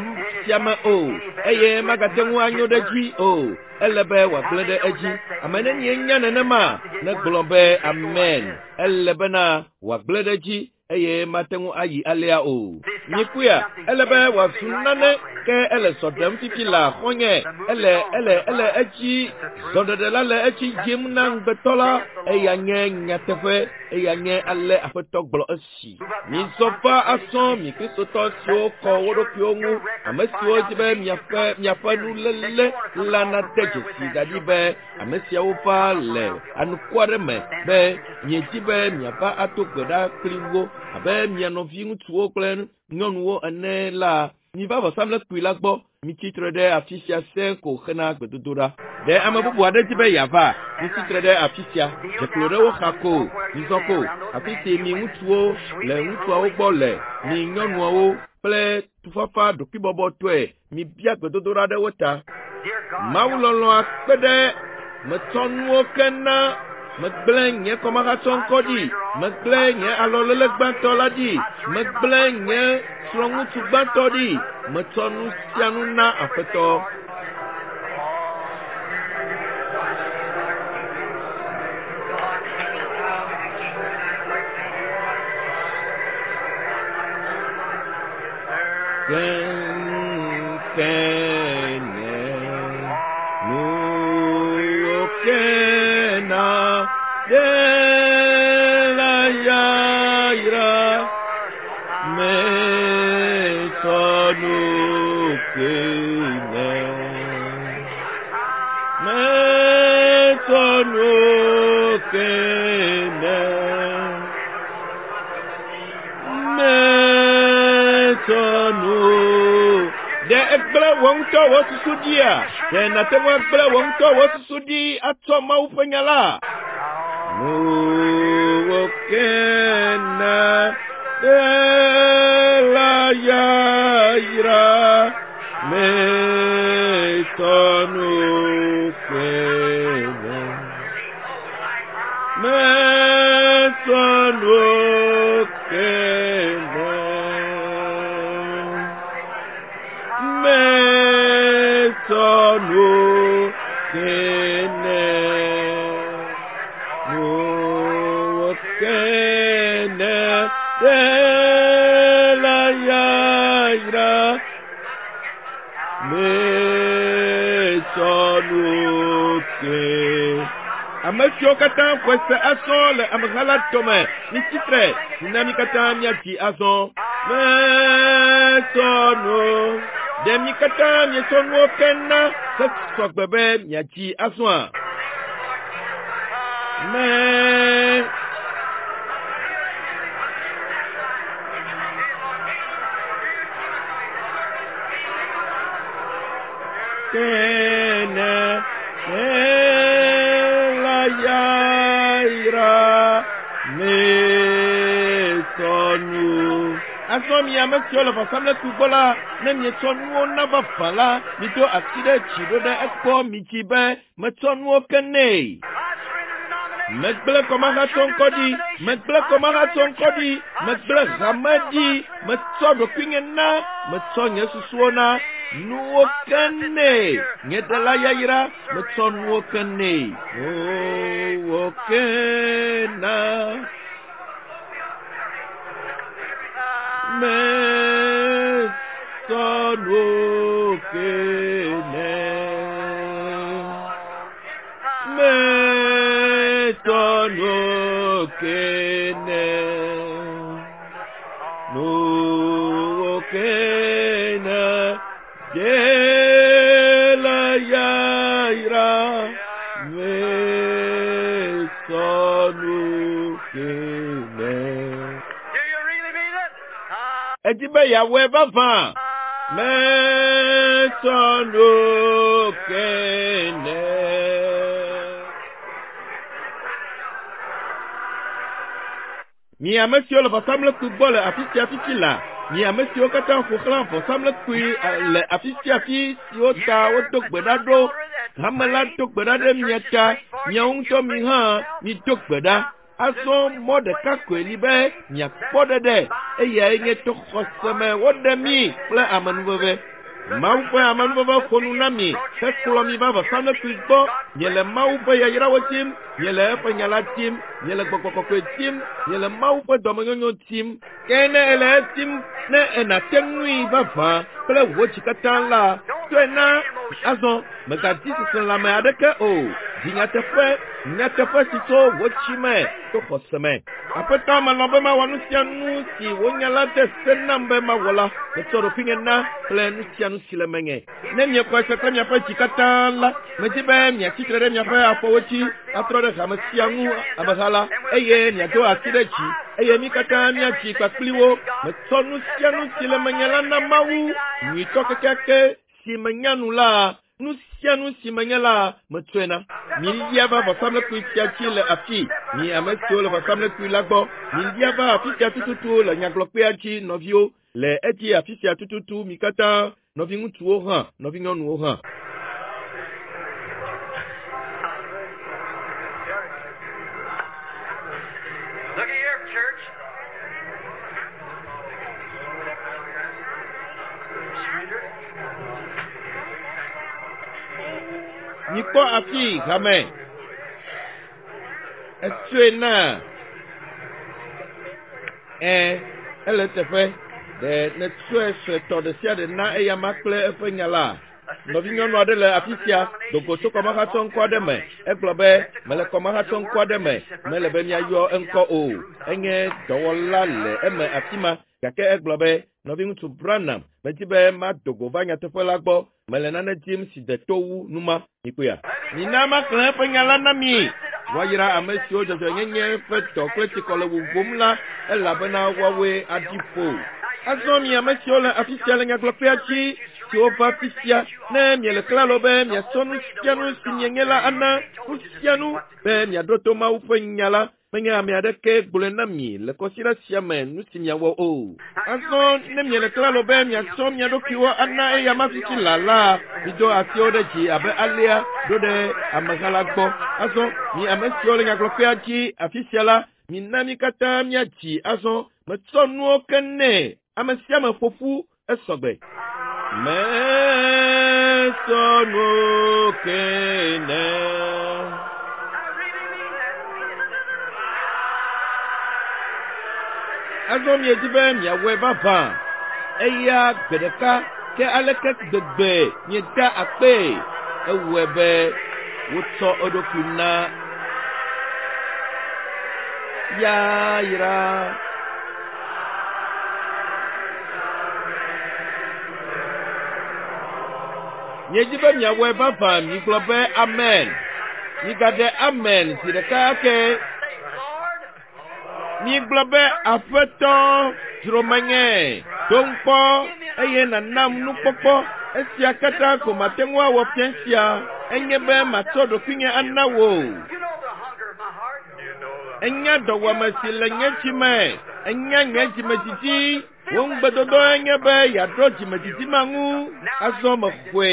sia me o, eye magate ŋu anyo ɖe edzi o. Ele be wòagblẽ ɖe edzi. Ame nenie nya nenema? Negblɔ be, Amen. Ele bena wòagblẽ ɖe edzi eye mate ŋu ayi alea o. Mikpɔea, ele be wòazu nane, ke ele zɔ ɖem fifi laa, xɔ̃nye. Ele, ele, ele edzi, zɔɖeɖe la le edzi yim na ŋugbetɔ la. Eya nye nyateƒe, eya nye ale Aƒetɔ gblɔ esi. Mizɔ va azɔ, mi Kristotɔ siwo kɔ wo ɖokuiwo ŋu, ame siwo di be miaƒe, miaƒe nuléle la nade dzesi da ɖi be Ame siawo va le anukware me be miedi be miava ado gbe ɖa kpli wo abe mia nɔviŋutsuwo kple nyɔnuwo ene la, miva vɔsamlekpui la gbɔ. Mitsi tre ɖe afi sia sẽe ko hena gbedodoɖa. Ɖe ame bubu aɖe di be yeava? Mitsi tre ɖe afi sia. Dze klo ɖe wo xa ko. Mizɔ ko. Afi si mi ŋutsuwo le ŋutsuawo gbɔ le, mi nyɔnuawo kple tufafa ɖokuibɔbɔtɔe mibia gbedodoɖa ɖe wo ta. Mawu lɔlɔ̃a kpe ɖe metsɔ nuwo ke na megblẽ nye kɔmahatsɔŋkɔ ɖi, megblẽ nye alɔlele gbãtɔ la ɖi, megblẽ nye srɔ̃ŋutsu gbãtɔ ɖi, metsɔ nu sia nu na Aƒetɔ. Kene nuwo kena ɖe la yayra metsɔ nu kene metsɔ nu kene. Metsɔ nu. Ɖe egblẽ wò ŋutɔ wò susu ɖia? Ɖe nàte ŋu agblẽ wò ŋutɔ wò susu ɖi atsɔ Mawu ƒe nya la? Nuwo kena ɖe la yayra metsɔ nu kene. Metsɔ nuwo kene. Metsɔ nuwo kene. Nuwo kene ɖe la yayra. Metsɔ nuwo ke. Ame siwo katã xɔe se azɔ le ameha la dome, mitsi tre, mina mí katã míadzi azɔ. Metsɔ nu. Ɖe mi katã mietsɔ nuwo ke na hesɔgbe be miadzi azɔa? Me kene la yayra mesɔnu. Azɔ mi ame siwo le vɔsamlekpui gbɔ la, ne mietsɔ nuwo na vavã la, mido asi ɖe dzi ɖo ɖe egbɔ midzi be metsɔ nuwo ke nɛ. Megblẽ kɔmahatsɔ ŋkɔ ɖi, megblẽ kɔmahatsɔ ŋkɔ ɖi, megblẽ hame ɖi, metsɔ ɖokuinye na, metsɔ nye susuwo na, nuwo ke nɛ. Nye ɖela yayra, metsɔ nuwo ke nɛ. Nuwo ke na. Metsɔ nuwo ke nɛ. Metsɔ nuwo ke nɛ. Nuwo ke na. Ɖela yayra. Metsɔ nuwo ke nɛ. Do you really mean it? Edi be yeawɔe vavã. Metsɔ nuwo ke nɛ. Mi ame siwo le vɔsamlekpui gbɔ le afi sia fifi la, mi ame siwo katã ƒo xlã vɔsamlekpui le afi sia afi siwo ta wodo gbe ɖa ɖo, hame la do gbe ɖa ɖe mia ta, miawo ŋutɔ mi hã mido gbe ɖa. Azɔ mɔ ɖeka koe li be miakpɔ ɖeɖe, eyae nye to xɔse me woɖe mi kple amenuveve. Mawu ƒe amenuveve ƒo nu na mi hekplɔ mi va vɔsamlekpui gbɔ. Miele Mawu ƒe yayrawo dim, miele eƒe nya la dim, miele gbɔgbɔ kɔkɔe dim, miele Mawu ƒe dɔmenyonyo dim. Ke ne èle edim, ne ènate ŋui vavã kple wò dzi katã la, tɔe na azɔ. Mègadi seselãme aɖeke o. Di nyateƒe, nyateƒe si tso wò dzi me to xɔse me. Aƒetɔ, melɔ̃ be mawɔ nu sia nu si wò nya la de se nam be mawɔ la. Metsɔ ɖokuinye na kple nu sia nu si le menye. Ne miexɔe se kple miaƒe dzi katã la, medi be miatsi tre ɖe miaƒe afɔwo dzi atrɔ ɖe hame sia ŋu ameha la, eye miado asi ɖe dzi, eye mí katã míadzi kpakpli wo. Metsɔ nu sia nu si le menye la na Mawu, nyuitɔ kekeake si menya nu la, nu sia nu si menye la, metsɔe na. Milia va vɔsamlekpui sia dzi le afii, mi ame siwo le vɔsamlekpui la gbɔ. Milia va afi sia tututu le nyagblɔkpea dzi, nɔviwo, le edzi afi sia tututu, mi katã, nɔviŋutsuwo hã, nɔvinyɔnuwo hã. Look at here, church. Surrender. Mikpɔ afii, hame. Etsɔe na. Ẽ, ele eteƒe. Ɖe nètsɔe suetɔ ɖe sia ɖe na eyama kple eƒe nya la? Nɔvinyɔnu aɖe le afi sia, do go tso kɔmahatsɔŋkɔ aɖe me. Egblɔ be, mele kɔmahatsɔŋkɔ aɖe me, mele be míayɔ eŋkɔ o. Enye dɔwɔla le eme afi ma. Gake egblɔ be, nɔviŋutsu Branham, medi be mado go va nyateƒe la gbɔ. Mele nane dim si de to wu nu ma. Mikpɔea? Mina maxlẽ eƒe nya la na mi. Woayra ame siwo dzɔdzɔenyenye ƒe dɔ kple tsikɔ le wuwum la, elabena woawoe aɖi ƒo. Azɔ mi ame siwo le afi sia le nyagblɔkpea dzi, siwo va fifia, ne miele klalo be miatsɔ nu sia nu si mienye la ana, nu sia nu, be miaɖo to Mawu ƒe nya la, menye ame aɖeke gblɔe na mi le kɔsiɖa sia me nu si miawɔ o. Azɔ ne miele klalo be miatsɔ mia ɖokuiwo ana eyama fifi la la, mido asiwo ɖe dzi abe alea ɖo ɖe ameha la gbɔ. Azɔ mi ame siwo le nyagblɔƒea dzi afi sia la, mina mí katã míadzi azɔ. Metsɔ nuwo ke nɛ. Ame sia ame ƒo ƒu esɔgbe. Metsɔ nuwo ke nɛ. Azɔ miedi be miawɔe vavã. Eya gbe ɖeka ke aleke gbegbe mieda akpee. Ewɔe be wotsɔ eɖokui na yayra. Miedzi be miawɔe vavã migblɔ be amen. Migaɖe amen zi ɖeka ake. Migblɔ be aƒetɔ dzro menye dom kpɔ eye nànam nukpɔkpɔ. Esia katã ko mate ŋu awɔ fia sia enye be matsɔ ɖokuinye ana wò. Enya dɔwɔame si le nye dzi me. Enya nye dzimedzidzi. Wò ŋugbedodoe nye be yeaɖo dzimedzidzi ma ŋu. Azɔ mexɔe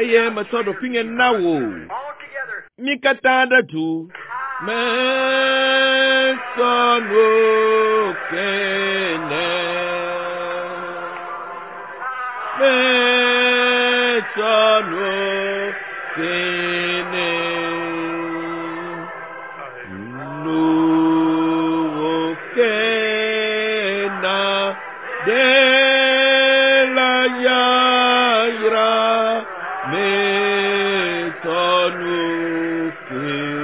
eye metsɔ ɖokuinye na wò. Mí katã ɖe du. Metsɔ nuwo ke nɛ. Metsɔ nuwo ke nɛ. Nuwo ke na ɖe la yayra. Metsɔ nuwo ke.